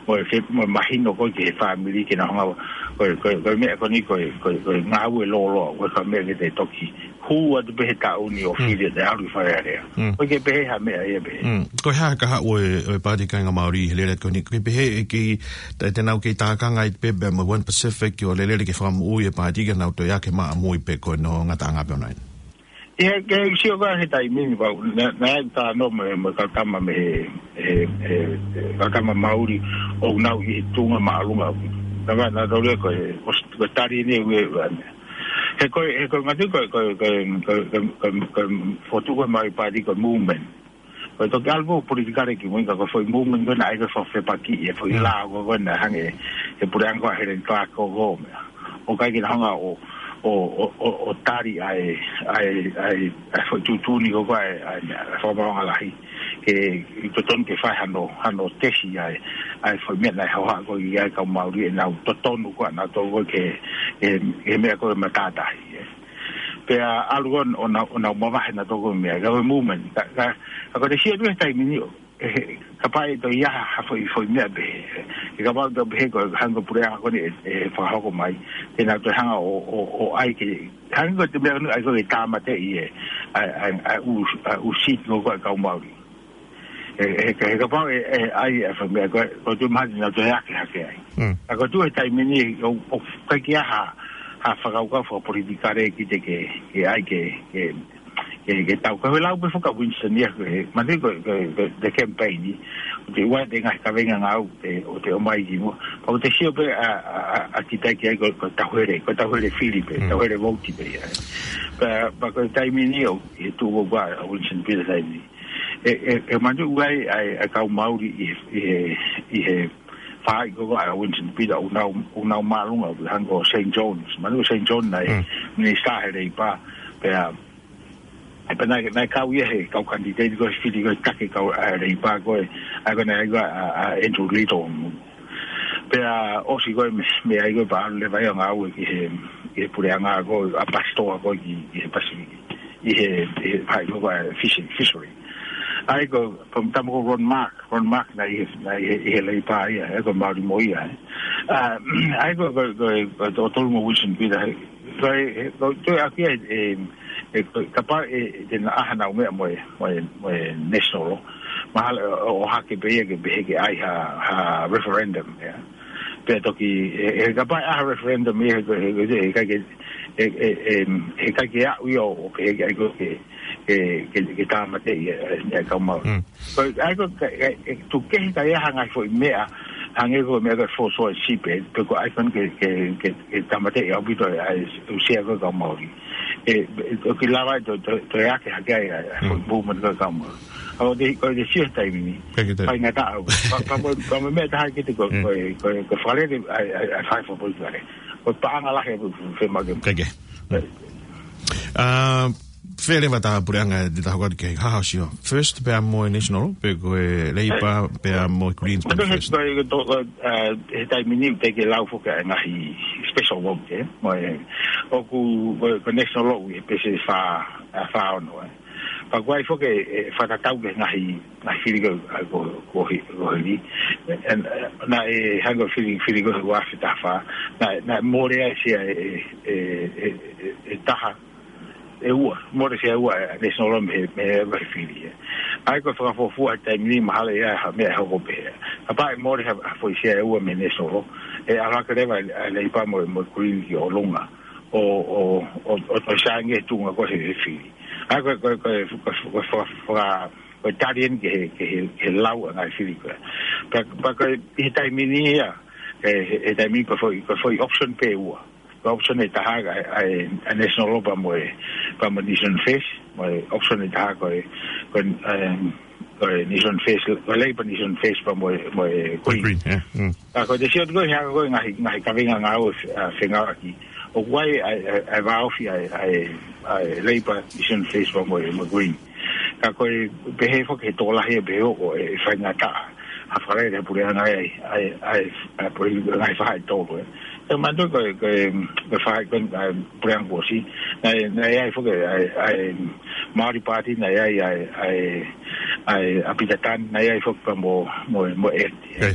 mo e ke, mo e mahino ko ē ki he fāmili ke nau hanga, ko e, ko e, ko e meʻa ko eni ko e, ko e, ko e ngāue lōloa, ʻoku ʻikai ko e meʻa ke te toki hū atu pē he taʻu ni ʻo Mm. fili ʻo te ʻalu ʻi Fale Alea. Mm. ʻOku ʻikai pehē ha meʻa ia pē. Mm. Ko e hā e kahaʻu ʻo e, ʻo e Paati Kāinga Māori he lele ko eni, ʻoku ʻikai pehē ʻe kei, te, te nau kei tākanga ai pē mo e One Pacific ʻo lele ke fakamoʻui e paati ke nau toe ʻai ke maʻa mui pē ko e ngataʻanga pē ʻoʻona. ʻIa, ke sio ko ē he taimi ni pau, naʻa, naʻa ta no mo, mo e kau tama mei he, he, he, he kau tama Māori ʻoku nau ʻi he tuʻunga māʻolunga. Naʻa, naʻa tau lea ko e, ʻosi, ko e tali eni ʻe ua, ua, He ko e, he ko e ngaahi, ko e, ko e, ko e, ko e, ko e, ko e, ko e fokotuʻu ko ē ʻa e Māori Party ko e movement. Ko e toki ʻalu ko ē politikale ki mui ka ko e foʻi movement ko ē naʻe ʻai ko ē ʻo fefepakiʻi e foʻi Mm. lao ko ē ko ē naʻe hanga ʻe he puleʻanga ko ē ʻa Helen Clark ko ē ko e meʻa. ʻOku ʻikai ke na hanga ʻo, ʻo, ʻo, ʻo, ʻo tali ʻa e, ʻa e, ʻa e, ʻa e foʻi tuʻutuʻuni ko ē ko ē ʻa e, ʻa e, ʻa e Fakamaauʻanga Lahi. Ke, ʻi totonu ke fai hano, hano tesi ʻa e, ʻa e foʻi meʻa naʻe hohaʻa ko ē ʻa e kau Māori ʻenau totonu ko ē ʻanautolu ko ē ke, ke, ke meʻa ko ē matātahi, ē. Pea ʻalu ʻo, ʻo nau, ʻo nau mavahe nautolu ko ē meʻa, ka ko e movement, ka, ka, ka ko e te sio atu he taimi ni ʻo, ʻe, kapau ʻe toe ʻi ai ha foʻi, foʻi meʻa pehē. ʻE kapau te u pehē ko e hangē ko e puleʻanga ko eni ʻe, ʻe fakahoko mai. Te nau toe hanga ʻo, ʻo, ʻo ʻai ke, hangē ko e te meʻa ko eni ʻai ko ē ke tāmateʻi e, ʻa e, ʻa e, ʻa e ʻū, ʻa e ʻū seat ko ē ko ē ʻa e kau Māori. ʻE, ʻe, he kapau ʻe, ʻe ʻai e foʻi meʻa ko ē, ko e tuʻu mahalo te nau toe hake hake ai. Mm. Ka ko e tuʻu he taimi ni ʻo, ʻoku ʻikai ke ʻi ai ha, ha fakakaukau fakapolitikale ki te ke, ke ʻai ke, ke, ke, ke tau. Ka ko e lau pē foki ʻa Winston ia, ko e, mahalo ko e, ko e, ko e, the campaign ni. ʻO te ʻoua te ngaahi kavenga ngāue, ʻe, ʻo te ʻomai ki muʻa. Pea ʻoku te sio pē ʻa, ʻa, ʻa, ʻa kita ki ai ko e, ko e tauhele, ko e tauhele fili pē, Mm. tauhele vouti pē ia. Pea, pea ko e taimi ni ʻoku tuʻu ko ē ʻa Winston Peters taimi ni. ʻE, ʻe, ʻe manatuʻi ʻa e, ʻa e, ʻa e kau Māori ʻi he, ʻi he, ʻi he faʻahi ko ē ʻa Winston Peters, ʻoku nau, ʻoku nau māʻolunga, ʻoku hangē ko Saint John's. Manatuʻi ko Saint John naʻe, Mm. minisitā he Leipa, pea, ʻe pea naʻe, naʻe kau ia he kau kanititeiti ko ē fili ko ē taki kau, ʻa, Leipa ko ē, ʻa ko ē naʻe ʻai ko ē ʻa, ʻa Andrew Little. Pea ʻosi ko ē mei, mei ai ko ē pea ʻalu leva ia ʻo ngāue ki he, ki he puleʻanga ko ē ʻa Pasitoa ko ē ki, ki he Pasifiki. ʻI he, ʻi he faʻahi ko ē ʻa e fish-, fishery. ʻA ia ko, ko e tama ko Ron Mark, Ron Mark naʻe ʻi he, naʻe ʻi he, ʻi he Leipa ia, ʻa ia ko e Māori mo ia, ē. ʻA, ʻa ia ko, ko, ko, ko, ko Tolu mo Winston Peters, he, ko e, he, ko, ko e ʻaki ʻe, ʻe, ʻe, ko, kapau ʻe, ʻe te na ʻai hanau meʻa mo e, mo e, mo e National Law. Mahalo, ʻo, ʻohake pē ia ke pehē ke ʻai ha, ha referendum, ia. Pea toki, ʻe, ʻe kapau ʻe ʻai ha referendum ia, he, he, he, he, he, he, he, he, he ʻikai ke aʻu ia ʻo pehē ke ʻai ko ē ke, ke, ke, ke tāmateʻi e, e, e kau Māori. Mm. Ko e, ʻa ia ko e, ka, e, e, tuku kehe ka ʻi ai ha ngaahi foʻi meʻa, hangē ko e meʻa ko e forced ownership, ē, pe ko e ʻai ko ē ke, ke, ke, ke tāmateʻi ʻaupito e, ʻa e, ʻū sea ko ē kau Māori. ʻE, ʻe, ʻoku lava ai ʻo, ʻo, ʻo ʻai hake ai, ʻa e, ʻa e foʻi Mm. movement ko ē kau Māori. ʻA ia ko e te, ko e te sio he taimi ni. Ka ke te- Faingataʻa au. Pea, pea mo, pea mo e meʻa ʻe taha ki te ko, Mm. ko e, ko e, ko e fakalele, ʻa e, ʻa e, ʻa e faʻahi fakapolitikale. Ko e paʻanga lahi ʻoku fiemaʻu ke- Ka ke. ʻE. ʻA, fēfē leva ʻeta puleʻanga ʻi he taha ko ē ki he House ia? First pea mo e National, pe ko e Leipa pea mo e Greens pea mo First? Ko e, ko e, ʻa, he taimi ni te ke lau foki ʻa e ngaahi special vote, ē? Mo e, ʻoku, ko e, ko e National ʻi he pese fā, ʻa, fā ono, ē? Pea ʻoku ʻi ai foki e, e fakatatau ki he ngaahi, ngaahi fili ko, ʻa, ko, ko hi-, ko hili. ʻE, ʻe, naʻe hangē ko e fili, fili ko ē ua afe taha fā. Naʻe, naʻe mole ai e sea ʻe, ʻe, ʻe, ʻe, ʻe taha, ʻe ua, mole e sea ʻe ua, ʻe, National mei he, mei he ʻū fili, ē. ʻA ia ko e fakafuofua he taimi ni mahalo ʻe ʻi ai ha meʻa ʻe hoko pehē. Kapau ʻe mole ha, ha foʻi sea ʻe ua mei he National, ʻe ʻalu hake leva ʻa e Leipa mo, mo e Green ki ʻolunga. ʻO, ʻo, ʻo, ʻo, ʻo saiʻia e tuʻunga ko ē he, he fili. ʻA ia ko e, ko e, ko e, ko e, ko e, ko e, ko e tali eni ki he, ki he, ki he lau ʻa e ngaahi fili ko ē. Pea, pea ko e, ʻi he taimi ni ia, ʻe, he, he taimi ko e foʻi, ko e foʻi option pē ʻe ua. Ko e option ʻe taha ʻa e, ʻa e, ʻa e National pea mo e, pea mo e Nation First, mo e option ʻe taha ko e, ko e, em, ko e Nation First, ko e Leipa Nation First pea mo e, mo e Green. Green, yeah. Mm. Ka ko e te sio atu ko ē he ʻa ko e ngaahi, ngaahi kavenga ngāue, ʻa, fengāueʻaki. ʻOku ʻi ai ʻa e, ʻa e, ʻa e vāofi ʻa e, ʻa e, ʻa e Leipa Nation First pea mo e, mo e Green. Ka ko e pehē foki he tokolahi ʻe pehē ʻoku, ʻe, ʻe faingataʻa ha fakalele he puleʻanga ʻa e, ʻa e, ʻa e, ʻa e, ʻa e ngaahi faʻahi ʻe tolu, ē. ʻE manatuʻi ko e, ko e, ko e faʻahi ko ē, ʻa e puleʻanga kuo ʻosi. Naʻe, naʻe ʻi ai foki ʻa e, ʻa e Māori Party, naʻe ʻi ai ʻa e, ʻa e, ʻa e, ʻa Pita Tani, naʻe ʻi ai foki pea mo, mo, mo e ʻEti. ʻE.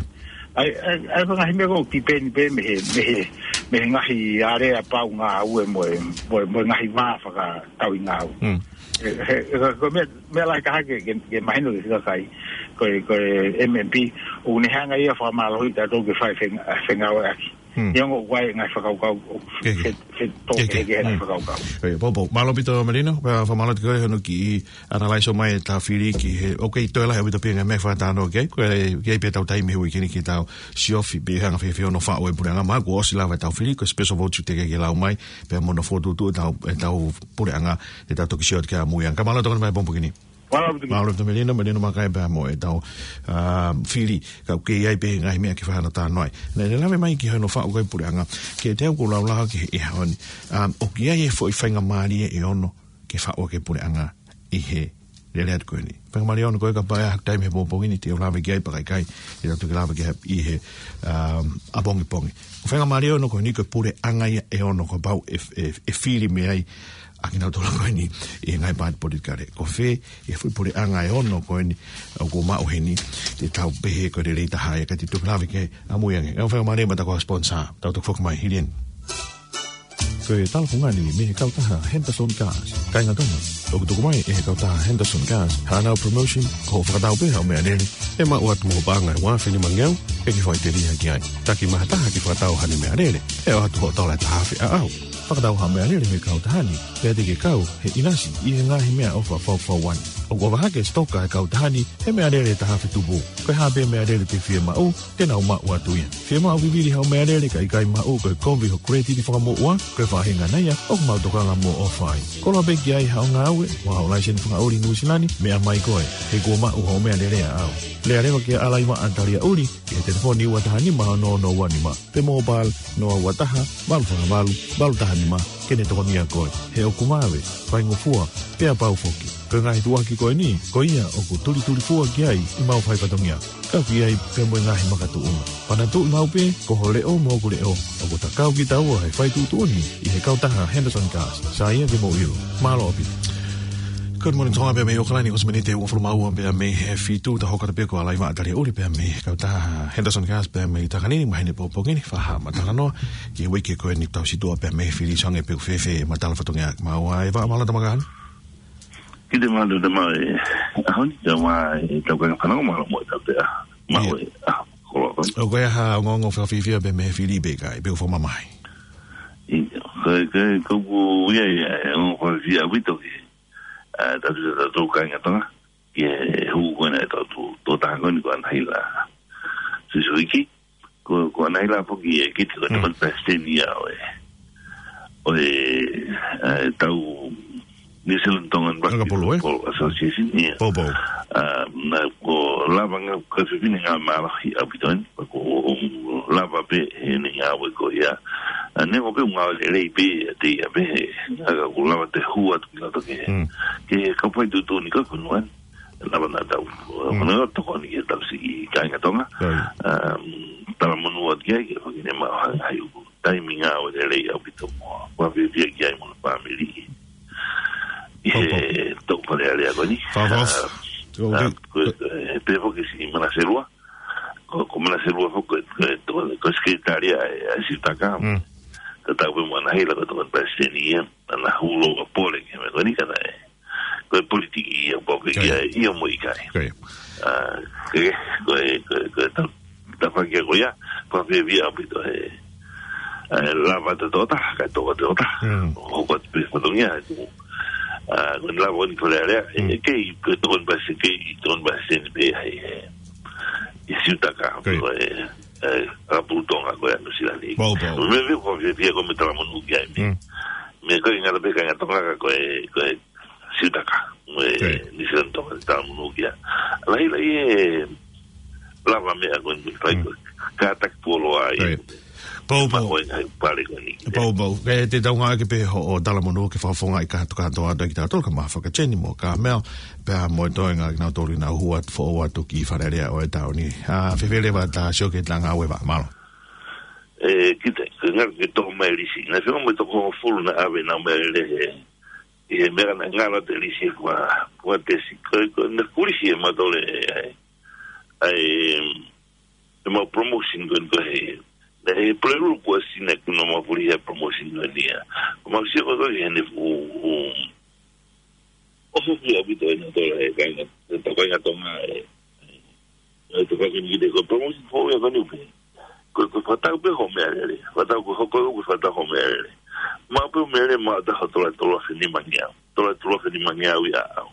ʻA e, ʻa e, ʻa e ngaahi meʻa ko ē ʻoku tipeni pē mei he, mei he, mei he ngaahi area pau ngāue mo e, mo e, mo e ngaahi vā fakatauʻi ngāue. Mm. ʻE, he, he, ko e meʻa, meʻa lahi taha ke, ke, ke mahino ki he kakai, ko e, ko e M M P, ʻoku ne hanga ia ʻo fakamālohiʻi tautolu ke fai feng-, fengāueʻaki. Neongo ʻoku ʻi ai e ngaahi fakakaukau, ʻoku Ke, ke. fe, fe, tō Ke, ke. ke, ke ngaahi Mm. fakakaukau. Ko ia, poupou. Mālō ʻaupito Melino, pea fakamālō atu koe hono kiʻi analyze mai e tau fili ki he, ʻoku kei toe lahi ʻaupito pē ngaahi meʻa fakatalanoa ki ai, ko e, ki ai pē tau taimi he uike ni ke tau siofi pē hanga fēfē hono faʻu e puleʻanga, mahalo kuo ʻosi lava e tau fili, ko e special vote teʻeki ke lau mai, pea mo hono fokotuʻutuʻu e tau, e tau puleʻanga, ʻe tau toki sio atu ki ai ʻamui ange. Ka mālō ʻaupito mai pongipongi ni. Mālō ʻaupito. Mālō ʻaupito Melino, Melino Makai pea mo e tau, ah, fili, ka ʻoku kei ʻi ai pē ngaahi meʻa ke fai hano talanoa ai. Naʻe lave mai ki hono faʻu ko ē puleʻanga, ke te au ko lau laho ki he ʻaho ni. Um, ʻoku ʻi ai e foʻi faingamālie ʻe ono ke faʻu ʻaki e puleʻanga ʻi he lele atu ko eni. Faingamālie ʻe ono ko ē kapau ʻe ʻi ai ha taimi he pongipongi ni te u lave ki ai pe ʻikai, te tau toki lave ki ai ʻi he, um, ʻapongipongi. Faingamālie ʻe ono ko eni ko e puleʻanga ia ʻe ono kapau ʻe, ʻe, ʻe fili mei ai ʻa kinautolu ko eni ʻi he ngaahi paati politikale. Ko fē ʻi he foʻi puleʻanga ʻe ono ko eni ʻoku maʻu heni, te tau pehē ko e lelei taha ia, ka te u toki lave ki ai ʻamui ange. ʻE faingamālie ma ta ko sponsor, tau toki foki mai hili eni. Ko e talafungani mei he kautaha Henderson Gas. Kāinga Tonga, ʻoku tuku mai ʻe he kautaha Henderson Gas haʻanau promotion, ko hoʻo fakatau pē haʻo meʻalele, ʻe maʻu atu mo ho paʻanga ʻe ua afe nima ngeau, ʻe ke faʻiteliha ki ai. Taki mai ha taha ke fakatau haʻane meʻalele, ʻe ʻoatu hoʻo tola ʻe taha afe ʻaʻau. Fakatau haʻo meʻalele mei he kautaha ni, pea te ke kau he ʻinasi ʻi he ngaahi meʻaʻofa fakafaifekau. ʻOku ʻofa hake e sitoka ʻa e kautaha ni he meʻalele ʻe taha afe tupu. Ko e hā pē meʻalele te ke fiemaʻu, te nau maʻu atu ia. Fiemaʻu vivili haʻo meʻalele ka ʻikai maʻu, ko e kovi hoʻo kuletiti fakamoʻua, ko e faʻahinga ia ʻoku mau tokanga mo ʻofa ai. Koloa pē ki ai haʻo ngāue, mo haʻo laiseni fakaʻuli Nuʻusila ni, meʻa mai koe, he kuo maʻu hoʻo meʻalele ʻaʻau. Lea leva kia Alaivaʻa Taliaʻuli, ki he telefoni ua taha nima ono ono ua nima. Pe mobile, noa ua taha, valu fā valu, valu taha nima, ke ne tokonia koe. He ʻoku vave, faingofua, pea pau foki. Ko e ngaahi tuʻuaki ko eni, ko ia ʻoku tulitulifua ki ai ʻemau fai fatongia. Kau ki ai pea mo e ngaahi makatuʻunga. Panatuʻi maʻu pē, ko ho leʻo mo hoku leʻo, ʻoku ta kau kitaua he fai tuʻutuʻuni ʻi he kautaha Henderson Gas. Sai ia ke mou ʻilo. Mālō ʻaupito. Good morning, Tonga, pea mei ʻOkalani, ko e miniti ʻe uofulu mā ua pea mei he fitu, ta hoko atu pē ko Alaivaʻa Taliaʻuli pea mei he kautaha Henderson Gas pea mei Takanini, maheni pongipongi ni, fakahā ʻema talanoa ki he uike ko eni, tau situʻa pea mei he fili, sio ange pe ʻoku fēfē ʻema tala fatongia. Māua ʻe Vaʻa, mālō e tau makahā ni. Kiate mālō e tau makahā ni, ʻaho ni, ʻio, mālō e tau kaka fanau, mālō mo e tau pea. Mālō ʻIo. e, ah, koloa ko. ʻOku ʻi ai ha ongoongo fakafiefia pea mei he fili pe ʻikai, pe ʻoku fakamamahi? ʻIo, ko e, ko e, ko e, ʻoku ʻi ai, ʻa e ongoongo fakafiefia ʻaupito ki, ʻa, tautolu, tautolu kāinga Tonga, ki he hū ko ena ʻa e tau tō, tō taha ko eni ko Anahila Sisuiki, ko, ko Anahila foki e kiti ko e Mm. tokoni palesiteni ia ʻo e, ʻo e, ʻa e tau New Zealand Tongan Rugby Anga polo, ē? Football Association, ʻio. Poupou. ʻA, naʻa ko e lava ngāue, ko e fefine ngāue mālohi ʻaupito eni, ko e lava pē heʻene ngāue ko ia. ʻA, neongo pē ʻoku ngāue lelei pē ʻiate ia pē, he, ʻa, ka ʻoku lava ʻo hū atu ki loto ki he, Mm. ki he kau fai tuʻutuʻuni ko ē ʻo e fonua ni. Lava naʻa tau, Mm. ʻo nau tokoni ki he tau siʻi kāinga Tonga. Right. ʻA, talamonū atu ki ai, ke fai ke ne maʻu ha ngaahi uku taimi ngāue lelei ʻaupito mo, fakafiefia ki ai mo e fāmili. ʻI he Poupou. tau Fale Alea ko eni. Fa, fa, ʻA, ko, ʻa, ke ko, ko, e, pehē foki siʻi Manaselua. Ko, ko Manaselua foki, ko, ko, ko, ko e sekelitali ʻa e, ʻa e Siutaka. Mm. Tatau pē mo Anahila ko e tokoni palesiteni ia, naʻa na hū lōua pole ki he meʻa ko eni ka naʻe. Ko e politiki ia, pau ke Ko ia. ia, ia mo ʻikai. Ko ia. ʻA, ke, ko e, ko e, ko e tau, tau fakakia ko ia, fakafiefia ʻaupito he, ʻa e lava ʻa e tō taha, kae tō atu ʻa e tō taha. Mm. Hoko atu pē fatongia, ʻa, ko e lava ʻo e Fale Alea, ʻe, Mm. ʻe kei, ko e tokoni palesiteni, kei tokoni palesiteni pē ʻa e, ʻa e Siutaka, Ko ia. ko e, ʻa e, ʻa Pulutonga ko ē ʻa Nuʻusila ni. Poupou. Meʻa pē fakafiefia ko e meʻa talamonū ki ai. Mm. Meʻa ko e ngata pē kāinga Tonga ka ko e, ko e Siutaka. Mo e Ko ia. New Zealand Tonga talamonū ki ai. Lahilahi e lava meʻa ko eni fai Mm. ko e kātaki poloa ai. Ko ia. Poupou. Ma ko e ngaahi pale ko eni. Poupou. Ke te tau ngāueʻaki pē hoʻo talamonū ke fakafofongaʻi kātoa kātoa atu ʻa kitautolu, kae ʻumaʻā Fakateni mo Kamel, pea mo e toenga kinautolu naʻa nau hū atu, foʻou atu ki Fale Alea ʻo e taʻu ni. ʻA, fēfē leva ʻeta sio ki he talanga ʻa e Vaʻa, mālō? ʻE, kita, ko e ngalo ke tō mai lisi. Naʻe fēfē mo e toko hongofulu naʻe ʻave ʻenau meʻalele he, ʻi he meʻa naʻe ngalo atu e lisi ʻe fua, fua tesi. Ko, ko, naʻe kulisi e matole, ʻa e, ʻa e, ʻemau promotion ko eni ko e, naʻe Pulelulu kuo ʻosi naʻe kuo nau maʻu fulihi e promotion ko eni ia. Ko mau sio ko ē ko ē heʻene fuʻu, ʻofa pē ʻaupito ʻenau tola he kāinga, he tau kāinga Tonga ē. ʻE, tau kāinga ki te ko e promotion foʻou ia ko eni ʻoku pehē. Ko e, ko e fakatau pē hoʻo meʻalele. Fakatau ko e hoko ʻoku fakatau hoʻo meʻalele. Maʻu pē hoʻo meʻalele, maʻu ʻe taha ʻo tola tolu afe nimangeau. Tola tolu afe nimangeau ia ʻaʻau.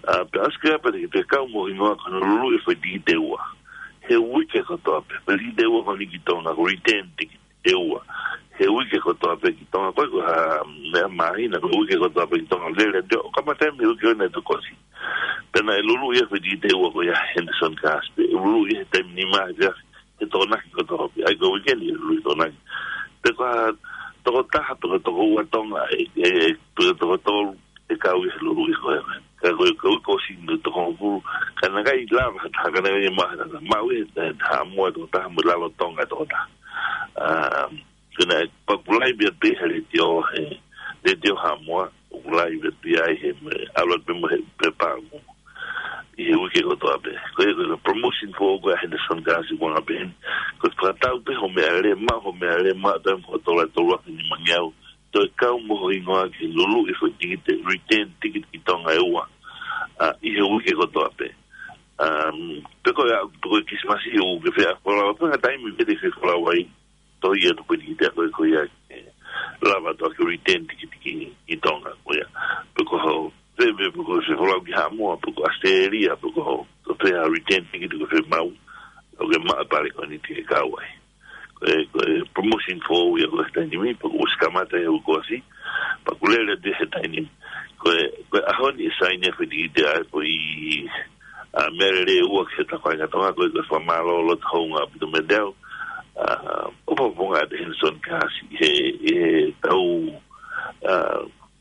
ʻA, pea ʻosi ko ia pea te ke kau mo e hingoa ko hono luluʻi e foʻi tikite ʻe ua. He uike kotoa pē. Foʻi tikite ʻe ua ko eni ki Tonga, ko e return ticket ʻe ua. He uike kotoa pē ki Tonga, ko e ko ha meʻa māhina, ko e uike kotoa pē ki Tonga, lele atu ʻo kamata he uike ʻo e ʻaho naʻe tokosi. Pea naʻe luluʻi e foʻi tikite ʻe ua ko ia ʻe Henderson Cars, pea luluʻi he taimi nima he, he Tokonaki kotoa pē, ʻa ia ko e uike ni luluʻi Tokonaki. Pea ko ha tokotaha, toko, toko ua Tonga, ʻe, ʻe, ʻe, toko tolu, ʻe kau ia he luluʻi ko ia. Ka ko e, ko e, ko e sino toko hongofulu. Ka naʻe ʻikai lava ha taha, ka naʻe ʻikai maʻu ha taha. Maʻu ia he, he Haʻamoa tokotaha mo e Lalotonga tokotaha. Um, ko ena ʻe pakulai pē ia he letiō, he letiō Haʻamoa, ʻoku laivi pē ia he, mo e ʻalu pē mo e, pē pāmu. ʻI he uike kotoa pē. Ko e, ko e promotion foʻou ko ia ʻa Henderson Cars ʻi Tonga pē. Ko e fakatau pē hoʻo meʻalele, maʻu hoʻo meʻalele, maʻu ʻe taha ʻo tola tolu afe nimangeau. Toe kau mo ho hingoa ki he luluʻi e foʻi tikite, return ticket ki Tonga ʻe ua. ʻA, ʻi he uike kotoa pē. Um, pea ko ia, pea ko e Kilisimasi ʻoku ke fie folau, pea ko e taimi pē te ke fie folau ai, tohi atu e foʻi tikite ko ē ko ia, ʻe, lava atu ʻa e return ticket ki, ki Tonga, ko ia. Pea ko hoʻo, pea, pea, pea ko e fie folau ki Haʻamoa, pea ko ʻAositelēlia, pea ko hoʻo, ko e fē ha return ticket ʻoku ke fie maʻu, ʻoku ke maʻu e pale ko eni te ke kau ai. Ko e, ko e promotion foʻou ia ko ē he taimi ni, pea kuo ʻosi kamata ia he uike kuo ʻosi, pea kuo lele atu ia he taimi ni. Ko e, ko e ʻaho ni ʻe saini ai e foʻi tikite ʻa e foʻi, ʻa, meʻalele ʻe ua ki hotau kāinga Tonga, ko e, ko e fakamālō loto houngaʻia ʻaupito meiate au, ʻa, ʻoku ou fakamālō atu kia Henderson Cars he, he tau, ʻa,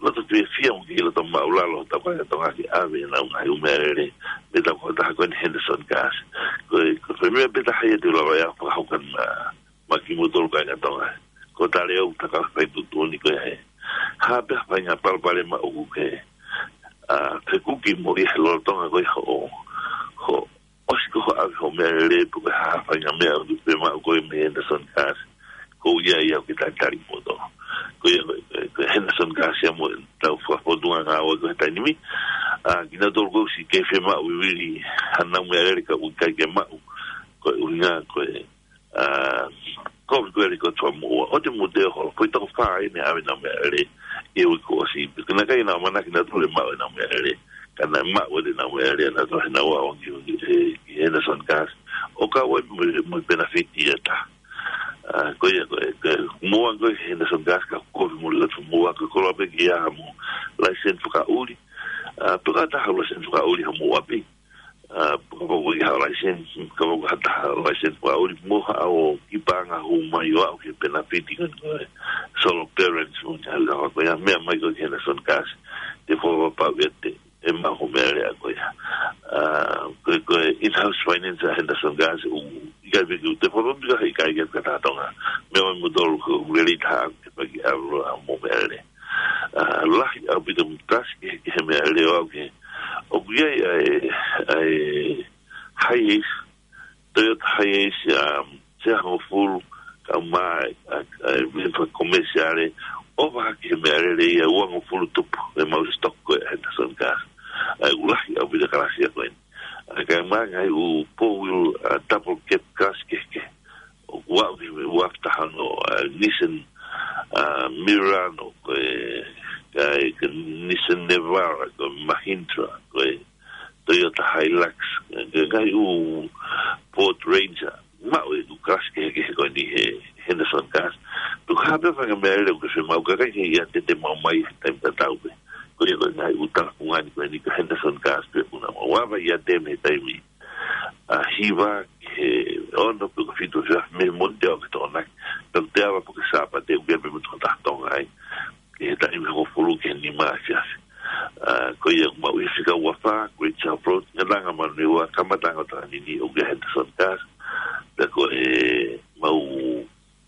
loto fiefia mo e kiʻi loto māʻulalo hotau kāinga Tonga ke ʻave ʻenau ngaahi ʻū meʻalele mei heʻetau kautaha ko eni Henderson Cars. Ko e, ko e foʻi meʻa pē taha ia te u lava ʻe au ʻo fakahoko atu maʻa, maʻa kimoutolu kāinga Tonga. Ko e tali ʻo ʻetau kau fai tuʻutuʻuni ko ia he, ha pē ha faʻahinga palopalema ʻoku ke, ʻa, fekuki mo ia he lolotonga ko ia hoʻo, hoʻo ʻosi ko hoʻo ʻave hoʻo meʻalele pe ko e hā ha faʻahinga meʻa ʻoku ke fie maʻu ko ē mei Henderson Cars, ko ia ia ʻoku ke talitali kimoutolu. Ko ia ko e, ko e, ko e Henderson Cars ia mo ʻetau fakafōtunga ngāue ko ē he taimi ni. ʻA, kinautolu kuo ʻosi kei fie maʻu vivili haʻanau meʻalele ka ʻoku ʻikai ke maʻu. Ko e ʻuhinga ko e, ʻa, ko e ko e lī ko e tuʻa moʻua. ʻOua te mou teo holo, foʻi toko fā eni ʻa ʻenau meʻalele ʻi he uike kuo ʻosi. Pea naʻe ʻikai ke nau ʻamanaki nautolu ʻe maʻu ʻenau meʻalele. Ka naʻe maʻu ʻenau meʻalele ʻanautolu he nau ō ki, ki, ki Henderson Cars. ʻO kau ai mo, mo e penefiti ʻe taha. ʻA, ko ia ko e, ko e, mou ō ko ē ki Henderson Cars ka ʻoku kovi muʻa ʻa e mou ō ko e koloa pē ke ʻi ai haʻamou license fakaʻuli. ʻA, pea ko ha taha license fakaʻuli haʻamou ʻapi. ʻA, kapau ʻoku ʻi ai haʻo license, kapau ko ha taha license fakaʻuli, mou haʻu ʻo kiʻi paʻanga hū mai ʻo aʻu ki he penefiti ko ē, ko e solo permit mo e ngaahi lava ko ia, meʻa mai ko ē ki Henderson Cars, te u fakapapauʻi ʻe te, ʻe maʻu hoʻo meʻalele ko ia. ʻA, ko e, ko e in-house finance ʻa Henderson Cars, ʻoku ʻikai pē ke u, te u fakapapauʻi ʻe ʻikai ke u kata Tonga. Meʻa mai kimoutolu ko e lelei taha ke paki ʻalu ʻa hoʻomou meʻalele. ʻA, lahi ʻaupito mo e kalasi kehekehe e meʻalele ʻo aʻu ki he, ʻoku ʻi ai ʻa e, ʻa e Hiace, Toyota Hiace, um, seangofulu, kae ʻumaʻā ʻa e, ʻa e, ʻa e vehicle commercial, ʻo vaha ki he meʻalele ia uangofulu tupu, ʻe maʻu stock ko ē ʻa Henderson Cars. ʻA ia ʻoku lahi ʻaupito e kalasi ia ko eni. ʻA ia kae ʻumaʻā e ngaahi ʻū four wheel, ʻa, double cab cars kehekehe. ʻOku aʻu ki he uaafe taha ono, ʻa, Nissan, ʻa, Murano, ko e, ko e, ko e Nissan Navara, ko e Mahindra, ko e Toyota Hilux, ko e ngaahi ʻū Ford Ranger, maʻu e ʻū kalasi kehekehe ko eni he Henderson Cars. Tuku ha pē ha faʻahinga meʻalele ʻoku ke fie maʻu ka ʻikai ke ʻiate te mau mai he taimi tatau pē. Ko ia ko e ngaahi ʻū talafungani ko eni ko Henderson Cars pē ʻoku nau ava ʻiate mei he taimi ʻa hiva ki he ono pe ko e fitu ʻa e efiafi mei he Mōnite ʻo aʻu ki he Tokonaki. Pea ʻoku te ava pē ki he Sāpate ʻoku ʻi ai pē mo e tokotaha Tonga ai. Ki he taimi hongofulu ki he nima ʻa e efiafi. ʻA, ko ia ʻoku mau ʻi he fika ua fā, Great South Road, Ngataʻanga Manurewa, kamataʻanga ʻo Takanini, ʻoku ʻi ai e Henderson Cars. Pea ko ʻemau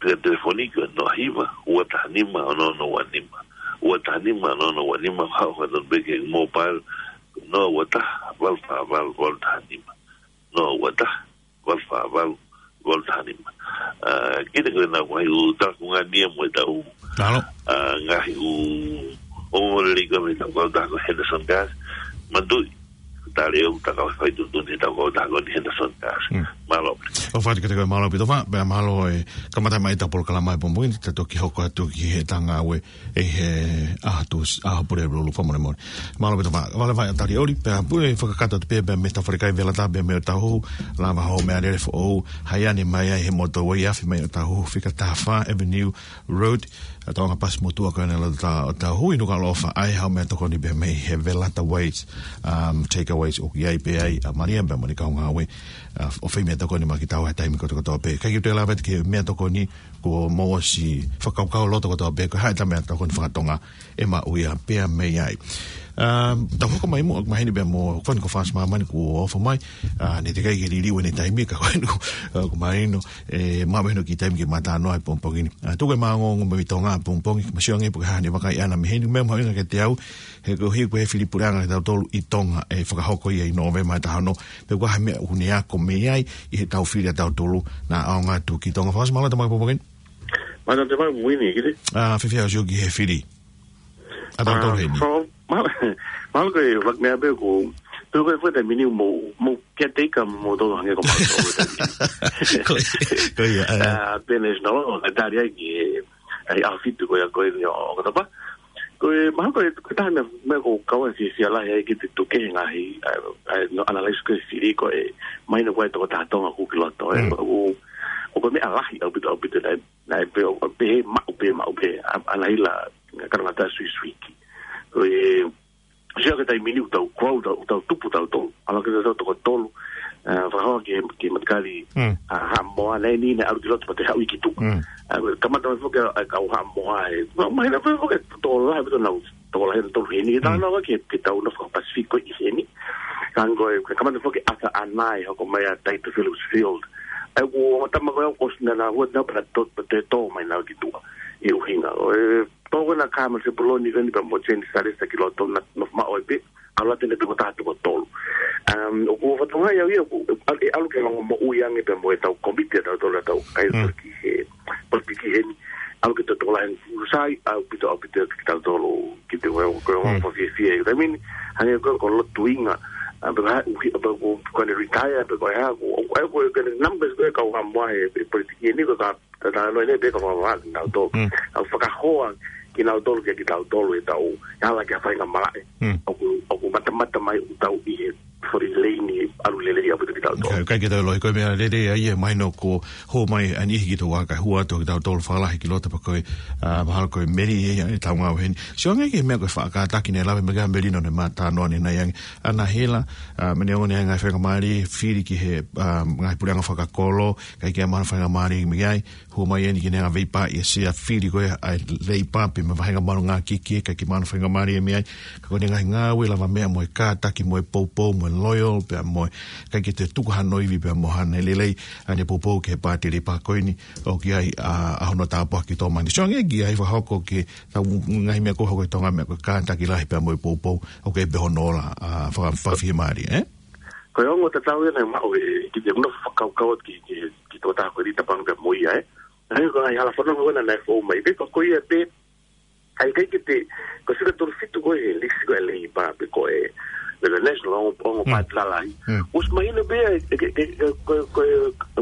fika telefoni ko e noa hiva, ua taha nima, ono ono ua nima. Ua taha nima, ono ono ua nima, haʻu ʻo tonu pē ki he mobile, noa ua taha, valu fā valu, valu taha nima. Noa ua taha, valu fā valu, valu taha nima. ʻA, kiate koe ʻa e ngaahi ʻū talafungani ia mo ʻetau, ʻa, ngaahi ʻū ongoongolelei ko ē mei heʻetau kautaha ko Henderson Cars. Manatuʻi, tali ʻo ʻetau kau fai tuʻutuʻuni ʻetau kautaha ko eni Henderson Cars. Mālō. ʻOfa atu kiate koe, mālō ʻaupito Fa, pea mālō e kamata mai ʻetau polokalama he pongipongi ni, te toki hoko atu ki he ʻetau ngāue ʻi he ʻaho Tūsi, ʻaho Pulelulu, fakamolemole. Mālō ʻaupito Fa, Valevai ʻa Talioli, pea pule fakakakato atu pē, pea mei he Tafaʻaki Velata, pea mei Ōtāhuhu, lava hoʻo meʻalele foʻou, haiʻani mai ai he motorway, afe mai Ōtāhuhu, fika taha fā Avenue Road, ʻa e toʻonga pasi motuʻa ko ena ʻa Ōtāhuhu, inu ka lofa ai haʻo meʻatokoni pē mei he Velata Waste, um, Takeaways ʻoku ʻi ai pē ai ʻa Malia pea mo ʻene kau ngāue, ʻa, ʻo fai meʻatokoni maʻa kitaua he taimi kotokotoa pē. ʻIkai ke u toe lave atu ki he meʻatokoni, kuo mou ʻosi fakakaukau loto kotoa pē, ko e hā ʻeta meʻatokoni fakatonga ʻe maʻu ia pea mei ai. Um, tau hoko mai muʻa, mahino pea mo Fani ko Fasi Māmani kuo ofo mai, ʻa, ne teʻeki ke liliu ʻene taimi ka ko inu, ʻa, ko mahino, ʻe, maʻu mahino ki he taimi ke ma talanoa he pongipongi ni. ʻA, tuku e maʻongoʻonga mo e Tonga he pongipongi, ma sio ange pe ko e hā haʻane vakai ʻana mei heni, meʻa mahuʻinga kiate au, he ko e hili ko e fili puleʻanga kitautolu ʻi Tonga, ʻe fakahoko ia ʻi Nōvema ʻe taha ono, pe ko e hā e meʻa ʻoku ne ako mei ai, ʻi heʻetau fili ʻatautolu, naʻa ʻaonga atu ki Tonga. Fasi mālō e tama pongipongi ni. Mālō e tama pongipongi ni, kite. ʻA, fēfē hoʻo sio ki he fili ʻatautolu heni? So, mālō, mālō ko e, like, meʻa pē ko, tuku e fai taimi ni mo, mo kiate ia ka mo tolo hangē ko mālō. Ko ia, ko ia, ʻa. ʻA, Benes no, ka tali ai ki he, ʻa e ʻaho fitu ko ia ko eni ʻo ʻOkatopa. Ko e, mahalo ko e, ko e taha meʻa, meʻa ʻoku ou kau ai fiefia lahi ai ki he tuku e ngaahi, ʻa, ʻa, no analyze ko e fili ko e, mahino ko e tokotaha Tonga ʻoku ki loto, ʻe, Mm. ʻo, ʻo ko e meʻa lahi ʻaupito, ʻaupito naʻe, naʻe pehē, ʻo pehē maʻu pē, maʻu pē, ʻa, ʻa Naila, ngā kanangata suisuiki. Ko e, sio ki he taimi ni ʻoku tau kau, tau, tau tupu tautolu. ʻAlu ki he tau toko tolu, ʻa, fakahoa ki he, ki he matakali, Mm. ʻa, Haʻamoa, naʻe ʻi ai e ʻalu ki loto pea toe haʻu ki tuʻa. Mm. ʻA, kamata mai foki ʻa, ʻa e kau Haʻamoa ʻe. Ma, mahino pē foki ʻe tokolahi, ʻe tokolahi, ʻe tokolahi ʻe tolu heni. Mm. Tau nofo ki he, ki he tau nofo Pasifiki ʻi heni. Ka ko e, kamata foki ʻa ʻAsa ʻAna ʻe hoko mai ʻa Taito Phillips Field. ʻA ia ko e tama ko ia ʻoku ʻosi naʻa nau ō, naʻa nau pehē naʻa nau tō, toe tō mai nautolu ki tuʻa. ʻI he ʻuhinga. ʻO e, tō ko ena Carmen Sepuloni ko eni pea mo Jane Salesa ki loto naʻa nau nofo maʻu ai pē, ʻalu atu eni pē ko e taha toko tolu. Um, ʻoku ou fakatokangaʻi au ia, ʻoku, ʻe ʻalu ke longomoʻui ange pea mo ʻetau kōmiti ʻatautolu ʻa e tau kai Mm. ki he, politiki heni, ʻalu ke tau tokolahi eni, sai, ʻaupito, ʻaupito kitautolu, ki he ʻuhinga, ko e Mm. ongo fiefia, I mean, hangē ko e, ko e lotuinga, ʻa, pea ʻuhi, pea ko, ko ʻene retire, pea ko e hā, ko, ko, ko e numbers ko e kau Haʻamoa he, he politiki heni, ko e ka, Ka talanoa eni pē ka fakavavevave nautolu. Mm. ʻA e fakahoa kinautolu kia kitautolu ʻe tau, ʻe ala ki ha faingamālie. Mm. ʻOku, ʻoku matamata mai ʻoku tau ʻi he foʻi leini ʻalu lelei ʻaupito kitautolu. ʻIkai, ʻikai ke tau ʻiloʻi ko e meʻa lelei ia ʻe mahino kuo hū mai ʻa e niʻihi ki tuʻa kae hū atu kitautolu fakalahi ki loto pea ko e, ʻa, mahalo ko e meli ia ʻetau ngāue heni. Sio ange ki he meʻa ko e faʻa kātaki naʻe lave mai ki ai Melino naʻe ma talanoa ʻanenai ange. ʻAna Hela, ʻa, mene one ai ngaahi faingamālie, fili ki he, ʻa, ngaahi puleʻanga fakakolo, ʻikai ke maʻu ha faingamālie mei ai, hū mai eni ki he ngaahi veipa ʻi he sea fili ko ia ʻa e Leipa pea mo e vahenga malungākiki, ʻikai ke maʻu ha faingamālie mei ai, ka ko ʻene ngaahi ngāue lavameʻa mo e kātaki mo e poupou mo e loyal, pea mo e ʻikai ke toe tuku hano ivi pea mo haʻane lelei, ʻa ʻene poupou ki he Paati Leipa ko eni, ʻoku ʻi ai, ʻa, ʻa hono tāpuaki tō mai. Sio ange ki ai fakahoko ki he tau ngaahi meʻa ko ē hoko ʻi Tonga meʻa ko e kātaki lahi pea mo e poupou, ʻoku ʻi ai pē hono ola, ʻa, faka-, fakafiemālie, ē? Ko e ongo tatau ia naʻe maʻu ʻe, ki he nofo fakakaukau ki, ki, ki he tokotaha ko eni Tapanu pea mo ia, ē? Naʻe ko e ngaahi hala fanongo ko ena naʻe fou mai. Pea ko, ko ia pē, ʻa ia ʻikai ke te, ko e fika tolu fitu ko e he lisi ko e Leipa pe ko e, pe ko e National, ongo, ongo Mm. paati lalahi. Mm. ʻOsi mahino pē ia, ʻe, ke, ke, ke, ko, ko,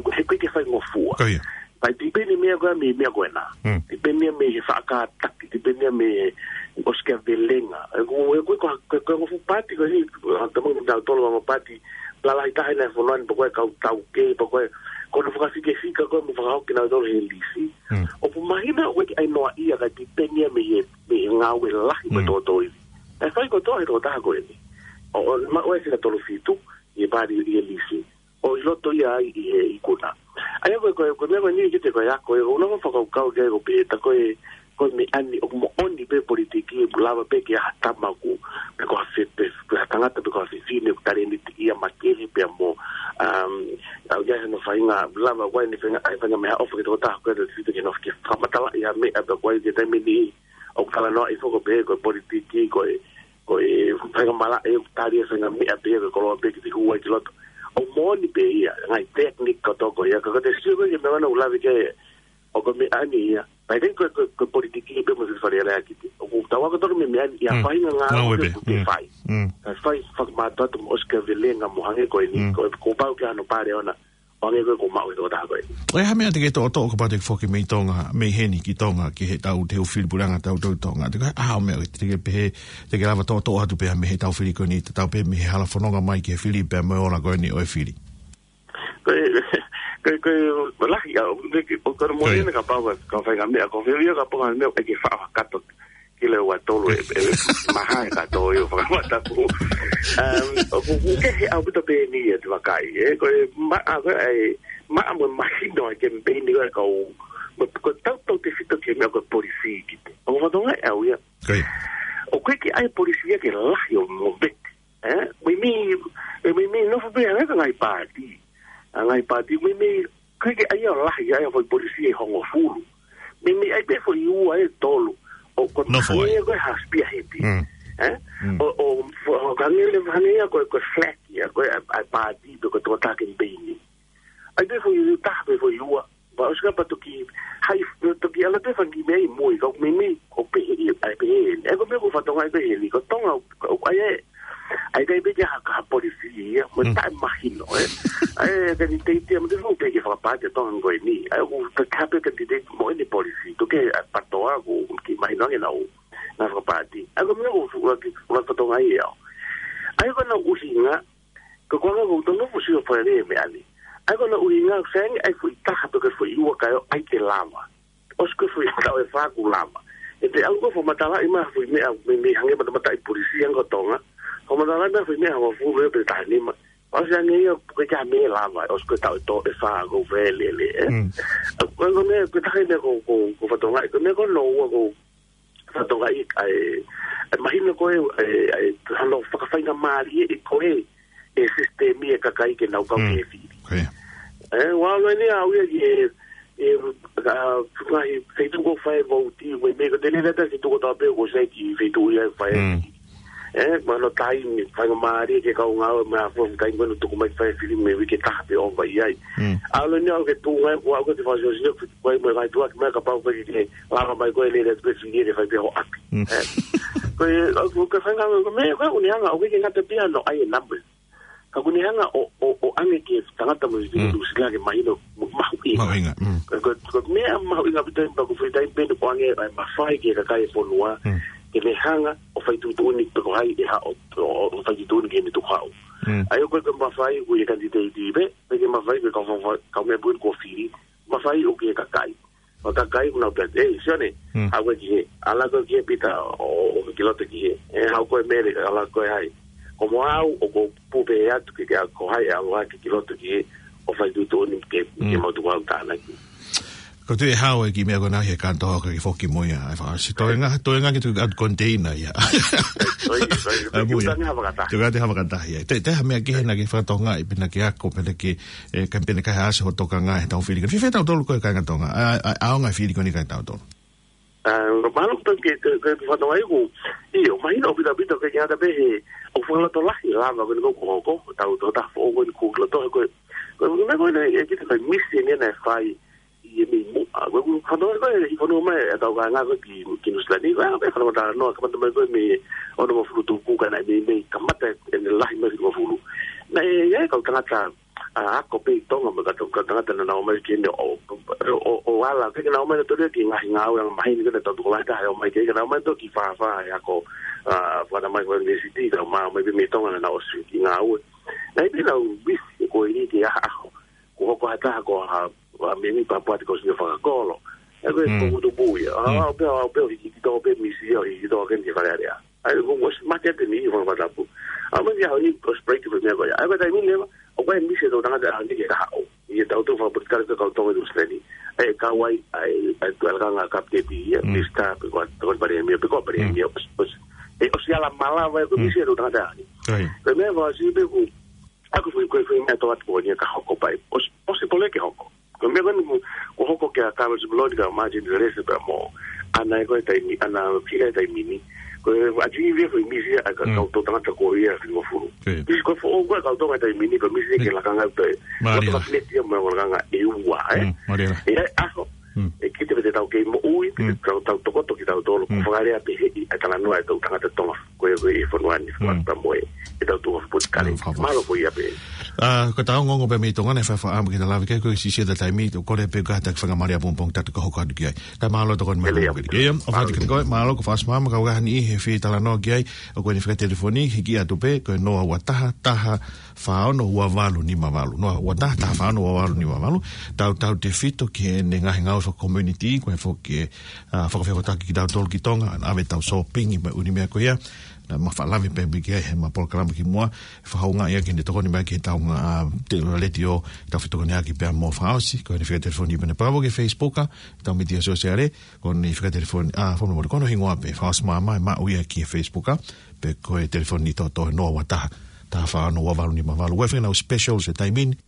ko, he ʻikai ke faingofua. Ko ia. Kae depend e meʻa ko ē mei he meʻa ko ena. Mm. Depend ia mei he faʻa kātaki, depend ia mei he ʻosi ki ha velenga. ʻE ko, ʻe ko, ko, ko, ko e ongo fuʻu paati ko eni, ʻa, tama mo tautolu ongo paati, lalahi taha ena he fonua ni, pe ko e kau taukei, pe ko e, ko hono fakafikefika ko ē mo fakahoko kinautolu he lisi. Mm. ʻOku mahino ʻoku ʻikai ke ʻi ai noaʻia kae depend ia mei he, mei he ngāue lahi mo Mm. tōtōivi. ʻE fai kotoa he tokotaha ko eni. ʻO, ʻo, maʻu e fika tolu fitu, ʻi he paati ʻi he lisi. ʻO ʻi loto ia ai ʻi he ikuna. ʻA ia ko e, ko e, ko e meʻa ko eni kiate koe ʻa koe, ʻoku ou nofo fakakaukau ki ai ʻoku pehē ʻe taha ko e, ko e meʻa ni ʻoku moʻoni pē politiki ʻoku lava pē ke ʻi ai ha tama ʻoku, pe ko ha fe-, pe, pe ha tangata pe ko ha fefine ʻoku talēniti ia makehe pea mo, um, ʻoku ʻi ai hano faʻahinga lava, ʻoku ʻi ai hano faʻahinga, ʻa e faʻahinga meʻaʻofa ki he tokotaha ko ē, ʻa e fefine ke nofo ke fakamatalaʻi ha meʻa pea ko e ʻi ai ke taimi ni ʻoku talanoaʻi foki pē ko e politiki, ko e, ko e faingamālie ʻoku tali e faʻahinga meʻa pē ia ko e koloa pē ke te hū ai ki loto. ʻOku moʻoni pē ia, ngaahi technique kotoa ko ia, ka ko e te sio ko ē ki he meʻa ʻoku ou lave ki ai, ʻoku meʻa ni ia. Pea ʻikai ko e, ko e, ko e politiki pē mo e fefine lea ki te. ʻOku tau ako tonu mei he meʻa ni ia Mm. faʻahinga ngāue Ngāue pē pē. ʻoku te Mm. fai. Mm. Ka fai fakamātoato mo ʻosi ki ha velenga mo hangē ko eni, Mm. ko e, kuo pau ke ʻi ai hano pale ona. ʻO hangē ko e ko maʻu e tokotaha ko ē. ʻOku ʻi ai ha meʻa te ke toʻotoʻo kapau te ke foki mei Tonga, mei heni ki Tonga, ki heʻetau teu fili puleʻanga ʻatautolu ʻi Tonga. Te ke, ʻa, ha meʻa te ke pehē, te ke lava toʻotoʻo atu pē ha meʻa heʻetau fili ko eni, tatau pē mei he hala fononga mai ki he fili pea mo e ola ko eni ʻo e fili. Ko e, ko e, ko e lahi, ʻa, ʻo, ko e, ko e moʻoni ʻeni kapau ka, ka fai ha meʻa, ko e fili ia kapau ha meʻa, ʻe ke faʻa kato ki le ua tolu e, e, maha e kato ʻi he fakamataku. Um, ʻoku, ʻoku kehe ʻaupito pē eni ia te vakai, ē, ko e ma-, ʻa, ko e, ʻa e, maʻa mo e mahino e kemipeini ko e kau, mo, ko e tautautefito ki he meʻa ko e polisī ki te. ʻOku fatonga ʻe au ia. Ko ia. ʻOku ʻikai ke ʻi ai polisī ia ke lahi ʻo mo vete. Ē? Meimei, e meimei nofo pē ʻa e ngaahi paati. ʻA e ngaahi paati, meimei, ʻoku ʻikai ke ʻi ai ia ʻo lahi, ʻi ai ia foʻi polisī ʻe hongofulu. Meimei ʻi ai pē foʻi ua ʻe tolu. ʻO ko e Nofo ai. Hangē ia ko e ha spearhead. Mm. Ē? Mm. ʻO, ʻo, ʻo hangē le, hangē ia ko e, ko e flag ia, ko e, ʻa e, ʻa e paati, pe ko e tokotaha kemipeini. ʻAi pē foʻi taha pe foʻi ua. Pea ʻosi ka pea toki, hai, toki ala pē fanga kiʻi meʻa ʻi mui, ka ʻoku meimei, ʻoku pehē, ʻai pehē. ʻE ko e meʻa ʻoku fatonga ʻai pehē, ko Tonga, ʻoku ʻai ē. ʻAi kai pē ke ha, ha polisī ia, mo Mm. taʻe mahino, ē. ʻAi, e kanititeiti ia, mo te fong pē ke fakapaati ʻa Tonga ko eni. ʻAi, ʻoku ka, ka pē kanititeiti mo ʻene polisī, toki ʻa patoa, ʻoku kiʻi mahino ange ʻenau, ʻenau fakapaati. ʻAi, ko e meʻa ʻoku, ʻoku, ʻoku fatonga ia. ʻAi, ko ʻenau ʻuhinga, ko e konga ko e tonu fusi ʻo fale meʻa ni. ʻAi ko ʻenau ʻuhinga, fengi ʻai foʻi taha pe ko e foʻi ua kae ʻai ke lava. ʻOsi ko e foʻi taʻu ʻe fā kuo lava. ʻE te au ko e fakamatalaʻi mai foʻi meʻa, meimei hangē matamata ʻi polisī ange ko Tonga. Fakamatalaʻi mai foʻi meʻa hongofulu ʻe pe taha nima. ʻOsi ange ia, ko e ka meʻa lava, ʻosi ko e taʻu ʻe tolu ʻe fā ko e fele le, ē. Mm. Ko e meʻa, ko e taha meʻa ko, ko, ko fatonga, ko e meʻa ko ʻenau ua ko, fatonga ʻi, ʻa e, ʻa e mahino ko e, ʻa e, ʻa e, hano fakafaingamālie ʻe ko e, e sisitemi e kakai ke nau kau Mm. ke fili. Ko ia. Ē, ʻoku ʻalu eni au ia ki he, e, ka, ngaahi feituʻu ko e fai vouti, ko e meʻa ko e tele lata feituʻu ko e tape ko e sai ki feituʻu ia e fai. Mm. Ē, mahalo taimi, faingamālie ke kau ngāue, mo e fua taimi ko ē ʻoku tuku mai fai fili mei he uike ʻe taha pe ʻo vai ai. Mm. ʻAlu eni au ke tuʻu ngai, ʻoku ou ke fasi ʻosi, ko e mo e vaituʻa ki mai kapau ko e ke lava mai ko e lele atu pē fili ke fai pē ho ʻapi. Mm. Ē. Ko e, ʻoku ke fai ngā, ko e meʻa, ko e ʻuhinga, ʻoku ʻikai ke ngata pē ia ʻi he numbers. Ka ʻoku ʻuhinga ʻo, ʻo, ʻo ʻange ki he tangata mo e Mm. Nuʻu Sila ke mahino, mo mahuʻinga. Mahuʻinga, mm. Ko, ko, ko e meʻa mahuʻinga ʻaupito ʻi he pea ko e fuʻu taimi pē ʻoku ʻange ʻa e mafai ki he kakai e fonua, Mm. ke ne hanga ʻo fai tuʻutuʻuni pe ko hai ʻe haʻu ʻo, ʻo, ʻo fai tuʻutuʻuni ki heʻene tukuhau. Mm. ʻAi ʻoku ʻikai ke mafai ʻoku ʻi he kanititeiti pē, pe ke mafai ʻoku ʻikai ke kau fa-, fa-, kau meʻa pui ko e fili, mafai ʻoku ʻi he kakai. ʻO kakai ʻoku nau pehē, "ʻEi, Sione, Mm. haʻu koe ki hē, ʻalu koe ki hē Pita, ʻo, ʻo ki loto ki hē, ē, haʻu koe Mele, ʻalu koe hai." Ko mo au, ʻoku ou pehē atu ke, ke ʻalu ko hai, ʻalu hake ki loto ki hē, ʻo fai tuʻutuʻuni ke, ke Mm. mau tuku au tānaki. Ko e tuʻu ʻe hao e kiʻi meʻa ko ena he kātoa ke foki mo ia, ʻe fakaʻosi. Toenga, toenga ke tuku atu konteina ia. Oi, oi, ʻA, mui ia. Tuku atu ha fakataha. Tuku atu ha fakataha ia. Te, te ha meʻa kehe naʻa ke fakatokangaʻi, pe naʻa ke ako, pe naʻa ke, ʻe, ka pehē ʻe ʻikai ha ʻasi hoʻo tokangaʻi heʻetau fili. Ka fēfē tautolu ko e kāinga Tonga. ʻA, ʻa, ʻaonga e fili ko eni kia tautolu. ʻA, mahalo ko e, ke, ke, ke fakatokangaʻi ʻoku, ʻio, mahino ʻaupito ʻaupito ke kiate pē he, ʻoku fakalotolahi lava ko eni ko e hoko, tau, tau, tau, foʻou ko eni ko e loto, ko e, ko e, ko e, ko e, ʻe, kita fai misi eni naʻe fai, ʻi he mei muʻa. Ko e, ko e, fanongo ko e, ʻi fanongo mai, ʻetau kāinga ko ē ki, ki Nuʻu Sila ni, ko e, ko e, fanongo talanoa, kamata mai ko e mei, ono mo fulu tuku, ka naʻe mei, mei, kamata ʻene lahi mai ki mo fulu. Naʻe, ʻi ai e kau tangata, ʻa, ako pē ʻi Tonga, mo e kau, kau tangata naʻa nau ō mai ki heni ʻo, ʻo, ʻo, ʻo ala, ke nau ō mai nautolu ki he ngaahi ngāue anga maheni, ko ʻenau tokolahi taha ʻe ō mai ki, ke nau ō mai nautolu ki fāfā, ʻe ako, ʻa, fana mai ko e university, ka ō mai, ō mai pē mei Tonga naʻa nau ʻosi ki ngāue. Naʻe pē ʻenau misi ko eni ki he ʻaho, kuo hoko ha taha ko ha, ha meni pāpua te kau sino fakakolo. ʻE ko e Mm. ko kutu pui. ʻA, Mm. ʻo pē, ʻo pē, ʻo hiki tō pē misi, ʻo hiki tō ke ni Fale Alea. ʻAi, ko ʻosi mate atu eni ʻi Fangatapu. ʻA, mai ia, ʻo ni, ʻosi break pē meʻa ko ia. ʻAi, ko e taimi ni, ʻo ko e misi ʻetau tangata ʻaho ni ke ka haʻu. ʻI heʻetau tō fakaputi kale ko e kau Tonga Nuʻu Sila ni. ʻAi, kau ai, ʻai, ʻai, tuʻu ʻa e lakanga kapiteni ia, Mm. Minisitā, pe ko e, pe ko e palēmia, pe ko e palēmia, Mm. ʻosi, ʻosi. ʻE, ʻosi ala malava e ko e Mm. misi ʻetau tangata ʻaho ni. Ko e meʻa fakaʻosi pē ʻoku, ʻa ko e foʻi, ko e foʻi meʻa tō atu ko eni ka hoko pē. ʻOsi, ʻosi pole ke hoko. Ko e meʻa ko eni kuo, kuo hoko kia Carlos Boloni ka Martin Teresa pea mo ʻAna ʻi he ko e taimi, ʻAna Fila he taimi ni. Ko e ʻa e kiʻi foʻi misi ʻa e ka Mm. kau tō tangata ko ia fili mo fulu. Ko ia. Misi ko e foʻou ko e kau Tonga he taimi ni, ko e misi ke Mm. lakanga pē. Mālie. Ko e kapineti ia mo e lakanga ʻe ua, ē? Mm, mālie. ʻE ʻaho, Mm. ʻe kita pē te tau kei moʻui, pē Mm. tau, tau tokoto kitautolu, ko Mm. fakalea pē he ʻi, ʻa e talanoa ʻetau tangata Tonga, ko e, ko e fonua ni, Mm. fakamoe, ʻetau tō fakaputi kale. Mm, fakamoe. Mālō ko ia pē. ʻA, ko ʻetau ongoongo pē mei Tonga naʻe faʻa faʻa ʻamu ke ta lave ki ai, ko e siʻisiʻi ʻeta taimi, ʻoku kole pē ke ta kiʻi fanga mālie ʻapōpō ʻo ta toki hoko atu ki ai. Kae mālō tokoni mai. Mālō. Ia, ʻofa atu kiate koe, mālō ko e fakaʻosi māmā, kau ʻaho ni he fie talanoa ki ai, ʻoku ʻi ai ʻene fika telefoni, hiki atu pē, ko e noa ua taha, taha fā ono, ua valu nima valu. Noa ua taha, taha fā ono, ua valu nima valu. Tautautefito ki heʻene ngaahi ngāue faka-community, ko e foki, ʻa, fakafehoanaki kitautolu ki Tonga, ʻave ʻetau sōpingi mo e ʻū meʻa ko ia. Naʻa ma faʻa lave pē ki ai heʻema polokalama kimuʻa, fakahoungaʻia ke ne tokoni mai ki heʻetau ngaahi, ʻa, te letiō, tau fetokoniʻaki pea mo e fakaʻosi, ko ʻene fika telefoni pea ne pau ki he Facebook, ʻa, ʻetau mītia sōsiale, ko ʻene fika telefoni, ʻa, fakamolemole, ko hono hingoa pē, fakaʻosi māmā, ʻe maʻu ia ki he Facebook, ʻa, pe ko e telefoni tōtō noa ua taha, taha fā ono, ua valu nima valu. ʻOku ʻi ai e fanga specials he taimi ni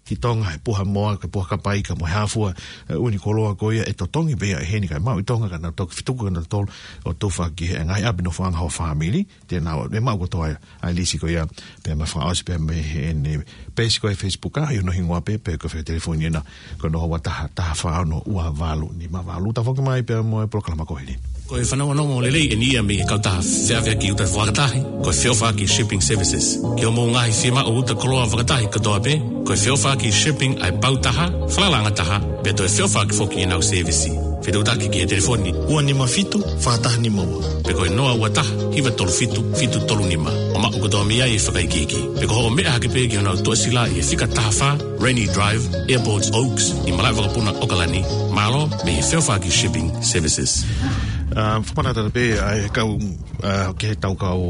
ki Tonga, he puha moa, ko e puha kapa ika mo e hā fua, e ʻū koloa ko ia ʻe totongi pē ia ʻe heni kae maʻu ʻi Tonga, ka nau toki fetuku kinautolu ʻo tufa ki he ngaahi ʻapi nofoʻanga ho fāmili, te nau, ʻe maʻu kotoa ia ʻa e lisi ko ia, pea mo e fakaʻosi pea mei heʻene peesi ko ē he Facebook, ʻa, ʻi hono hingoa pē, pe ko e fika telefoni ena, ko e noa ua taha, taha fā ono, ua valu nima valu. Tau foki mai pea mo e polokalama ko eni. Ko e fanongonongo lelei eni ia mei he kautaha feʻaveʻaki uta fakatahi, ko e Feʻofaʻaki Shipping Services. Ki hoʻomou ngaahi fiemaʻu uta koloa fakatahi kotoa pē, ko e Feʻofaʻaki Shipping ʻa e pau taha, falalaʻanga taha, pea toe feʻofaʻaki foki ʻenau sēvisi. Fetuʻutaki ki he telefoni ua nima fitu, fā taha nima ua, pe ko e noa ua taha, hiva tolu fitu, fitu tolu nima, ʻo maʻu kotoa mei ai e fakaikiiki. Pe ko hoʻo meʻa hake pē ki honau tuʻasila ʻi he fika taha fā, Rennie Drive, Airport Oaks, ʻi malaʻe vakapuna ʻAokalani. Mālō mei he Feʻofaʻaki Shipping Services. ʻA, fakamanatu pē ʻa e kau, ʻa, ki heʻetau kau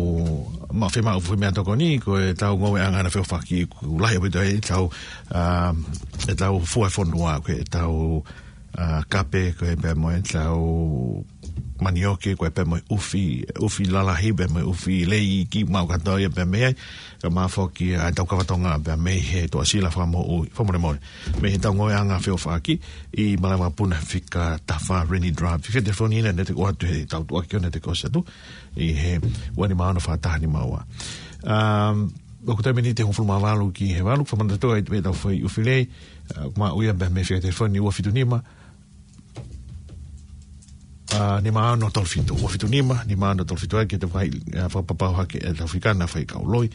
maʻu fiemaʻu, fiemaʻu tokoni, ko ʻetau ngāueʻanga ʻa e feʻofaʻaki, ʻoku lahi ʻaupito ʻetau, ʻa, ʻetau fua fonua, ko ʻetau, ʻa, kape, ko e pea mo ʻetau manioke, ko e pea mo e ʻufi, ʻufi lalahi, pea mo e ʻufi lei, ʻikai maʻu kātoa ia pea mei ai, kae ʻumaʻā foki ʻa ʻetau kava Tonga pea mei he tuʻasila fakamoʻui, fakamolemole. Mei heʻetau ngāueʻanga feʻofaʻaki, ʻi malaʻe vakapuna fika taha fā Rennie Drive. Fika telefoni ena, ne te ʻoatu heʻetau tuʻuaki ʻo ne te ʻosi atu, ʻi he ua nima ono fā taha nima ua. Um, ʻoku taimi ni ʻe hongofulu mā valu ki he valu, fakamanatu atu ai pē ʻetau foʻi ʻufi lei, ʻa, maʻu ia pea mei he fika telefoni ua fitu nima, ʻa, nima ono tolu fitu, ua fitu nima, nima ono tolu fitu ai ke te fai, ʻa, fakapapauʻi hake ʻetau fika na fai kau loi,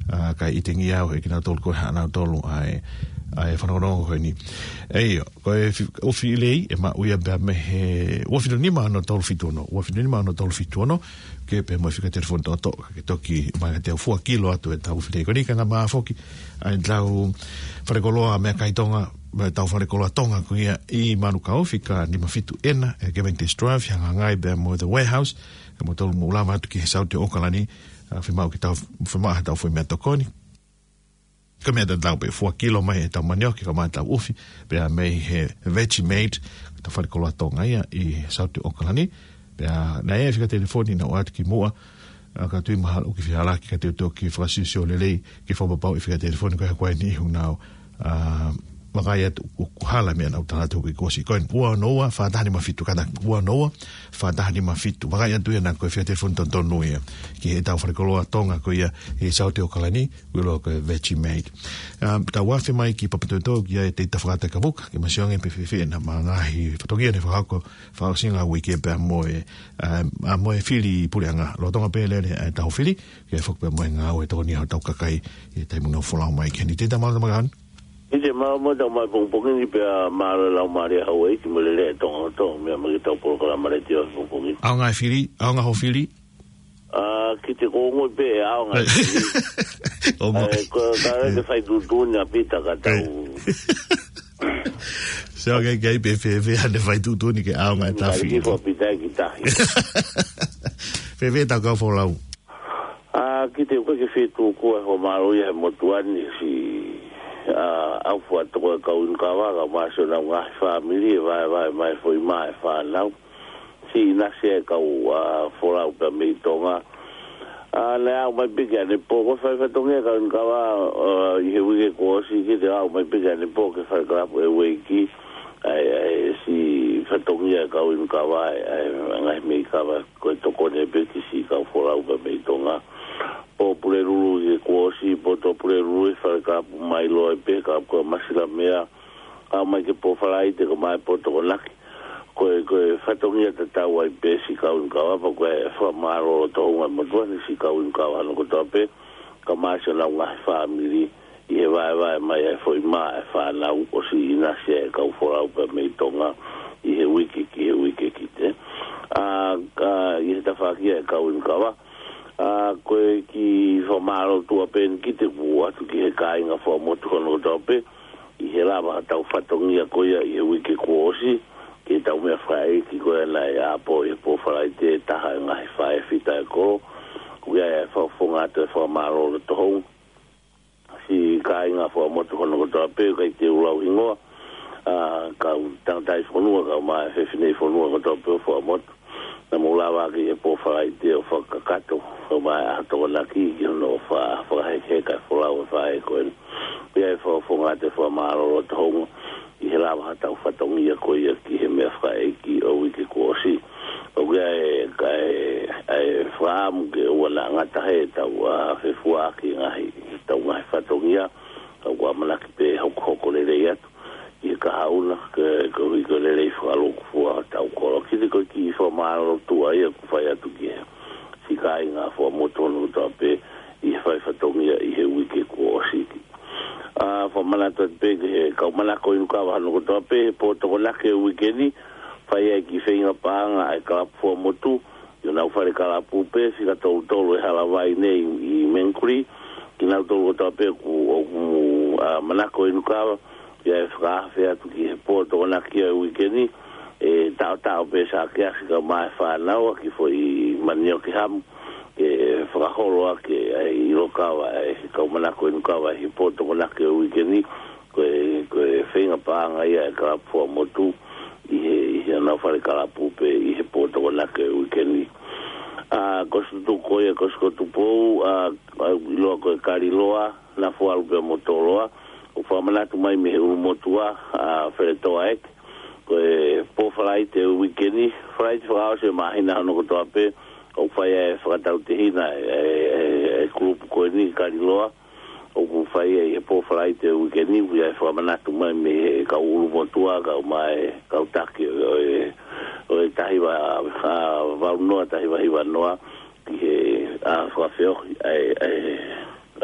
ʻa, kae ʻikai tengia au he kinautolu ko ē haʻanautolu ʻa e, ʻa e fanongonongo ko eni. ʻIo, ko e fi-, ʻufi lei, ʻe maʻu ia pea mei he ua fitu nima ono tolu fitu ono, ua fitu nima ono tolu fitu ono, ke pehē mo e fika telefoni tōtō, ke toki mai ke te fua kilo atu ʻetau ʻufi lei ko eni, kae ʻumaʻā foki ʻa ʻetau falekoloa meʻakai Tonga, mo ʻetau falekoloa Tonga ko ia ʻi Manukau, fika nima fitu ena, ʻi he Cavendish Drive, hangahangai pea mo The Warehouse, kae ʻumaʻā ʻetau mou lava atu ki he Saute ʻAokalani, ʻa, fiemaʻu ke tau, fiemaʻu haʻatau foʻi meʻatokoni. Ko e meʻa tatau pē, fua kilo mai ʻetau manioke kae ʻumaʻā ʻetau ʻufi, pea mei he Vegemite, ʻetau falekoloa Tonga ia ʻi Saute ʻAokalani, pea naʻe ʻi ai e fika telefoni naʻe ʻoatu kimuʻa, ʻa, ka ʻoku ou tui mahalo ʻoku fehālaaki ka te u toki fakasiosio lelei, ke fakapapauʻi e fika telefoni ko ē he kuo ʻi ai e niʻihi ʻoku nau, ʻa, vakai atu ʻoku hala e meʻa naʻa ku tala atu ki he kuo ʻosi. Ko e ua ono ua, fā taha nima fitu, kātaki ua ono ua, fā taha nima fitu. Vakai atu ia naʻa ko e fika telefoni totonu ia ki heʻetau falekoloa Tonga ko ia ʻi Saute ʻAokalani, ʻoku ʻiloa ko e Vegemite. Um, tau afe mai ki Papatoetoe ki ai ʻetau fakataha kapuka, ke ma sio ange pe fēfē ʻenau ngaahi fatongia ne fakahoko fakaʻosinga uike pea mo e, um, ʻa, mo e fili puleʻanga. Lolotonga pē lele ʻetau fili, ke foki pea mo e ngāue tokoni ʻa hotau kakai ʻi he taimi ʻoku nau folau mai ki heni. Tētā mālō tama kahan. ʻIte mālō mo tau mai pongipongi ni pea mālō e laumālie Hauaiʻi mo e lele ʻa Tonga kotoa, meʻa mai ki heʻetau polokalama letiō pongipongi ni. ʻAonga e fili, ʻaonga hoʻo fili. ʻA, ki te kongo pē, ʻaonga e fili. ʻO mo- ʻE, ko, ka le te fai tuʻutuʻuni ʻa Pita ka tau. Sai. Sio ange ki ai pe fēfē haʻane fai tuʻutuʻuni ke ʻaonga e tafi. Ngai ki fo Pita ki tahi. Fēfē ʻetau kau folau. ʻA, ki te koe ke fie tuku ʻa e fakamālō ia he motuʻa ni si, ʻa, ʻaufuatoko e kau inu kava, kae ʻumaʻā siʻonau ngaahi fāmili, ʻe vaevae mai foʻi mā e fānau. Siʻi nasi e kau, ʻa, folau pea mei Tonga. ʻA, naʻe aʻu mai pē ki ʻanepō, ko e fai fatongia e kau inu kava, ʻa, ʻi he uike kuo ʻosi ki te aʻu mai pē ki ʻanepō ke fai kalapu e ueiki. ʻA e, ʻa e, siʻi fatongia e kau inu kava, ʻa e, ʻa e ngaahi meʻi kava, ko e tokoni pē ki siʻi kau folau pea mei Tonga. Pō Pulelulu ʻi he kuo ʻosi, pō Tuʻapulelulu ʻi he fale kalapu mai Loa pē, kalapu ko Masilamea. Aʻu mai ki he pō Falaite kae ʻumaʻā e pō Tokonaki. Ko e, ko e fatongia tatau ai pē siʻi kau inu kava, pea ko e fakamālō loto houngaʻia motuʻa ni siʻi kau inu kava hono kotoa pē, kae ʻumaʻā siʻonau ngaahi fāmili, ʻi he vaevae mai ʻa e foʻi mā ʻa e fānau, ʻosi ʻinasi ʻa e kau folau pea mei Tonga ʻi he uike ki he uike ki te. ʻA, ka ʻi he tafaʻaki ʻa e kau inu kava, ʻa, ko e kiʻi fakamālō tuʻa pē eni ki te kuo ʻoatu ki he kāinga fakamotu hono kotoa pē, ʻi he lava ha tau fatongia ko ia ʻi he uike kuo ʻosi, ki he tau meʻafakaʻeiki ko ia naʻe ʻā pō ʻi he pō Falaite, taha e ngaahi faʻē fita e kolo, ko ia e fakafofonga atu e fakamālō loto hounga. Siʻi kāinga fakamotu hono kotoa pē, ʻikai te u lau hingoa, ʻa, kau tangataʻi fonua, kau mai fefinei fonua kotoa pē ʻo fakamotu. Naʻa mou lava ʻaki he pō Falaite ʻo fakakakato, kau mai ʻa Tokonaki ki hono fa-, fakahekeheka e folau e faʻē ko eni. Pea e fakafofonga atu e fakamālō loto hounga, ʻi he lava ha tau fatongia ko ia ki he meʻafakaʻeiki ʻo e uike kuo ʻosi. ʻOku ʻi ai e, ʻa e, ʻa e fakaʻamu ke ʻoua naʻa ngata he tau, ʻa, fefuaʻaki ngaahi, tau ngaahi fatongia, ka ʻoku ʻamanaki pē hokohoko lelei atu ʻi he kahaʻu na, ke, koeʻuhi ko e lelei fakalūkufua ʻo tau kolo. Kiʻi, ko e kiʻi fakamālō tuʻa ia ʻoku fai atu ki he siʻi kāinga fakamotu hono kotoa pē ʻi he fai fatongia ʻi he uike kuo ʻosi. ʻA, fakamanatu atu pē ki he kau manako inu kava hono kotoa pē, he pō Tokonaki e uike ni, fai ai e kiʻi feinga paʻanga ʻa e kalapu fakamotu, ʻi honau fale kalapu pē, fika tolu tolu e Halavai nei ʻi Mangere Kuli, kinautolu kotoa pē ʻoku, ʻoku, ʻa, manako inu kava, ʻi ai e fakaafe atu ki he pō Tokonaki e uike ni, ʻe taʻotaʻo pē Sakeasi kau mai e fānau ʻaki e foʻi manioke hamu, ke fakaholo ʻaki ʻa e ʻilo kava ʻa e kau manako inu kava ʻi he pō Tokonaki e uike ni, ko e, ko e feinga paʻanga ia ʻa e kalapu fakamotu ʻi he, ʻi honau fale kalapu pē ʻi he pō Tokonaki e uike ni. ʻA, ko Situtuku ko ia, ko Situtuku Pou, ʻa, ʻa, ʻiloa ko e Kaliloa, Nafualu pea mo Toloa, ʻoku fakamanatu mai mei he ʻulumotuʻa, ʻa, Feletoa Eke, ko e pō Falaite e uike ni, Falaite fakaʻosi e māhina hono kotoa pē, ʻoku fai ai e fakatautehina e, e, e, e kulupu ko eni Kaliloa, ʻoku fai ai he pō Falaite e uike ni, ʻoku ʻi ai e fakamanatu mai mei he kau ʻulumotuʻa, kau mai e kau taki ʻo e, ʻo e taha hiva, ʻa, valu noa, taha hiva hiva noa, ki he, ʻa, fakafeohi ʻa e, ʻa e,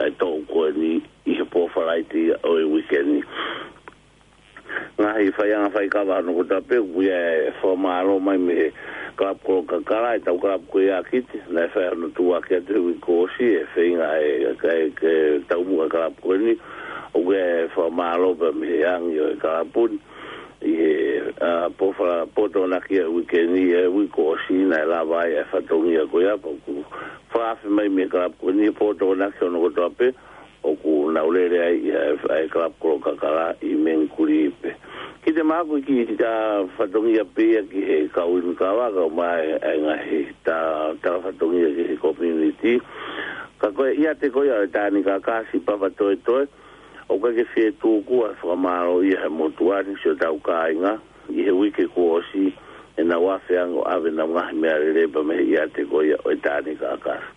ʻa e toʻu ko eni ʻi he pō Falaite ia ʻo e uike ni. Ngaahi faiʻanga faikava hono kotoa pē, ʻoku ʻi ai e fakamālō mai mei he kalapu Kolokakala, e tau kalapu ko ia Kite, naʻe fai hono tuʻuaki atu he uike kuo ʻosi, e feinga e, e, e, e taumuʻa e kalapu ko eni, ʻoku ʻi ai e fakamālō pea mei he angi ʻo e kalapu ni, ʻi he, ʻa, pō Fala-, pō Tokonaki e uike ni, e uike kuo ʻosi naʻe lava ai e fatongia ko ia, pea ʻoku fakaafe mai mei he kalapu ko eni, pō Tokonaki hono kotoa pē, ʻoku nau lele ai ʻi he, ʻa e kalapu Kolokakala ʻi Mangere Kuli pē. Kiʻi te maku ki he fatongia pē ia ki he kau inu kava, kau mai e ngaahi ta-, tala fatongia ki he community. Ka ko e ʻiate ko ia ʻo e Tānaki Kakasi Papatoetoe, ʻoku ʻikai ke fie tuku ʻa e fakamālō ia he motuʻa ni siʻotau kāinga, ʻi he uike kuo ʻosi, ʻenau afe ange ʻo ʻave ʻenau ngaahi meʻalele pea mei he ʻiate ko ia ʻo e Tānaki Kakasi.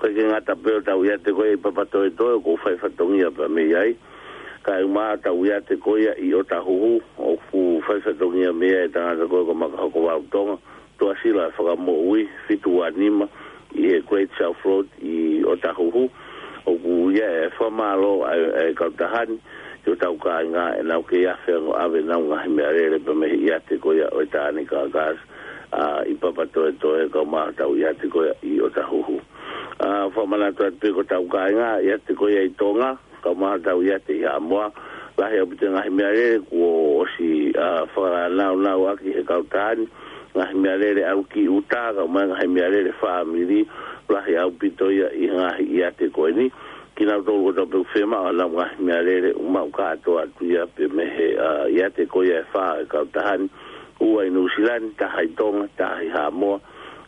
ʻOku ʻikai ke ngata pē ʻo tau ʻiate ko ia ʻi Papatoetoe, ʻoku fai fatongia pea mei ai. Kae ʻumaʻā ʻetau ʻiate ko ia ʻi ʻOtahuhu, ʻoku fai fatongia mei ai e tangata ko ia ko Makahokovau Tonga, Tuʻasila Fakamoʻui, fitu ua nima, ʻi he Great South Road ʻi ʻOtahuhu. ʻOku ʻi ai e fakamālō ʻa e, ʻa e kautaha ni, ki hotau kāinga ʻenau kei afe ange ʻo ʻave ʻenau ngaahi meʻalele pea mei he ʻiate ko ia ʻo e Tānaki Kakasi, ʻa, ʻi Papatoetoe, kau mai hotau ʻiate ko ia ʻi ʻOtahuhu. ʻA, fakamanatu atu pē ki hotau kāinga, ʻiate ko ia ʻi Tonga, kau mai hotau ʻiate ʻi Haʻamoa, lahi ʻaupito e ngaahi meʻalele kuo ʻosi, ʻa, fakanāunauʻaki he kautaha ni, ngaahi meʻalele ʻalu ki ʻuta, kau mai ngaahi meʻalele fāmili, lahi ʻaupito ia ʻi he ngaahi ʻiate ko eni. Kinautolu kotoa pē ʻoku fiemaʻu honau ngaahi meʻalele, ʻoku maʻu kātoa atu ia pē mei he, ʻa, ʻiate ko ia ʻe fā ʻo e kautaha ni, ua ʻi Nuʻusila ni, taha ʻi Tonga, taha ʻi Haʻamoa.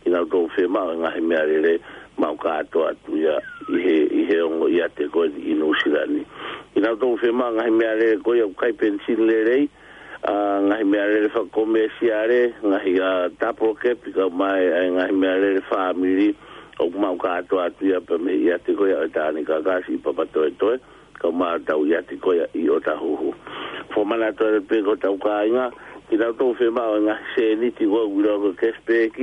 Kinautolu ʻoku fiemaʻu e ngaahi meʻalele, maʻu kātoa atu ia ʻi he, ʻi he ongo ʻiate ko eni ʻi Nuʻusila ni. Kinautolu ʻoku fiemaʻu e ngaahi meʻalele ko ia ʻoku ʻikai penisini lelei, ʻa, ngaahi meʻalele fakakomēsiale, ngaahi, ʻa, tapolo kepi, kau mai e ngaahi meʻalele fāmili, ʻoku maʻu kātoa atu ia pea mei he ʻiate ko ia ʻo e Tānaki Kakasi ʻi Papatoetoe, kau mai hotau ʻiate ko ia ʻi ʻOtahuhu. Fakamanatu atu pē ki hotau kāinga, kinautolu ʻoku fiemaʻu e ngaahi sēniti ko ia ʻoku ʻiloa ko e cashback,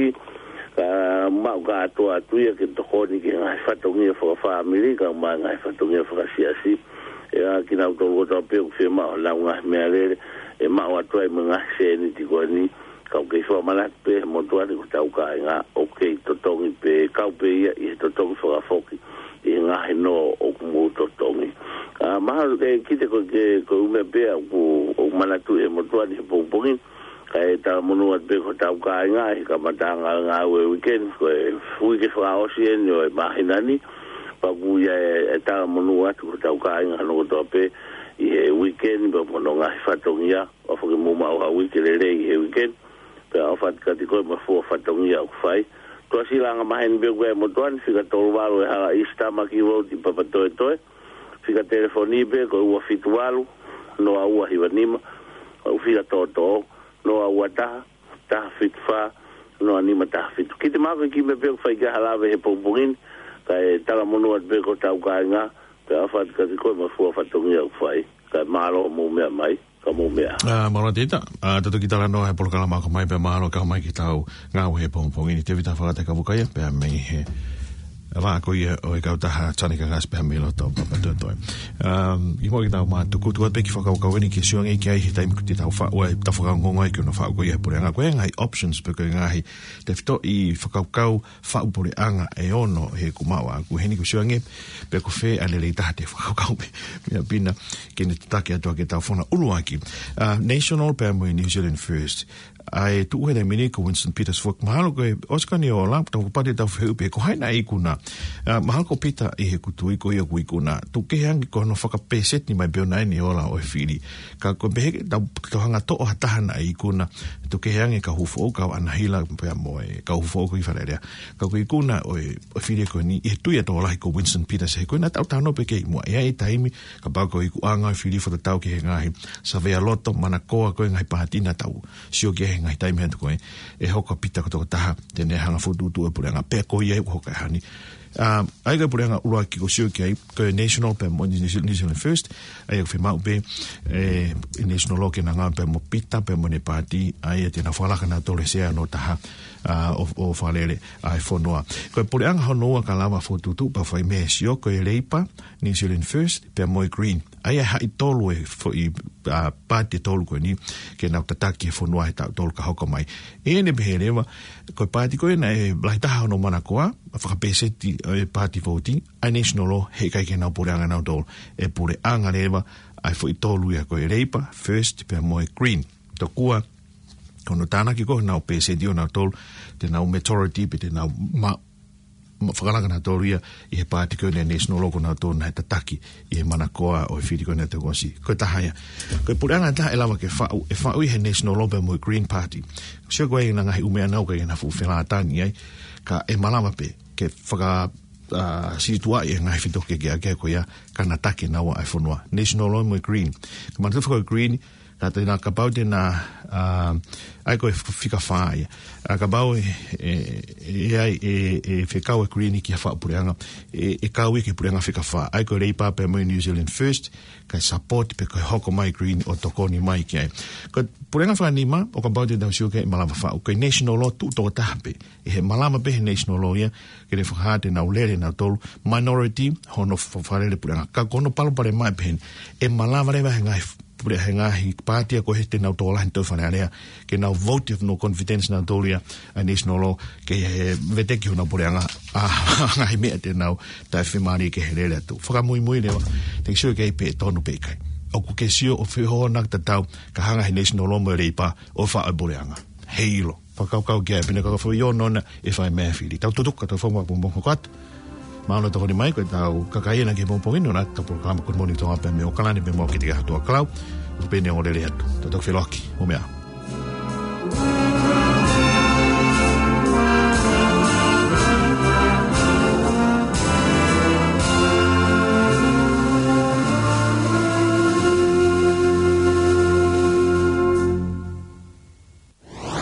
ka maʻu kātoa atu ia ke tokoni ki he ngaahi fatongia fakafāmili, kau mai e ngaahi fatongia fakasiasi, ʻE, ʻa kinautolu kotoa pē ʻoku fiemaʻu ʻenau ngaahi meʻalele, ʻe maʻu atu ai mo e ngaahi sēniti ko eni, ka ʻoku kei fakamanatu pē he motuʻa ni ko hotau kāinga, ʻoku kei totongi pē, kau pē ia ʻi he totongi fakafoki, ʻi he ngaahi nō ʻoku mou totongi. ʻA, mahalo ke kiʻi ko e, ko e ʻū meʻa pē ʻoku, ʻoku manatuʻi he motuʻa ni he pongipongi ni, kae talamonū atu pē ki hotau kāinga, ʻi he kamataʻanga ʻo e ngāue uike ni, ko e uike fakaʻosi eni ʻo e māhina ni, pea ʻoku ʻi ai e, e talamonū atu ki hotau kāinga hono kotoa pē ʻi he uike ni, pea mo hono ngaahi fatongia, ʻofa ke mou maʻu ha uike lelei ʻi he uike ni, pea ʻofa atu kiate koe mo e fua fatongia ʻoku fai. Tuʻasila angamaheni pē ʻoku ʻi ai he motuʻa ni, fika tolu valu e hala ʻi Sitamaki Road ʻi Papatoetoe, fika telefoni pē ko e ua fitu valu, noa ua hiva nima, ʻa e fika toʻotoʻo, noa ua taha, taha fitu fā, noa nima taha fitu. Kiʻi mahalo ko e kiʻi meʻa pē ʻoku fai ki ai ha lave he pongipongi ni, kae talamonū atu pē ki hotau kāinga, pea ʻofa atu kiate koe mo e fua fatongia ʻoku fai, kae mālō hoʻomou meʻa mai, ka mou meʻa. ʻA, mālō Tēvita, ʻa, tau toki talanoa he polokalama ʻoku ʻomai pea mālō kau mai ki heʻetau ngāue he pongipongi ni. Tēvita Fakatakavukaia, pea mei he vā ko ia ʻo e kautaha Tane Kangasi pea mei loto Papatoetoe. Um, ʻi muʻa ke tau mātuku, tuku atu pē kiʻi fakakaukau eni ke sio ange ki ai he taimi ko ē te tau faʻu ai, tau fakaongoongo ai ki hono faʻu ko ia he puleʻanga. Ko e ngaahi options pe ko e ngaahi tefitoʻi fakakaukau faʻu puleʻanga ʻe ono he kuo maʻu ʻaʻaku heni, ko e sio ange pe ko fē ʻa e lelei taha te fakakaukau pē meʻa pina ke ne tataki atu ʻa ke tau fona ʻuluaki. Uh, National pea mo e New Zealand First. ʻA e tuʻu he taimi ni ko Winston Peters foki. Mahalo ko e ʻosi ko eni ʻo Ola, tau kapau te tau fehuʻi pe ko hai naʻe ikuna. ʻA, mahalo ko Pita ʻi heʻeku tui ko ia ʻoku ikuna. Tuku kehe ange ko hono fakapēseti mai pē ʻona eni ʻo Ola ʻo e fili. Ka ko e pehē ke tau, tau hanga ʻo toʻo ha taha naʻe ikuna. Tuku kehe ange Kauhufoʻou, Kauanahila pea mo e Kauhufoʻou ko e Fale Alea. Ka ko e ikuna ʻo e, ʻo e fili ko eni, ʻi he tui ʻa e tokolahi ko Winston Peters, he ko ena tau talanoa pē ki ai muʻa. ʻE ʻi ai e taimi, kapau ko e ikuʻanga ʻo e fili fakatatau ki he ngaahi savea loto, manakoa ko e ngaahi pāti naʻa tau sio ki ai he ngaahi taimi atu ko ē, ʻe hoko ʻa Pita ko e tokotaha te ne hanga ʻo fokotuʻutuʻu e puleʻanga, pea ko ia ʻoku hoko ʻi heni. ʻA, ʻa ia ko e puleʻanga ʻuluaki ʻoku sio ki ai, ko e National pea mo New Zealand, New Zealand First, ʻa ia ʻoku fiemaʻu pē, ʻe, National ʻo ke na ngāue pea mo Pita, pea mo ʻene pāti, ʻa ia te na fakalaka nautolu he sea hono taha, ʻa, ʻo, ʻo fakalele ʻa e fonua. Ko e puleʻanga hono ua ka lava fokotuʻutuʻu pea fai mei he sio, ko e Labour, New Zealand First, pea mo e Green. ʻA ia ʻe haʻi tolu e foʻi, ʻa, pāti ʻe tolu ko eni, ke nau tataki e fonua he taʻu tolu ka hoko mai. ʻE ne pehē leva, ko e pāti ko ē naʻe lahi taha hono manakoa, ʻa e fakapēseti ʻo e pāti vouti, ʻa e National ʻo, heʻikai ke nau puleʻanga nautolu. ʻE puleʻanga leva ʻa e foʻi tolu ia ko e Labour, First, pea mo e Green. Tokua, ko hono tānaki ko ē honau pēseti ʻo nautolu, te nau majority pe te nau ma-, ma-, fakalaka nautolu ia ʻi he pāti ko eni National ʻo ko nautolu naʻe tataki ʻi he manakoa ʻo e fili ko eni ʻa e taʻu kuo ʻosi. Ko e taha ia. Ko e puleʻanga ʻe taha ʻe lava ke faʻu, ʻe faʻu ʻi he National pea mo e Green Party. Sio ko e ngaahi ʻū meʻa naʻa ku ʻikai ke na fuʻu felātani ai, ka ʻe malava pē ke faka-, ʻa, situʻa ʻi he ngaahi fito ke ke ake ko ia ka na tataki naua ʻa e fonua. National mo e Green. Ka manatu foki ko e Green, ka te na kapau te na, ʻa, ʻa ia ko e f-, fika fā ia. ʻA, kapau ʻe, ʻe, ʻe, ʻe, ʻe fekau e Green ki ha faʻu puleʻanga, ʻe, ʻe kau ia ki he puleʻanga fika fā. ʻA ia ko e Labour pea mo e New Zealand First, kae support pe ko e hoko mai Green ʻo tokoni mai ki ai. Ko e puleʻanga fakanima, ʻo kapau te tau sio ki ai ʻe malava faʻu. Ko e National ʻo tuʻu tokotaha pē. ʻI he malava pē he National ʻo ia, ke ne fakahā te nau lele nautolu, minority, hono fa-, fakalele puleʻanga. Ka ko hono palopalema ʻe pehē ni, ʻe malava leva he ngaahi f-, pule-, he ngaahi pāti ia ko ē te nau tokolahi ʻi he Fale Alea, ke nau vote of no confidence nautolu ia, ʻa e National ʻo, ke he veteki honau puleʻanga, ʻa, ngaahi meʻa te nau taʻefimālie ke he lele atu. Fakamuimui leva, te ke sio ki ai pe ʻe tonu pe ʻikai. ʻOku ke sio ʻo fehoana tatau, ka hanga he National ʻo mo e Labour, ʻo faʻu e puleʻanga. Heiʻilo. Fakakaukau ki ai, pea ne ka foʻi ono na ʻe fai mei he fili. Tau tutuku ka tau fakamuʻa pongipongi hoko atu. Mālō e tokoni mai, ko ʻetau kakai ena ki he pongipongi ni, ʻo ʻetau polokalama Good Morning Tonga pea mei ʻAokalani pea mo Kitiki Hatuʻakalau. Ko Peni ʻo lele atu. Tau toki feʻiloaki, mou meʻa ā.